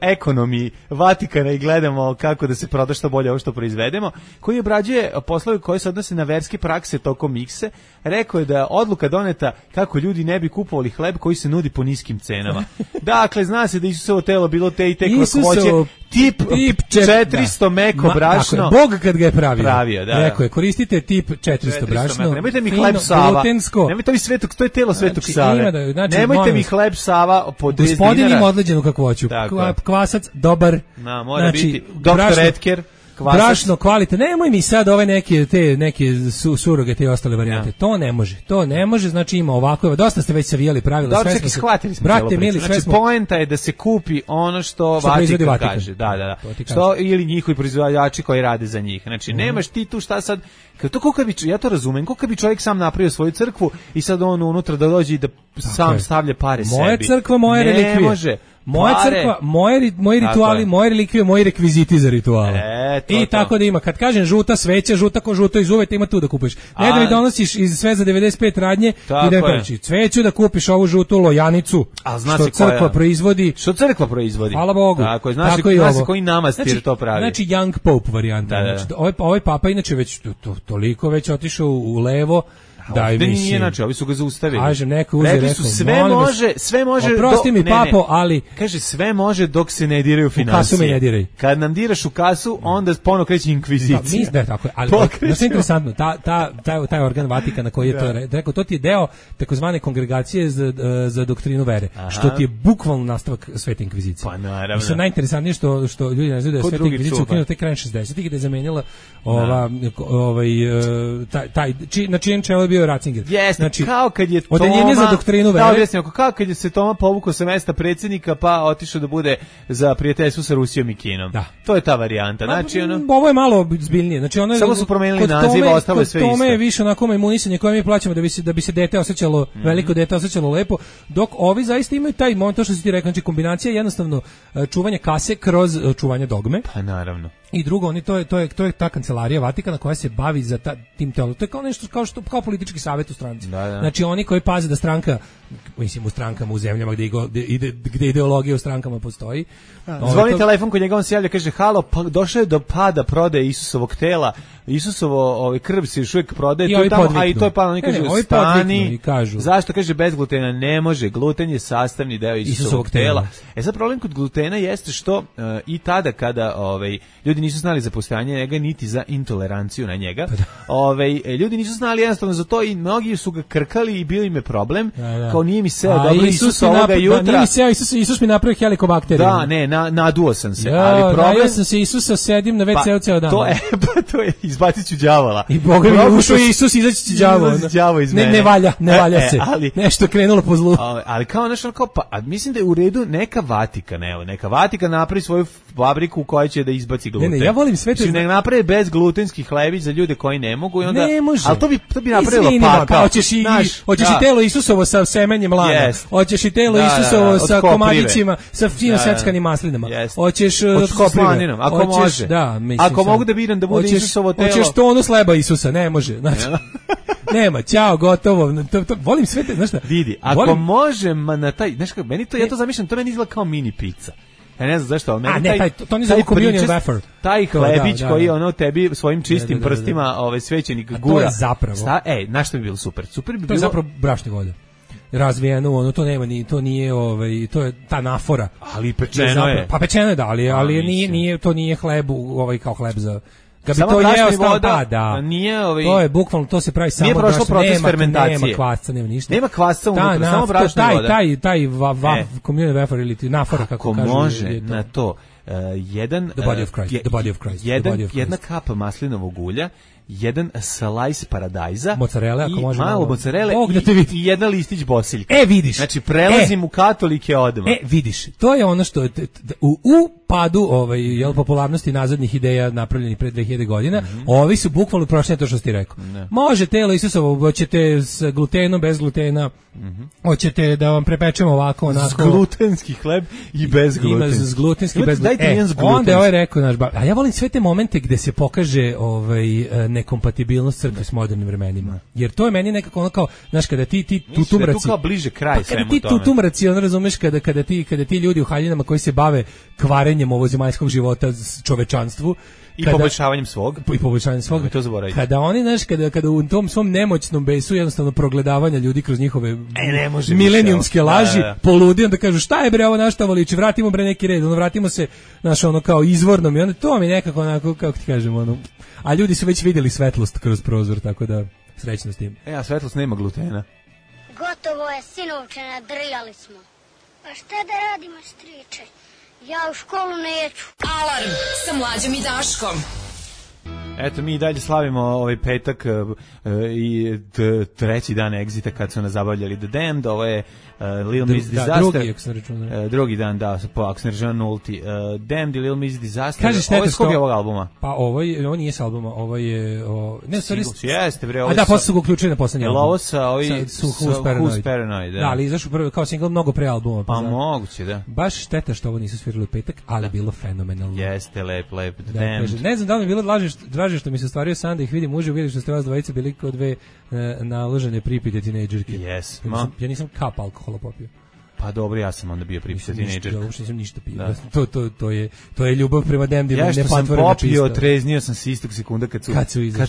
Speaker 8: ekonomi Vatikana i gledamo kako da se proda što bolje ovo što proizvedemo, koji obrađuje poslove koji se odnose na verske prakse tokom mikse. Rekao je da je odluka doneta kako ljudi ne bi kupovali hleb koji se nudi po niskim cenama. Dakle, zna se da Isusovo telo bilo te i te kratkoće, tip 400 meko brašno.
Speaker 7: Bog kad ga je pravio,
Speaker 8: da.
Speaker 7: Rekao je, koristite tip 400 brašno.
Speaker 8: Nemojte mi hleb Sava. Nemojte mi Svetog, to je telo Svetog Save.
Speaker 7: Znači,
Speaker 8: nemojte mi hleb Sava po 10 dinara.
Speaker 7: Gospodin ima odleđenu kakvoću. Kvasac, dobar.
Speaker 8: Mora biti. Doktor Etker.
Speaker 7: Brašno, kvalitetno. Nemoj mi sad ove neke suroge, te ostale varijante. To ne može, znači ima ovako. Dosta ste već savijali pravila.
Speaker 8: Dobro, čekaj, shvatili smo. Brate, mili, znači, poenta je da se kupi ono što Vatikan kaže. Da. Što, ili njihovi proizvođači koji rade za njih. Znači, nemaš ti tu šta sad. Ja to razumem, kako bi čovjek sam napravio svoju crkvu i sad on unutra da dođe i da sam stavlja pare sebi.
Speaker 7: Moja crkva, moje relikvije.
Speaker 8: Ne može.
Speaker 7: Moja crkva, moji rituali, moje relikvije, moji rekviziti za rituale. I tako da ima. Kad kažem žuta sveća, žuta ko žuto iz uveta, ima tu da kupiš. Ne da mi donosiš iz sve za 95 radnje i da mi preći. Cveću da kupiš ovu žutu lojanicu, što crkva proizvodi.
Speaker 8: Što crkva proizvodi.
Speaker 7: Hvala Bogu.
Speaker 8: Tako je, znaš koji namastir to pravi.
Speaker 7: Znači Young Pope varijanta. Ovaj papa inače već toliko već otišao u levo. Da,
Speaker 8: nije znači, ovi su ga zaustavili.
Speaker 7: Kaže, neko uze, rekao,
Speaker 8: sve može.
Speaker 7: Oprosti mi, papo, ali
Speaker 8: kaže, sve može dok se ne diraju financije.
Speaker 7: U kasu me ne diraj.
Speaker 8: Kad nam diraš u kasu, onda ponovo kreće inkvizicija.
Speaker 7: Da, tako je. Ali to je interesantno, taj organ Vatikana koji je to rekao, to ti je deo takozvane kongregacije za doktrinu vere, što ti je bukvalno nastavak Svete inkvizicije.
Speaker 8: Pa naravno.
Speaker 7: Mislim, najinteresantnije što ljudi ne znaju da je Sveta inkvizicija ukinuta tek krajem 60-ih, gde je zamenila na čijem čelu bio Ratzinger.
Speaker 8: Znači, kao kad je
Speaker 7: odeljenje za doktrinu vere.
Speaker 8: Kao kad je se Toma povukao sa mesta predsjednika pa otišao da bude za prijateljstvo sa Rusijom i Kinom. Da. To je ta varijanta. Znači,
Speaker 7: ovo je malo zbiljnije. Znači,
Speaker 8: samo su promenili naziv, ostalo je sve isto.
Speaker 7: Kod Tome je više onako imunisanje koje mi plaćamo da bi se dete osjećalo, veliko dete osjećalo lepo, dok ovi zaista imaju taj moment, to što si ti rekao, znači kombinacija jednostavno čuvanje kase kroz čuvanje dogme.
Speaker 8: Pa naravno.
Speaker 7: I drugo, to je ta kancelarija Vatikana koja se bavi za tim telom. To je kao nešto kao politički savjet u stranci.
Speaker 8: Da.
Speaker 7: Znači oni koji paze da stranka, mislim u strankama u zemljama gdje ideologija u strankama postoji.
Speaker 8: Zvoni telefon kod njega, on se javlja, kaže halo, došao je do pada prodaje Isusovog tela. Isusovo krv se još uvijek prodaje tu tamo, a i to je palo, oni stani. Zašto? Kaže bez glutena ne može. Gluten je sastavni deo Isusovog tela. Sad problem kod glutena jeste što i tada kada ljudi nisu znali za postojanje njega niti za intoleranciju na njega. Ljudi nisu znali jednostavno za to i mnogi su ga krkali i bio im je problem. Kao nije mi seo dobro Isus ovoga jutra.
Speaker 7: Nije mi seo Isus mi napravio helikobakteriju.
Speaker 8: Da, ne, naduo sam se. Ali problem...
Speaker 7: Ja sam se Isusa, sedim na WC-u ceo dan.
Speaker 8: To je izbacit ću đavola.
Speaker 7: I Boga mi ušao Isus, izaći će đavo iz mene. Ne valja se. Nešto krenulo po zlu.
Speaker 8: Ali kao nešto, a mislim da je u redu neka Vatikan napravi svoju fabriku u kojoj će da izbaci gluten.
Speaker 7: Ne, ja volim sve to.
Speaker 8: Ne naprave bezglutenski hlebić za ljude koji ne mogu i onda.
Speaker 7: Ne može.
Speaker 8: Ali to bi napravilo pakao.
Speaker 7: Hoćeš i telo Isusovo sa semenjem lana. Hoćeš i telo Isusovo sa komadićima, sa fino seckanim maslinama. Hoćeš
Speaker 8: slaninom, ako može. Ako mogu da biram da bude Isusovo telo.
Speaker 7: Hoćeš tonu sleba Isusa, ne može. Znači nema, ćao, gotovo. Volim sve te, znaš šta?
Speaker 8: Vidi, ako možem na taj, znaš kako, ja to zamišljam, to meni izgleda kao mini pizza. Ja ne znam zašto, ali meni
Speaker 7: to ne zove communion wafer.
Speaker 8: Taj hlebić koji tebi svojim čistim prstima svećenik gura.
Speaker 7: To je zapravo.
Speaker 8: Znaš što bi bilo super? Super bi bilo.
Speaker 7: To je zapravo brašni volja. Razvijeno, to nema ni, to nije, to je ta nafora.
Speaker 8: Ali pečeno je.
Speaker 7: Pa pečeno je, da, ali to nije hleb, kao hleb Ga bi to jeo voda,
Speaker 8: nije
Speaker 7: to je bukvalno, to se pravi samo
Speaker 8: nije prošlo proces fermentacije.
Speaker 7: Nema kvasca, nema ništa.
Speaker 8: Nema kvasca unutra, samo brašna voda.
Speaker 7: Taj communion wafer ili nafora, kako kažu.
Speaker 8: Može na to jedna kap maslinovog ulja, jedan slice paradajza,
Speaker 7: mozzarella, ako može
Speaker 8: malo mozzarelle i jedan listić bosiljka.
Speaker 7: Vidiš.
Speaker 8: Znači prelazim u katolike odmah.
Speaker 7: Vidiš, to je ono što u padu popularnosti nazadnih ideja napravljenih pre 2000 godina, ovi su bukvalno prošli to što ti rekao. Može telo Isusovo, hoćete s glutenom, bez glutena, hoćete da vam prepečemo ovako, onako.
Speaker 8: Glutenski hleb i bez glutena.
Speaker 7: Ima glutenski, bez glutena. Onda je rekao naš bab. A ja volim sve te momente gde se pokaže nekompatibilnost crkve s modernim vremenima. Jer to je meni nekako ono kao, znaš, kada ti tutumraci.
Speaker 8: Tu kao bliže kraj svemu tome.
Speaker 7: Kada ti tutumraci, ono razumeš, kada ti ljudi u haljinama koji se bave kvarenjem ovozemaljskog života čovečanstvu,
Speaker 8: i poboljšavanjem svog.
Speaker 7: To zaboravite. Kada oni, znaš, kada u tom svom nemoćnom besu jednostavno progledavanja ljudi kroz njihove milenijumske laži, poludi, onda kažu šta je bre ovo našta voliči, vratimo bre neki red, vratimo se, znaš, ono kao izvornom i onda to mi nekako onako, kako ti kažem, ono, a ljudi su već vidjeli svetlost kroz prozor, tako da srećno s tim.
Speaker 8: A svetlost nema glutena.
Speaker 12: Gotovo je, sinovče, nadrljali smo. Pa šta da radimo, striče? Ja u školu neću.
Speaker 6: Alarm sa Mlađom i Daškom.
Speaker 8: Eto, mi i dalje slavimo ovaj petak i treći dan Exita kad su nas zabavljali The Damned. Ovo je Little Miss Disaster. Drugi dan, da, ako se ne računa nulti. Damned i Little Miss Disaster. Ovo je s kog je ovog albuma?
Speaker 7: Pa ovo nije s albuma, ovo je...
Speaker 8: Jeste, bre.
Speaker 7: A da, posle su ga uključili na poslednji album.
Speaker 8: Ovo sa Who's Paranoid.
Speaker 7: Da, ali izašao prvo kao singl mnogo pre albuma.
Speaker 8: Pa moguće, da.
Speaker 7: Baš šteta što ovo nisu svirali u petak, ali bilo fenomenalno.
Speaker 8: Jeste, lep, Damned.
Speaker 7: Ne znam da li mi bilo draže što mi se ostvario san da ih vidim uživo, vidim što ste vas dvojice bili kao dve naložene pripite tinejdžerke.
Speaker 8: Yes,
Speaker 7: ja nisam kap alkohola popio.
Speaker 8: Pa dobro, ja sam onda bio pripite tinejdžerka.
Speaker 7: Ja uopšte nisam ništa pio. To je ljubav prema Damnedima.
Speaker 8: Ja što sam popio, treznio sam se istog sekunda kad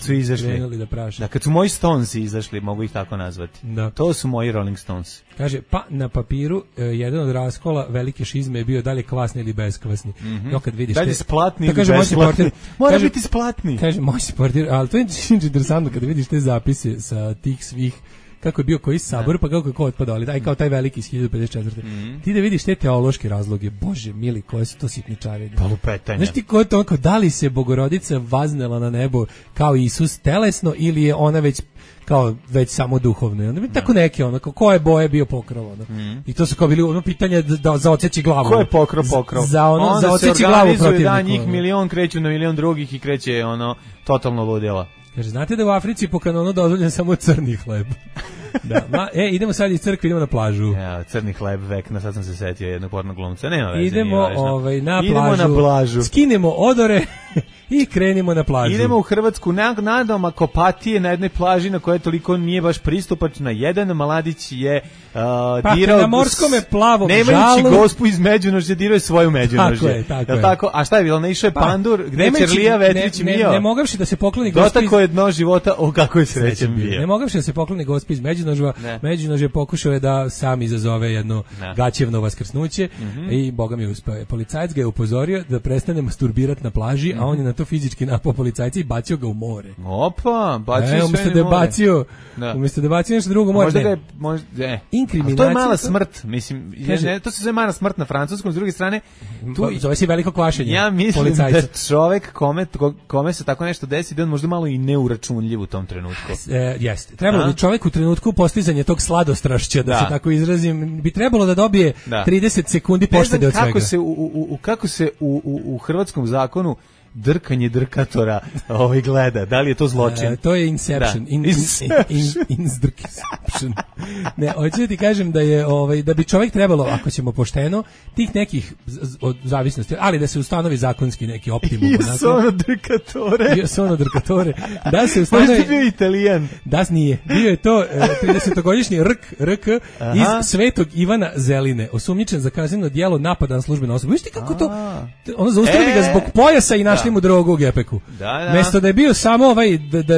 Speaker 8: su izašli. Da, kad su moji Stones izašli, mogu ih tako nazvati. Da. To su moji Rolling Stones.
Speaker 7: Kaže, pa na papiru jedan od raskola velike šizme je bio da li je kvasni ili beskvasni. No, kad vidiš
Speaker 8: dalje splatni ili besplatni. Mora biti splatni.
Speaker 7: Kaže, moj si portir, ali to je interesantno kada vidiš te zapise sa tih svih kako je bio koji sabor, pa kako je ko otpadao, ali daj kao taj veliki iz 1054. Ti da vidiš te teološke razloge, bože mili, koje su to sitničare.
Speaker 8: Pa lupetanje.
Speaker 7: Znaš ti ko je to, da li se Bogorodica vaznela na nebo kao Isus telesno ili je ona već samo duhovno. I onda bi tako neke, koje boje bio pokrov, I to su kao bili pitanja za odseći glavu.
Speaker 8: Ko je pokrov?
Speaker 7: Za odseći glavu protivniku.
Speaker 8: Da, njih milion kreću na milion drugih i kreće totalno ludila.
Speaker 7: Kaže, znate da u Africi po kanonu dozvoljen samo crni hleb. Da, idemo sad iz crkve, idemo na plažu.
Speaker 8: Ja, crni hleb vekna, sad sam se setio jednog pornog glumca. Nema veze.
Speaker 7: Idemo na plažu. Skinemo odore i krenimo na plažu.
Speaker 8: Idemo u Hrvatsku, nadam akopatije na jednoj plaži na kojoj toliko nije baš pristupačna. Jedan mladić je dirao
Speaker 7: na morskome plavom žalu.
Speaker 8: Nemajući gospu iz Međunožja, dirao je svoju Međunožje. Tako. A šta je bilo? Naišao je pandur, gde Čerlija Vetrić mio.
Speaker 7: Ne mogavši da se pokloni gospi.
Speaker 8: Dotako je dno života, o kako je srećan bio.
Speaker 7: Ne mogavši da se pokloni gospi iz Međunožja. Međunožje pokušao je da sam izazove jedno gaćevno vaskrsnuće i boga mi uspeo. Policajac ga je upozorio da prestane masturbirati na plaži, a on je na to fizički napao policajca i bacio ga u more.
Speaker 8: Opa, bacio sve
Speaker 7: umjesto da je bacio nešto drugo more.
Speaker 8: To je mala smrt, mislim, to se zove mala smrt na francuskom, s druge strane
Speaker 7: zove se veliko kvašenje.
Speaker 8: Ja mislim da čovek kome se tako nešto desi, da on možda malo i neuračunljiv u tom trenutku.
Speaker 7: Jeste. Trebalo bi čovek u trenutku postizanja tog sladostrašća, da se tako izrazim, bi trebalo da dobije 30 sekundi poštede od svega.
Speaker 8: Kako se u hrvatskom zakonu drkanje drkatora gleda, da li je to zločin?
Speaker 7: To je Inception. Inception. Ne, hoću da ti kažem da je da bi čovjek trebalo, ako ćemo pošteno, tih nekih od zavisnosti, ali da se ustanovi zakonski neki optimum. Sono drkatore. Da se ustanovi.
Speaker 8: Možda bio Italijan.
Speaker 7: Da nije. Bio je to 30-godišnji RK iz Svetog Ivana Zeline, osumnjičen za kazneno djelo napada na službenu osobu. Viš ti kako to? Ono zaustavi ga zbog pojasa i našli mu drogu u gepeku. Mesto da je bio samo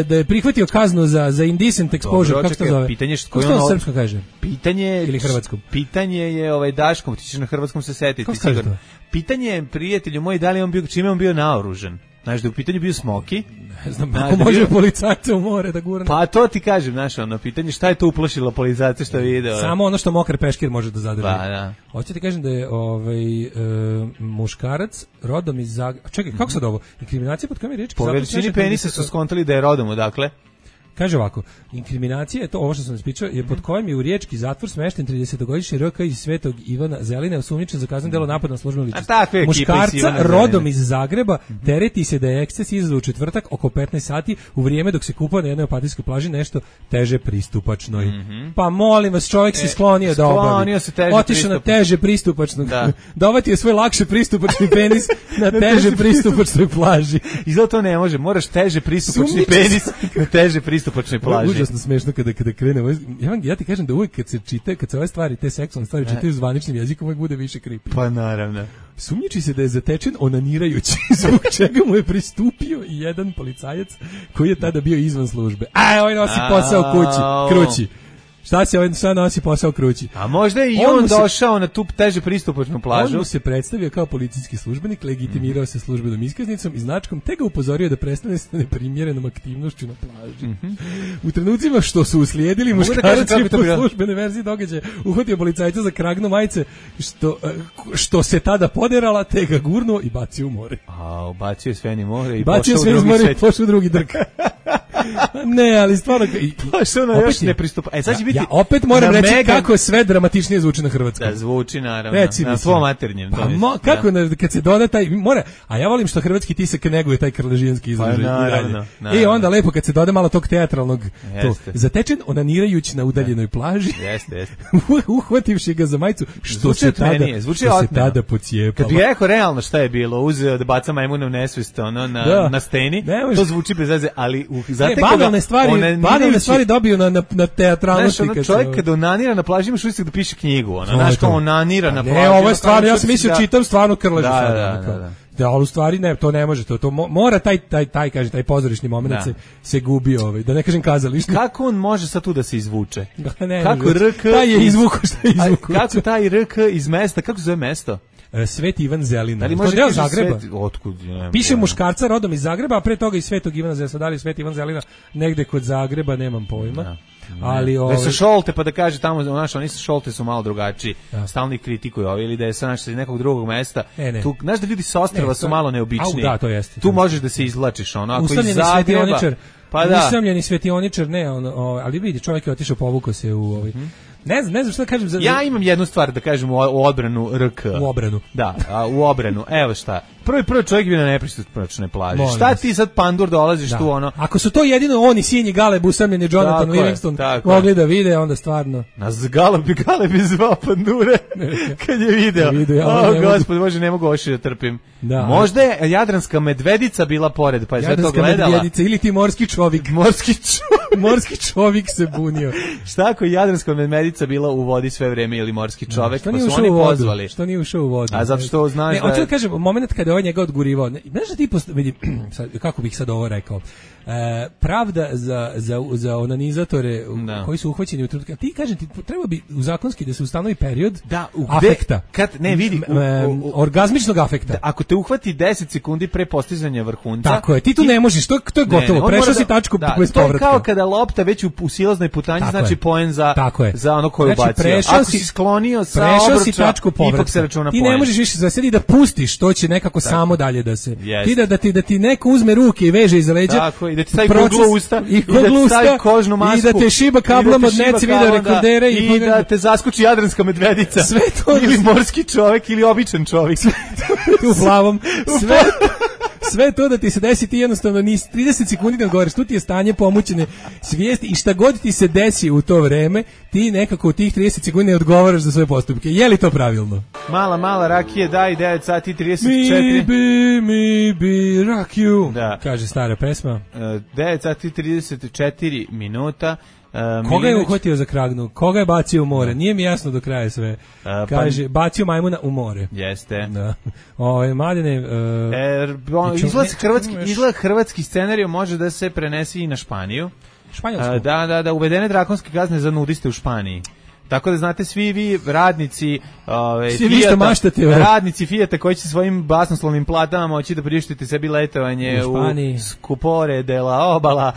Speaker 7: da je prihvatio kaznu za indecent exposure, kako se to zove?
Speaker 8: Pitanje
Speaker 7: kako se to srpsko kaže?
Speaker 8: Pitanje
Speaker 7: ili hrvatskom.
Speaker 8: Pitanje je Daškom, ti ćeš na hrvatskom se setiti sigurno. Pitanje je, prijatelju moj, da li on bio, čime on bio naoružan? Znaš, da u pitanju bio Smoki.
Speaker 7: Ne znam, ako može policajca u more da gurne.
Speaker 8: Pa to ti kažem, znaš, ono, pitanje šta je to uplašilo policajce što je video.
Speaker 7: Samo ono što mokar peškir može da zadrži.
Speaker 8: Pa, da.
Speaker 7: Hoćete ti kažem da je muškarac rodom iz Zagreba. Čekaj, kako sad ovo? Inkriminacija pod kojom je riječ?
Speaker 8: Po veličini penisa su skontali da je rodom odakle.
Speaker 7: Kaže ovako, inkriminacija je to, ovo što sam ispričao, je pod kojim je u riječki zatvor smešten 30-godišnji RK iz Svetog Ivana Zeline, osumnjičen za kazneno delo napada na službenu ličnost. Muškarca rodom iz Zagreba tereti se da je eksces izazvao u četvrtak oko 15 sati u vrijeme dok se kupao na jednoj opatijskoj plaži nešto teže pristupačnoj. Pa molim vas, čovjek se sklonio da obavi. Otišao na teže pristupačnog. Dovatio je svoj lakše pristupačni penis na teže pristupačnoj plaži.
Speaker 8: Izgleda to ne može, moraš teže pristupačni penis na teže pristupačnoj plaži.
Speaker 7: Užasno smešno kada krenemo. Ja ti kažem da uvijek kad se čita, kad se ove stvari, te seksualne stvari čitaju zvaničnim jezikom, uvijek bude više creepy.
Speaker 8: Pa naravno.
Speaker 7: Sumnjiči se da je zatečen onanirajući, zbog čega mu je pristupio i jedan policajac koji je tada bio izvan službe. Ovaj nosi posao krući. Šta se ovaj sad nosi posao krući?
Speaker 8: A možda je i on došao na tu teže pristupačnu plažu.
Speaker 7: On mu se predstavio kao policijski službenik, legitimirao se službenom iskaznicom i značkom, te ga upozorio da prestane sa neprimjerenom aktivnošću na plaži. U trenucima što su uslijedili, muškarac je po službenoj verziji događaja uhvatio policajca za kragnu majice, što se tada poderala, te ga gurnuo i bacio u more.
Speaker 8: Bacio je sve ni more i
Speaker 7: pošao u drugi drk. Ne, ali stvarno
Speaker 8: pošao na još nepristupa. Sad će biti.
Speaker 7: Ja opet moram reći kako sve dramatičnije zvuči na hrvatskom.
Speaker 8: Da, zvuči naravno. Na svom maternjem.
Speaker 7: Kako kad se doda taj mora, a ja volim što hrvatski tisak neguje taj krležijanski izražaj. I onda lepo kad se doda malo tog teatralnog to. Zatečen onanirajući na udaljenoj plaži.
Speaker 8: Jeste.
Speaker 7: Uhvativši ga za majicu, što se tada pocijepalo.
Speaker 8: Kad bih rekao realno šta je bilo, uzeo da baca majmuna u nesvest na steni, to zvuči bez veze, ali
Speaker 7: banalne stvari dobiju na teatralnosti.
Speaker 8: Čovjek kada onanira na plaži imaš utisak da piše knjigu. Znaš kao onanira na plaži.
Speaker 7: Ne, ovo je stvarno, ja sam mislio čitam stvarno krležu. Da, ali u stvari ne, to ne može, to mora taj pozorišni moment se gubi da ne kažem kazalište.
Speaker 8: Kako on može sad tu da se izvuče?
Speaker 7: Kako RK taj je izvuko što je izvuko.
Speaker 8: Kako taj RK iz mesta, kako se zove mesto?
Speaker 7: Sveti Ivan Zelina.
Speaker 8: Ali može
Speaker 7: deo Zagreba.
Speaker 8: Otkud?
Speaker 7: Piše muškarca rodom iz Zagreba, a pre toga iz Svetog Ivana Zelina. Da li Sveti Ivan Zelina negde kod Zagreba, nemam pojma. Ali
Speaker 8: da se Šolte pa da kaže tamo oni su Šolte su malo drugačiji. Stalni kritikuju ili da je sa nekog drugog mesta. Tu znaš da ljudi sa ostrva su malo neobičniji.
Speaker 7: Da, to jeste.
Speaker 8: Tu možeš da se izvlačiš ako iz
Speaker 7: Zagreba. Pa da. Usamljeni svetioničar ne, ali vidi čovjek je otišao, povukao se u Ne znam šta da kažem.
Speaker 8: Ja imam jednu stvar da kažem u odbranu RK.
Speaker 7: U obranu.
Speaker 8: Da, u obranu. Evo šta. Prvi čovjek bio na nepristupačnoj plaži. Šta ti sad pandur dolaziš tu
Speaker 7: Ako su to jedino oni sinji Galeb usamljeni Jonathan Livingston mogli da vide, onda stvarno.
Speaker 8: Nas Galeb je zvao pandure kad je video. Gospod, Bože, ne mogu oši da trpim. Možda je jadranska medvedica bila pored, pa je sve to gledala. Jadranska medvedica
Speaker 7: ili ti morski čovjek. Morski čovjek se bunio.
Speaker 8: Šta ako je jadranska medvedica bila u vodi sve vreme ili morski čovjek, pa su oni pozvali.
Speaker 7: Što nije ušao u vodu?
Speaker 8: A zato što znaš da...
Speaker 7: Hoću da kažem, moment kada je njega odgurivao, znaš da ti vidi, kako bih sad ovo rekao, pravda za onanizatore koji su uhvaćeni u trenutku. Ti kažem, treba bi u zakonski da se ustanovi period afekta. Orgazmičnog afekta.
Speaker 8: Ako te uhvati 10 sekundi pre postizanja vrhunca.
Speaker 7: Tako je, ti tu ne možeš, to je gotovo. Prešao si tačku bez povratka.
Speaker 8: To je kao kada lopta već u silaznoj putanji, znači poen za ono koju bacio. Ako si sklonio sa obruča, ipak se računa poen.
Speaker 7: Ti ne možeš više zasedi da pustiš, to će nekako samo dalje da se. Ti da ti neko uzme ruke i veže iza leđa.
Speaker 8: Da ti stavi kuglu usta i da ti stavi kožnu masku
Speaker 7: i da te šiba kablom od neci video rekordere
Speaker 8: i da te zaskuči jadranska medvedica
Speaker 7: sve to
Speaker 8: ili morski čovjek ili običan čovjek
Speaker 7: u plavom sve to da ti se desi, ti jednostavno 30 sekundi ne odgovoriš, tu ti je stanje pomućene svijesti i šta god ti se desi u to vreme, ti nekako u tih 30 sekundi ne odgovaraš za svoje postupke. Je li to pravilno?
Speaker 8: Mala rakije, daj 9 sati 34.
Speaker 7: Mi bi rakiju, kaže stara pesma.
Speaker 8: 9 sati 34 minuta.
Speaker 7: Koga je uhvatio za kragnu? Koga je bacio u more? Nije mi jasno do kraja sve. Kaže, bacio majmuna u more.
Speaker 8: Jeste.
Speaker 7: Da. Mladene...
Speaker 8: Izgled hrvatski scenarij može da se prenesi i na Španiju.
Speaker 7: Španjolsku?
Speaker 8: Da, uvedene drakonske kazne za nudiste u Španiji. Tako da znate svi vi radnici radnici Fijata koji će svojim basnoslovnim platama moći da priuštite sebi letovanje u Skupore della Obala,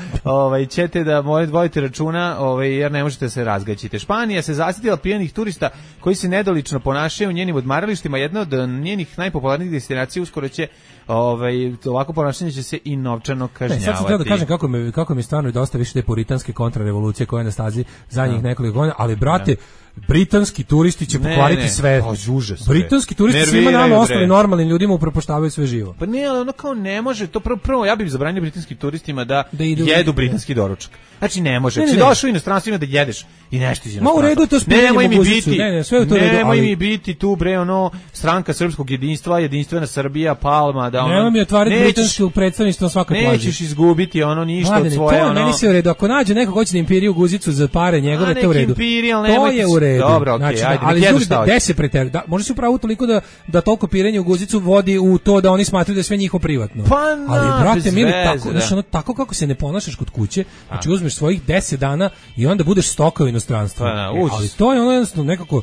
Speaker 8: ćete da vodite računa, jer ne možete se razgaćiti. Španija se zasitila pijanih turista koji se nedolično ponašaju u njenim odmaralištima. Jedna od njenih najpopularnijih destinacija uskoro će ovako ponašanje će se i novčano kažnjavati.
Speaker 7: Sad sam htio da kažem kako mi stvarno dosta više te puritanske kontrarevolucije koje je na stazi zadnjih nekoliko godina, ali brate, britanski turisti će pokvariti sve. Britanski turisti svima nama ostali normalnim ljudima upropaštavaju sve živo.
Speaker 8: Pa ne, ali ono kao ne može, to prvo ja bih zabranio britanskim turistima da jedu britanski doručak. Znači ne može. Znači došao u inostranstvo da jedeš i nešto iz inostranstva.
Speaker 7: Ma u redu je to spinjanje mogućicu.
Speaker 8: Nemoj mi biti tu bre Stranka srpskog jedinstva, Jedinstvena Srbija, Palma, da ono.
Speaker 7: Nemoj mi otvarati britansko predstavništvo na svakoj plaži.
Speaker 8: Nećeš izgubiti ništa od svoje
Speaker 7: ono. Meni se u redu. Ako nađe neko hoće da imperiju guzicu za pare njegove, to u redu. To je u redu.
Speaker 8: Dobro, okej, ajde.
Speaker 7: Ali gde se preteruje? Može se upravo toliko da toliko pirenje u guzicu vodi u to da oni smatraju da je sve njihovo privatno. Ali brate mili, tako kako se ne ponašaš kod kuće, znači uzmeš svojih 10 dana i onda budeš stoka u inostranstvu. Ali to je ono jednostavno nekako,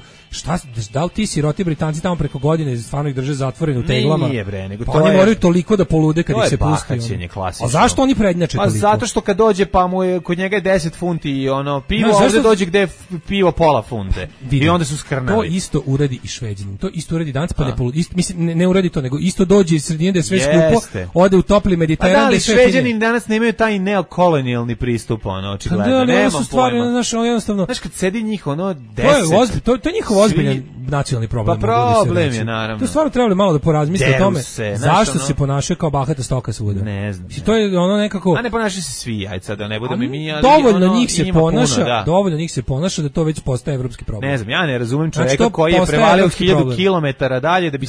Speaker 7: da li ti siroti Britanci tamo preko godine stvarno ih drže zatvoreni u teglama?
Speaker 8: Nije bre, nego
Speaker 7: to oni moraju toliko da polude kad ih se pusti. A zašto oni prednjače toliko?
Speaker 8: Pa zato što kad dođe pa mu je kod njega je 10 funti i pivo, ovdje dođe gde je pivo pola funte. I onda su skrnavi.
Speaker 7: To isto uradi i Šveđanin. To isto uradi danas pa mislim ne uradi to, nego isto dođe iz sredine da je sve skupo, ode u topli Mediteran.
Speaker 8: Ali Šveđani danas nemaju taj neokolonijalni pristup, očigledno.
Speaker 7: Nema stvari, znaš, jednostavno.
Speaker 8: Znaš kad sedi njih 10.
Speaker 7: To je njihov ozbiljan nacionalni problem.
Speaker 8: Pa problem je, naravno.
Speaker 7: To stvarno trebali malo da porazmisle o tome zašto se ponašaju kao bahata stoka svuda.
Speaker 8: Ne znam.
Speaker 7: To je ono nekako.
Speaker 8: A ne ponašaju se svi, ajde da ne budemo mi, ali
Speaker 7: dovoljno njih se ponaša da to već postaje evropski problem.
Speaker 8: Ne znam, ja ne razumem čovjeka koji je prevalio 1000 kilometara dalje da bi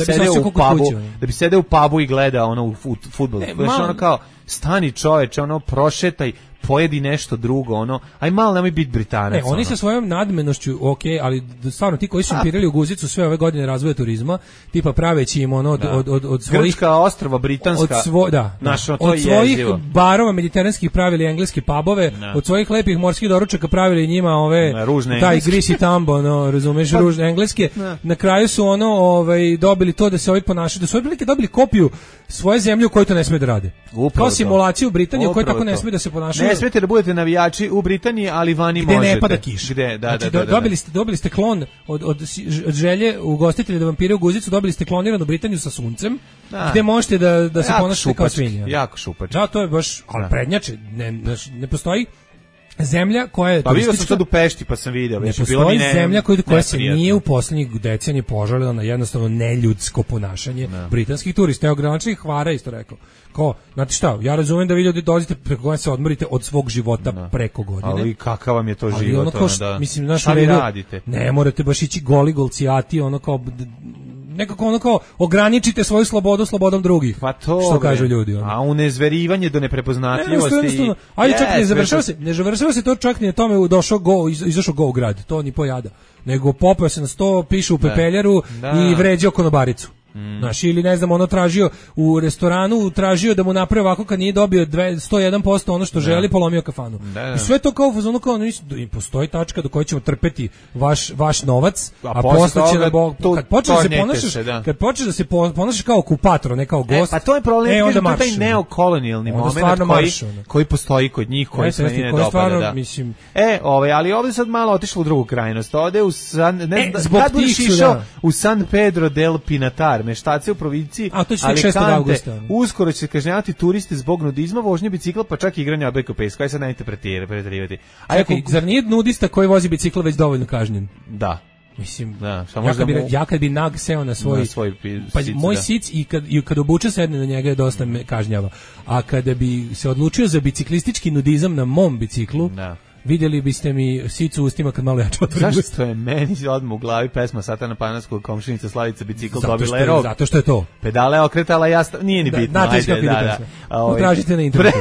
Speaker 8: sedeo u pubu i gledao fudbal. Znaš, ono kao, stani čoveče, prošetaj, pojedi nešto drugo, aj malo nemoj biti Britanac.
Speaker 7: Oni sa svojom nadmenošću, ali stvarno ti koji su impirali u guzicu sve ove godine razvoja turizma, tipa praveći im od svojih
Speaker 8: Grčka ostrva britanska.
Speaker 7: Od svojih barova mediteranskih pravili engleske pubove, od svojih lepih morskih doručaka pravili njima taj grisi tambo, razumeš, ružne engleske. Na kraju su dobili to da se ovi ponašaju, da su ovi dobili kopiju svoje zemlje u kojoj to ne smije da rade. Kao simulaciju u Britaniji u kojoj tako ne smije da se ponašaju.
Speaker 8: Ne smijete da budete navijači u Britaniji, ali vani možete.
Speaker 7: Gde ne pada kiša. Dobili ste klon od želje ugostitelja da vam pire u guzicu, dobili ste kloniranu Britaniju sa suncem, gde možete da se ponašate kao svinja.
Speaker 8: Jako šupački.
Speaker 7: Da, to je baš, ali prednjače, ne postoji zemlja koja je
Speaker 8: turistička. Pa vidio sam sad u Pešti pa sam video.
Speaker 7: Ne postoji zemlja koja se nije u posljednjih decenija požalila na jednostavno neljudsko ponašanje britanskih turista. Evo gradonačelnik Hvara isto rekao. Znate šta, ja razumijem da vi ljudi dolazite preko godine se odmorite od svog života preko godine.
Speaker 8: Ali kakav vam je to život?
Speaker 7: Šta vi radite? Ne morate baš ići goli golcijati, nekako ograničite svoju slobodu slobodom drugih.
Speaker 8: Pa to,
Speaker 7: što kažu ljudi.
Speaker 8: A unezverivanje do neprepoznatljivosti.
Speaker 7: Ajde, čak ne završava se to čak ni na tome izašao go u grad, to ni pojada. Nego popeo se na 100, piše u pepeljaru i vređao konobaricu. Znaš, ili ne znam, tražio u restoranu, tražio da mu napravi ovako kad nije dobio 101% ono što želi, polomio kafanu. I sve to kao postoji tačka do koje ćemo trpeti vaš novac, a posle će kad počneš da se ponašaš kao okupator, ne kao gost.
Speaker 8: Pa to je problem, taj neokolonijalni moment koji postoji kod njih, koji se ne dopada. Ali ovdje sad malo otišlo u drugu krajnost. Ovdje kad budeš išao u San Pedro del Pinatar, meštace u provinciji Alicante, uskoro će se kažnjavati turiste zbog nudizma, vožnje bicikla, pa čak i igranja abeka peska. Aj sad nemojte preterivati.
Speaker 7: Zar nije nudista koji vozi bicikla već dovoljno kažnjen?
Speaker 8: Da.
Speaker 7: Mislim, ja kad bi nag seo na svoj moj sic i kad obuče sedne na njega je dosta me kažnjava. A kada bi se odlučio za biciklistički nudizam na mom biciklu, vidjeli biste mi sicu u ustima kad malo jače otvorim.
Speaker 8: Zašto je meni odmah u glavi pesma Satana Panarskog, komšinica Slavica bicikl dobila je rog.
Speaker 7: Zato što je to.
Speaker 8: Pedale okretala nije ni bitno.
Speaker 7: Utražite na internetu.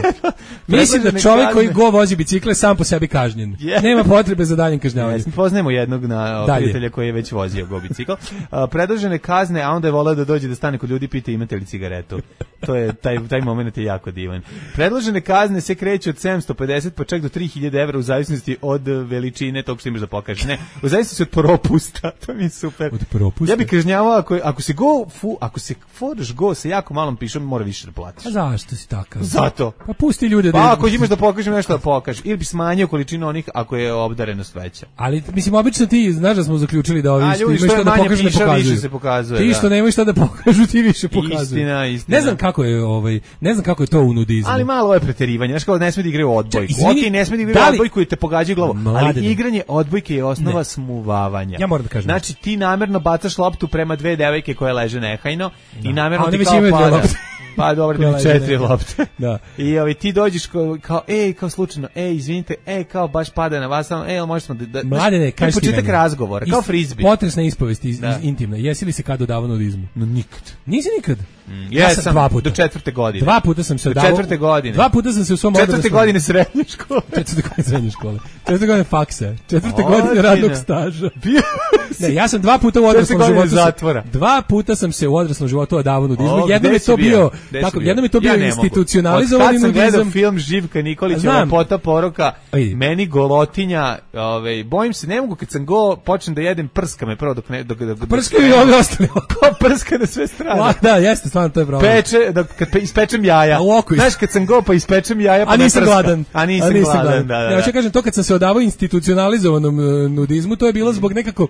Speaker 7: Mislim da čovjek koji vozi bicikle sam po sebi kažnjen. Nema potrebe za daljnjim kažnjavanjem.
Speaker 8: Poznajemo jednog prijatelja koji je već vozio go bicikl. Predložene kazne, a onda je voleo da dođe da stane kod ljudi i pita imate li cigaretu. To je taj moment je jako divan. Predložene kazne se kreću od 750 pa čak do 3000 € u zavisnosti od veličine tog što imaš da pokažeš. Ne, u zavisnosti od propusta, to mi je super.
Speaker 7: Od propusta?
Speaker 8: Ja bih kažnjavao ako se foraš go sa jako malom pišom, mora više da platiš.
Speaker 7: A zašto si takav?
Speaker 8: Zato.
Speaker 7: Pa pusti ljude
Speaker 8: da... Pa ako imaš da pokažeš nešto da pokažeš, ili bi smanjio količinu onih ako je obdarenost veća.
Speaker 7: Ali, mislim, obično ti, znaš da smo zaključili da ovi što imaju šta da pokažu, ne pokazuju.
Speaker 8: Se pokazuje,
Speaker 7: ti što nemaju šta da pokažu, ti više pokazuju.
Speaker 8: Istina.
Speaker 7: Ne znam kako je to u nudizmu.
Speaker 8: Ali malo je preterivanje, znaš kao ne sme da igraju odbojku. Okej, ne sme da igraju odbojku i te pogađaju glavu, ali igranje odbojke je osnova smuvavanja.
Speaker 7: Ja moram da kažem.
Speaker 8: Znači ti namerno bacaš loptu prema dve devojke koje leže nehajno i namerno ti kao pada. Pa dobro, ima 4 lopte.
Speaker 7: Da.
Speaker 8: I ti dođeš kao slučajno, izvinite, kao baš pada na vas, možemo da
Speaker 7: Mladene, kaži ti
Speaker 8: početak razgovora, kao frizbi.
Speaker 7: Potresna ispovest intimna. Jesi li se kad odavao nudizmu?
Speaker 8: No nikad.
Speaker 7: Nisi nikad?
Speaker 8: Ja sam 2 puta. Do 4. godine.
Speaker 7: 2 puta sam se odavao.
Speaker 8: Do 4. godine.
Speaker 7: 2 puta sam se u svom odraslom.
Speaker 8: 4. godine srednje škole.
Speaker 7: 4. godine srednje škole. 4. godine faksa. 4. godine radnog staža. Ne, ja sam 2 puta u odraslom životu. 2 puta sam se u odraslom životu odavao nudizmu. Jednom je to bio tako, jednom je to bio institucionalizovani nudizam.
Speaker 8: Kad sam gledao film Živka Nikolića, Lepota poroka, meni golotinja, bojim se, ne mogu kad sam počnem da jedem, prska me prvo dok ne...
Speaker 7: Prska mi ovi ostali.
Speaker 8: Kao prska na sve strane.
Speaker 7: Da, jeste, stvarno to je problem.
Speaker 8: Kad ispečem jaja. Znaš, kad sam pa ispečem jaja, pa
Speaker 7: ne prska. A nisam gladan.
Speaker 8: Da.
Speaker 7: Ja ću kažem, to kad sam se odavao institucionalizovanom nudizmu, to je bilo zbog nekako...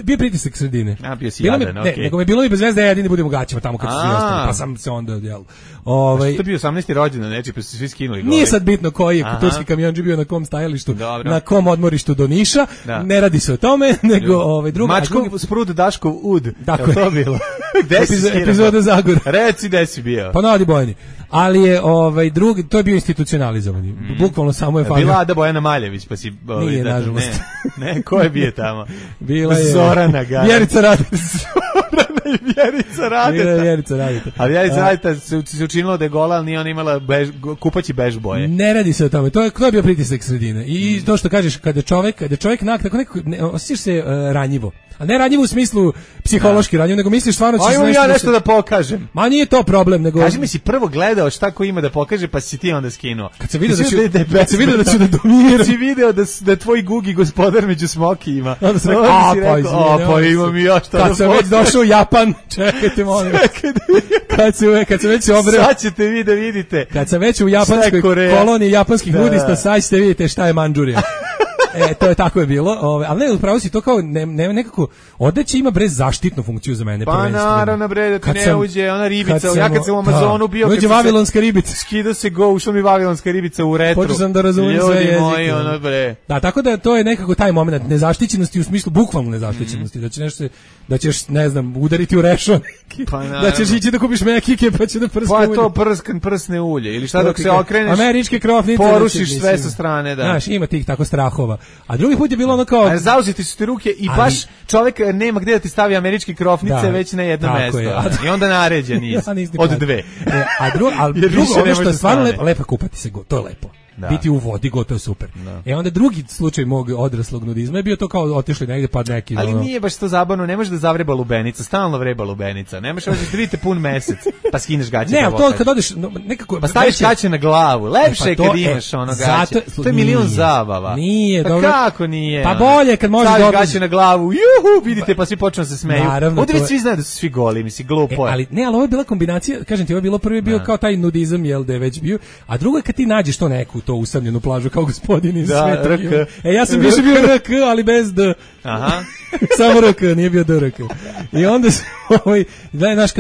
Speaker 7: bio pritisak sredine.
Speaker 8: A, bio si jadan, okej.
Speaker 7: Nego me bilo i bez veze da ja jedini budem u gaćima tamo kad su svi ostali, pa sam se onda, jel...
Speaker 8: Što je bio 18. rođendan, neči, pa su svi skinuli gore.
Speaker 7: Nije sad bitno koji je turski kamionđi bio na kom stajalištu, na kom odmorištu do Niša, ne radi se o tome, nego drugo...
Speaker 8: Mačkov sprud Daškov ud,
Speaker 7: tako je
Speaker 8: to bilo. Gde si skinao?
Speaker 7: Epizoda Zagora.
Speaker 8: Reci gde si bio.
Speaker 7: Pa na Adi Bojani. Ali je drugi, to je bio institucionalizovani. Bukvalno samo je
Speaker 8: bila Ada Bojana Maljević, pa si...
Speaker 7: Nije, nažalost.
Speaker 8: Ne, ko je bio tamo?
Speaker 7: Bila je...
Speaker 8: Zorana Gara.
Speaker 7: Vjerica Radeta.
Speaker 8: Zorana i Vjerica Radeta.
Speaker 7: Vjerica Radeta.
Speaker 8: A Vjerica Radeta se učinilo da je gola, ali nije ona imala kupaći bež boje.
Speaker 7: Ne radi se o tome. To je bio pritisak sredine. I to što kažeš, kada čovjek tako nekako, osjećaš se ranjivo. A ne ranjivo u smislu psihološki ranjivo, nego misliš stvarno ćeš
Speaker 8: nešto... ja nešto da pokažem.
Speaker 7: Ma nije to problem, nego...
Speaker 8: Kaži mi si prvo gledao šta ko ima da pokaže, pa si ti onda skinuo.
Speaker 7: Kad se vidio da ću da dominiram.
Speaker 8: Kad si video da tvoj Gugi gospodar među smokijima.
Speaker 7: Onda sam rekao,
Speaker 8: pa imam i ja šta da
Speaker 7: Kad sam već došao u Japan, čekajte molim. Kad sam već obreo...
Speaker 8: Sad ćete vi da vidite.
Speaker 7: Kad sam već u japanskoj koloniji japanskih nudista, sad ćete vidjeti šta je Mandžurija. To je tako je bilo, ali ne, upravo si to kao nekako odeća ima bre zaštitnu funkciju za mene
Speaker 8: prvenstveno. Pa naravno bre da ti ne uđe ona ribica, ja kad sam u Amazonu bio,
Speaker 7: uđe vavilonska ribica,
Speaker 8: skida se ušla mi vavilonska ribica u retru.
Speaker 7: Počeo sam da razumijem sve jezike.
Speaker 8: Moji, ono bre.
Speaker 7: Da, tako da to je nekako taj moment nezaštićenosti u smislu bukvalno nezaštićenosti, da ćeš ne znam udariti u rešo, da ćeš ići da kupiš mekike pa će da prska ulje.
Speaker 8: Pa to prsne ulje ili šta dok se okreneš.
Speaker 7: Američke krofnice
Speaker 8: porušiš sve sa strane, da.
Speaker 7: Znaš, ima tih tako strahova. A drugi put je bilo ono kao...
Speaker 8: zauzeti su ti ruke i baš čovjek nema gdje da ti stavi američke krofnice već na jedno mesto. I onda naređen niz. Od dve.
Speaker 7: A drugo, ono što je stvarno lepo kupati se, to je lepo. Biti u vodi, gotovo super. Onda drugi slučaj mog odraslog nudizma je bio to kao otišli negdje pa neki...
Speaker 8: Ali nije baš to zabavno, ne može da zavreba lubenica, stalno vreba lubenica. Ne možeš da vidite pun mesec, pa skineš gaće.
Speaker 7: Ne, to kad odeš nekako...
Speaker 8: Pa staviš gaće na glavu, lepše je kad imaš ono gaće. To je milion zabava.
Speaker 7: Nije,
Speaker 8: dobro. Kako nije?
Speaker 7: Pa bolje kad možeš
Speaker 8: staviš gaće na glavu, juhu, vidite, pa svi počnu se smeju. Ovdje već svi znaju da su svi goli, misli, glupo je.
Speaker 7: Ali ovo je bila kombinacija, kažem ti, ovo je bilo prvi bio kao taj nudizam, jel da je već bio, a drugo je kad ti nađeš to neku to usamljenu plažu kao gospodin iz sveta. Ja sam više bio RK, ali bez D.
Speaker 8: Aha.
Speaker 7: Samo RK, nije bio DRK. I onda se znaš,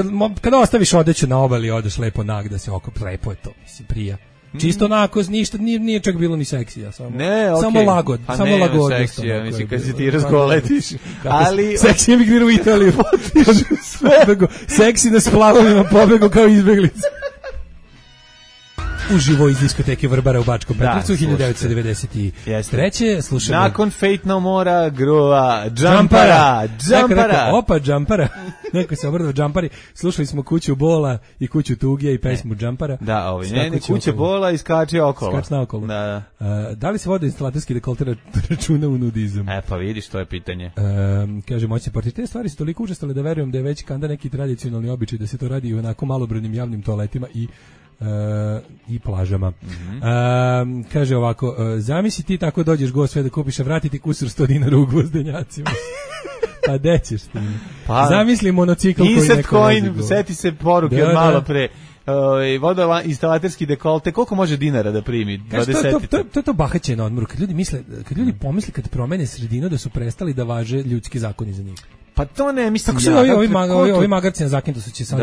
Speaker 7: kad ostaviš odeću na obali, odeš lepo nag da se okop, lepo je to, mislim, prija. Čisto onako, ništa, nije čak bilo ni seksija, samo lagod. Samo lagod.
Speaker 8: Seksija, mislim, kad si ti razgoletiš. Ali...
Speaker 7: Seksi je migriru u Italiju. Seksi na splavovima pobegu kao izbeglica. Uživo iz diskoteke Vrbara u Bačkom Petrovcu 1993. Slušamo.
Speaker 8: Nakon Fate No More-a gruva Džampara.
Speaker 7: Opa, Džampara. Neko se obrnuo Džampari. Slušali smo Kuću bola i Kuću tuge i pesmu Džampara.
Speaker 8: Da, ne, Kuća bola i skače okolo.
Speaker 7: Skač naokolo. Da li se vodoinstalaterski dekolter računa u nudizam?
Speaker 8: Pa vidiš, to je pitanje.
Speaker 7: Kaže, moćni portir, te stvari su toliko učestale da verujem da je već kanda neki tradicionalni običaj da se to radi u onako malobrojnim javnim toaletima i i plažama. Kaže ovako, zamisli ti tako dođeš go sve da kupiš, a vratiti kusur 100 dinara u Gvozdenjacima. Pa gde ćeš ti? Pa, zamisli monocikl koji neko
Speaker 8: coin, seti se poruke od malo pre. Vodoinstalaterski dekolte, koliko može dinara da primi?
Speaker 7: To je to bahaćenje na odmoru. Kad ljudi pomisle kad promene sredinu da su prestali da važe ljudski zakoni za njih.
Speaker 8: Pa to ne mislim.
Speaker 7: Tako su ovi magarci na Zakintosu će sad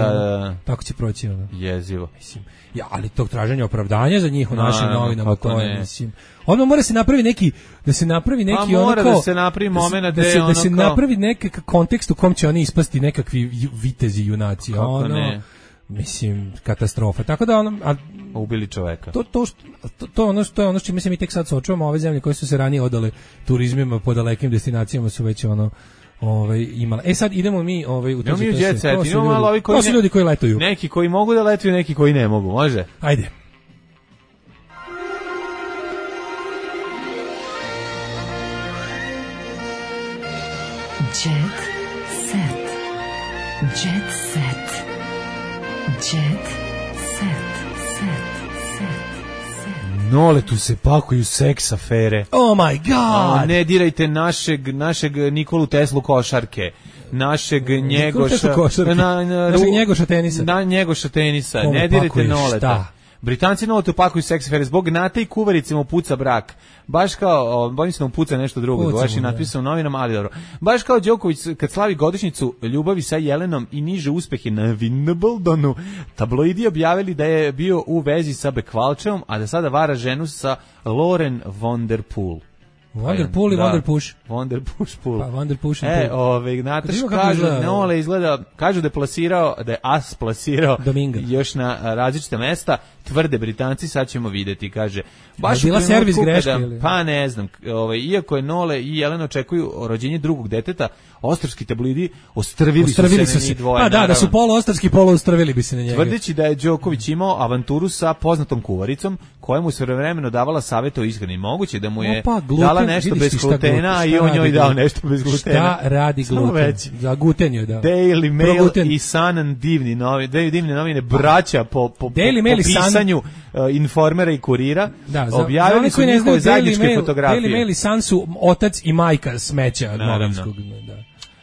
Speaker 7: tako će proći.
Speaker 8: Jezivo.
Speaker 7: Mislim, ali tog traženja opravdanja za njih u našim novinama, to je, mislim. Odmah mora se napravi neki, da se napravi neki
Speaker 8: ono kao... da se napravi moment
Speaker 7: da se napravi neki kontekst u kom će oni ispasti nekakvi vitezi junaci.
Speaker 8: Kako ne?
Speaker 7: Mislim, katastrofa. Tako da
Speaker 8: ubili čoveka.
Speaker 7: To je ono što mi tek sad suočavamo, ove zemlje koje su se ranije odale turizmima po dalekim destinacijama su već imala. Sad idemo mi u to to su ljudi koji letuju.
Speaker 8: Neki koji mogu da letuju, neki koji ne mogu. Može?
Speaker 7: Ajde.
Speaker 6: Jet set. Jet set. Jet set.
Speaker 8: Nole, tu se pakuju seks afere.
Speaker 7: Oh my god!
Speaker 8: Ne dirajte našeg Nikolu Teslu košarke, našeg Njegoša tenisa. Ne dirajte Noleta. Britanci Noletu pakuju seks afere zbog Nate i Kuvarice mu puca brak. Baš kao, bojim se da mu puca nešto drugo, baš je napisao u novinama, ali dobro. Baš kao Đoković kad slavi godišnjicu ljubavi sa Jelenom i niže uspehe na Wimbledonu, tabloidi objavili da je bio u vezi sa Bekvalčevom, a da sada vara ženu sa Lauren von der Poel.
Speaker 7: Wonderpool i Wonderpush.
Speaker 8: Wonderpush pool.
Speaker 7: Pa Wonderpush.
Speaker 8: Nataš kažu da je plasirao, da je as plasirao
Speaker 7: Dominga.
Speaker 8: Još na različite mesta. Tvrde Britanci, sad ćemo videti, kaže.
Speaker 7: Baš bila servis greške ili?
Speaker 8: Pa ne znam, iako je Nole i Jelena očekuju rođenje drugog deteta, ostrvski tabloidi ostrvili su se njih dvoje.
Speaker 7: Pa da su poluostrvski, poluostrvili bi se na njega.
Speaker 8: Tvrdeći da je Đoković imao avanturu sa poznatom kuvaricom, koja mu svojevremeno davala savete o ishrani. Moguće da mu je dala nešto bez glutena i on njoj dao nešto bez glutena.
Speaker 7: Šta radi gluten? Za gluten joj dao.
Speaker 8: Daily Mail i Sun, divne novine, braća po pisanju Informera i Kurira, objavili su njihove zajedničke fotografije.
Speaker 7: Daily Mail i Sun su otac i majka smeća novinskog.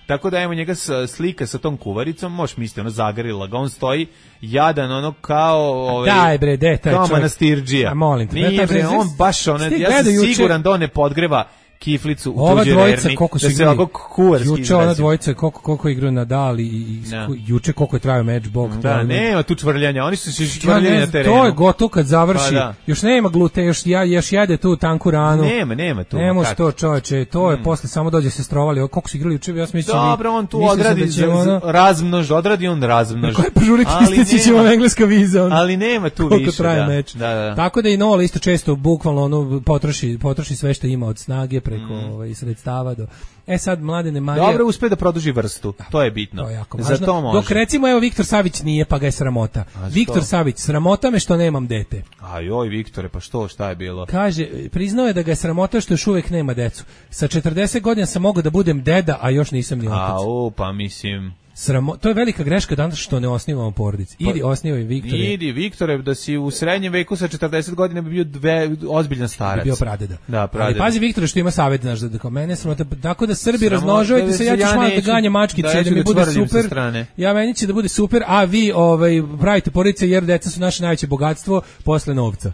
Speaker 8: Tako da imamo njega slika sa tom kuvaricom, možeš misliti, ono zagrila ga, on stoji jadan, ono kao
Speaker 7: daj bre, taj
Speaker 8: kao manastirđija.
Speaker 7: Molim te.
Speaker 8: Nije bre, on baš ja sam siguran da on ne podgreva kiflicu u tuđe verni, da se ovako kuvarski izrazi.
Speaker 7: Juče ona dvojica koliko igraju Nadal i juče koliko je trajao meč, bog.
Speaker 8: Da, nema tu čvrljanja, oni su se čvrljali na terenu.
Speaker 7: To je gotovo kad završi, još nema glute, još jede tu tanku ranu.
Speaker 8: Nema tu.
Speaker 7: Ne može to čoveče, to je posle samo dođe se strovali, koliko su igrali juče, ja mislim.
Speaker 8: Dobro, on tu odradi razmnož, razmnož.
Speaker 7: Koje požuriti istići ćemo engleska viza.
Speaker 8: Ali nema tu više.
Speaker 7: Traje meč. Tako da i Nole isto često bukvalno potroši sve što ima od snage preko sredstava do... Sad Mladene Marija...
Speaker 8: Dobro, uspe da produži vrstu, to je bitno.
Speaker 7: To je jako važno. Za to može. Dok recimo, evo, Viktor Savić nije, pa ga je sramota. Viktor Savić, sramota me što nemam dete.
Speaker 8: Joj, Viktore, pa šta je bilo?
Speaker 7: Kaže, priznao je da ga je sramota što još uvek nema decu. Sa 40 godina sam mogao da budem deda, a još nisam ni otac.
Speaker 8: Pa mislim...
Speaker 7: To je velika greška danas što ne osnivamo porodice. Idi, osnivaj Viktore.
Speaker 8: Idi, Viktore, da si u srednjem veku sa 40 godina bi bio ozbiljan starac.
Speaker 7: Bi bio pradeda.
Speaker 8: Da, pradeda.
Speaker 7: Ali pazi, Viktore, što ima savjet, znaš, da kao mene sramota. Tako da Srbi razmnožujete se, ja ću malo da ganjam mačkice, da mi bude super. Ja meni će da bude super, a vi pravite porodice jer deca su naše najveće bogatstvo posle novca.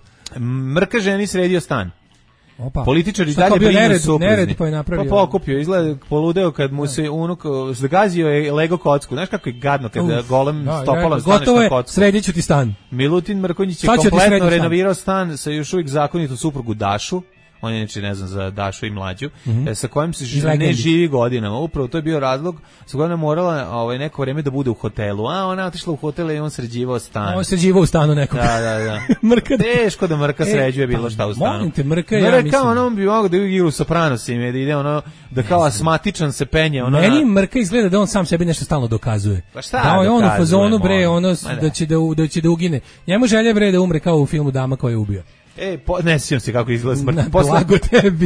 Speaker 8: Mrka ženi sredio stan.
Speaker 7: Opa.
Speaker 8: Političari dalje brinu supružni.
Speaker 7: Pa
Speaker 8: pokupio, izgleda poludeo kad mu se unuk zagazio je Lego kocku. Znaš kako je gadno kad golem stopalom staneš na kocku.
Speaker 7: Gotovo je, sredit ću ti stan.
Speaker 8: Milutin Mrkonjić je kompletno renovirao stan sa još uvijek zakonitu suprugu Dašu. On je neče, ne znam, za Dašu i mlađu, sa kojim se ne živi godinama. Upravo to je bio razlog sa kojom je morala neko vreme da bude u hotelu. A ona je otišla u hotel i on sređivao stan.
Speaker 7: On sređivao u stanu nekog.
Speaker 8: Da. Teško da Mrka sređuje bilo šta u stanu.
Speaker 7: Molim te, Mrka,
Speaker 8: on bi mogao da igra u Sopranosima, da ide da kao asmatičan se penje.
Speaker 7: Meni Mrka izgleda da on sam sebi nešto stalno dokazuje.
Speaker 8: Pa šta
Speaker 7: da je on u fazonu, bre, da će da ugine. Njemu želje, bre, da umre kao u filmu Dama koja je ubio.
Speaker 8: Ne sjećam se kako izgleda smrt.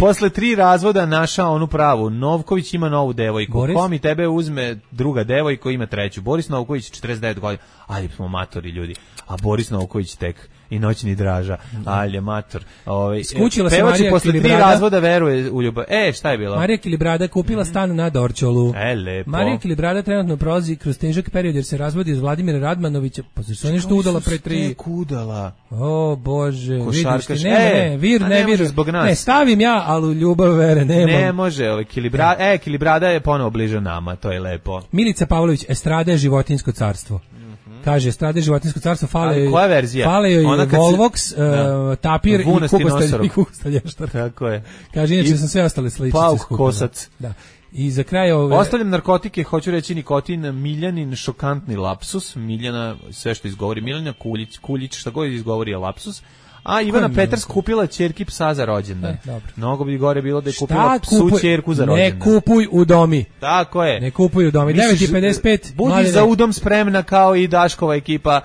Speaker 8: Posle 3 razvoda našao onu pravu. Novković ima novu devojku. Komi tebe uzme druga devojka, ima treću. Boris Novković 49 godina. Ali smo matori ljudi. A Boris Novković tek i noćni Draža. Alje mator.
Speaker 7: Skućila se Marija
Speaker 8: posle 3 razvoda veruje u ljubav. Šta je bilo?
Speaker 7: Marija Kilibrada kupila stan na Dorćolu.
Speaker 8: Lepo.
Speaker 7: Marija Kilibrada trenutno prolazi kroz težak period jer se razvodi od Vladimira Radmanovića. Pa zašto je nešto udala pre 3?
Speaker 8: Udala.
Speaker 7: O Bože,
Speaker 8: košarkaš.
Speaker 7: Vidiš ti, ne, vir zbog nas. Ne, stavim ja, ali u ljubav vere nemam.
Speaker 8: Ne može, Kilibrada je ponovo bliže nama, to je lepo.
Speaker 7: Milica Pavlović, estrada je životinjsko carstvo. Kaže, strade životinjsko carstvo, fale joj Volvox, tapir i kukostalještar.
Speaker 8: Tako je.
Speaker 7: Kaže, inače sam sve ostale sličice
Speaker 8: skupila. Pauk kosac.
Speaker 7: Da. I za kraj
Speaker 8: ostavljam narkotike, hoću reći nikotin, Miljanin šokantni lapsus, Miljana, sve što izgovori, Miljana Kuljić, šta god izgovori je lapsus. A Ivana Peters kupila ćerki psa za rođendan. Mnogo bi gore bilo da je kupila psu ćerku za rođendan.
Speaker 7: Ne kupuj u domi.
Speaker 8: Tako je.
Speaker 7: Ne kupuj u domi. 9:55.
Speaker 8: Budi za udom spremna kao i Daškova ekipa.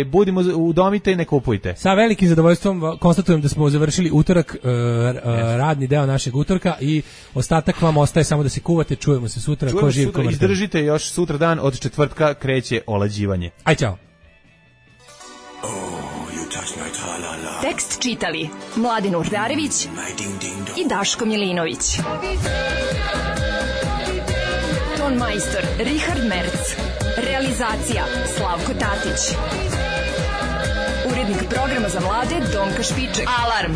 Speaker 8: Budimo udomite i ne kupujte.
Speaker 7: Sa velikim zadovoljstvom konstatujem da smo završili utorak, radni deo našeg utorka i ostatak vam ostaje samo da se kuvate. Čujemo se sutra. Ko živ, ko mrtav.
Speaker 8: Izdržite još sutra dan, od četvrtka kreće olađivanje.
Speaker 7: Aj, čao.
Speaker 6: Tekst čitali Mladin Urdarević i Daško Milinović. Ton majstor Richard Merc. Realizacija Slavko Tatić. Urednik programa za mlade Donka Špiček. Alarm!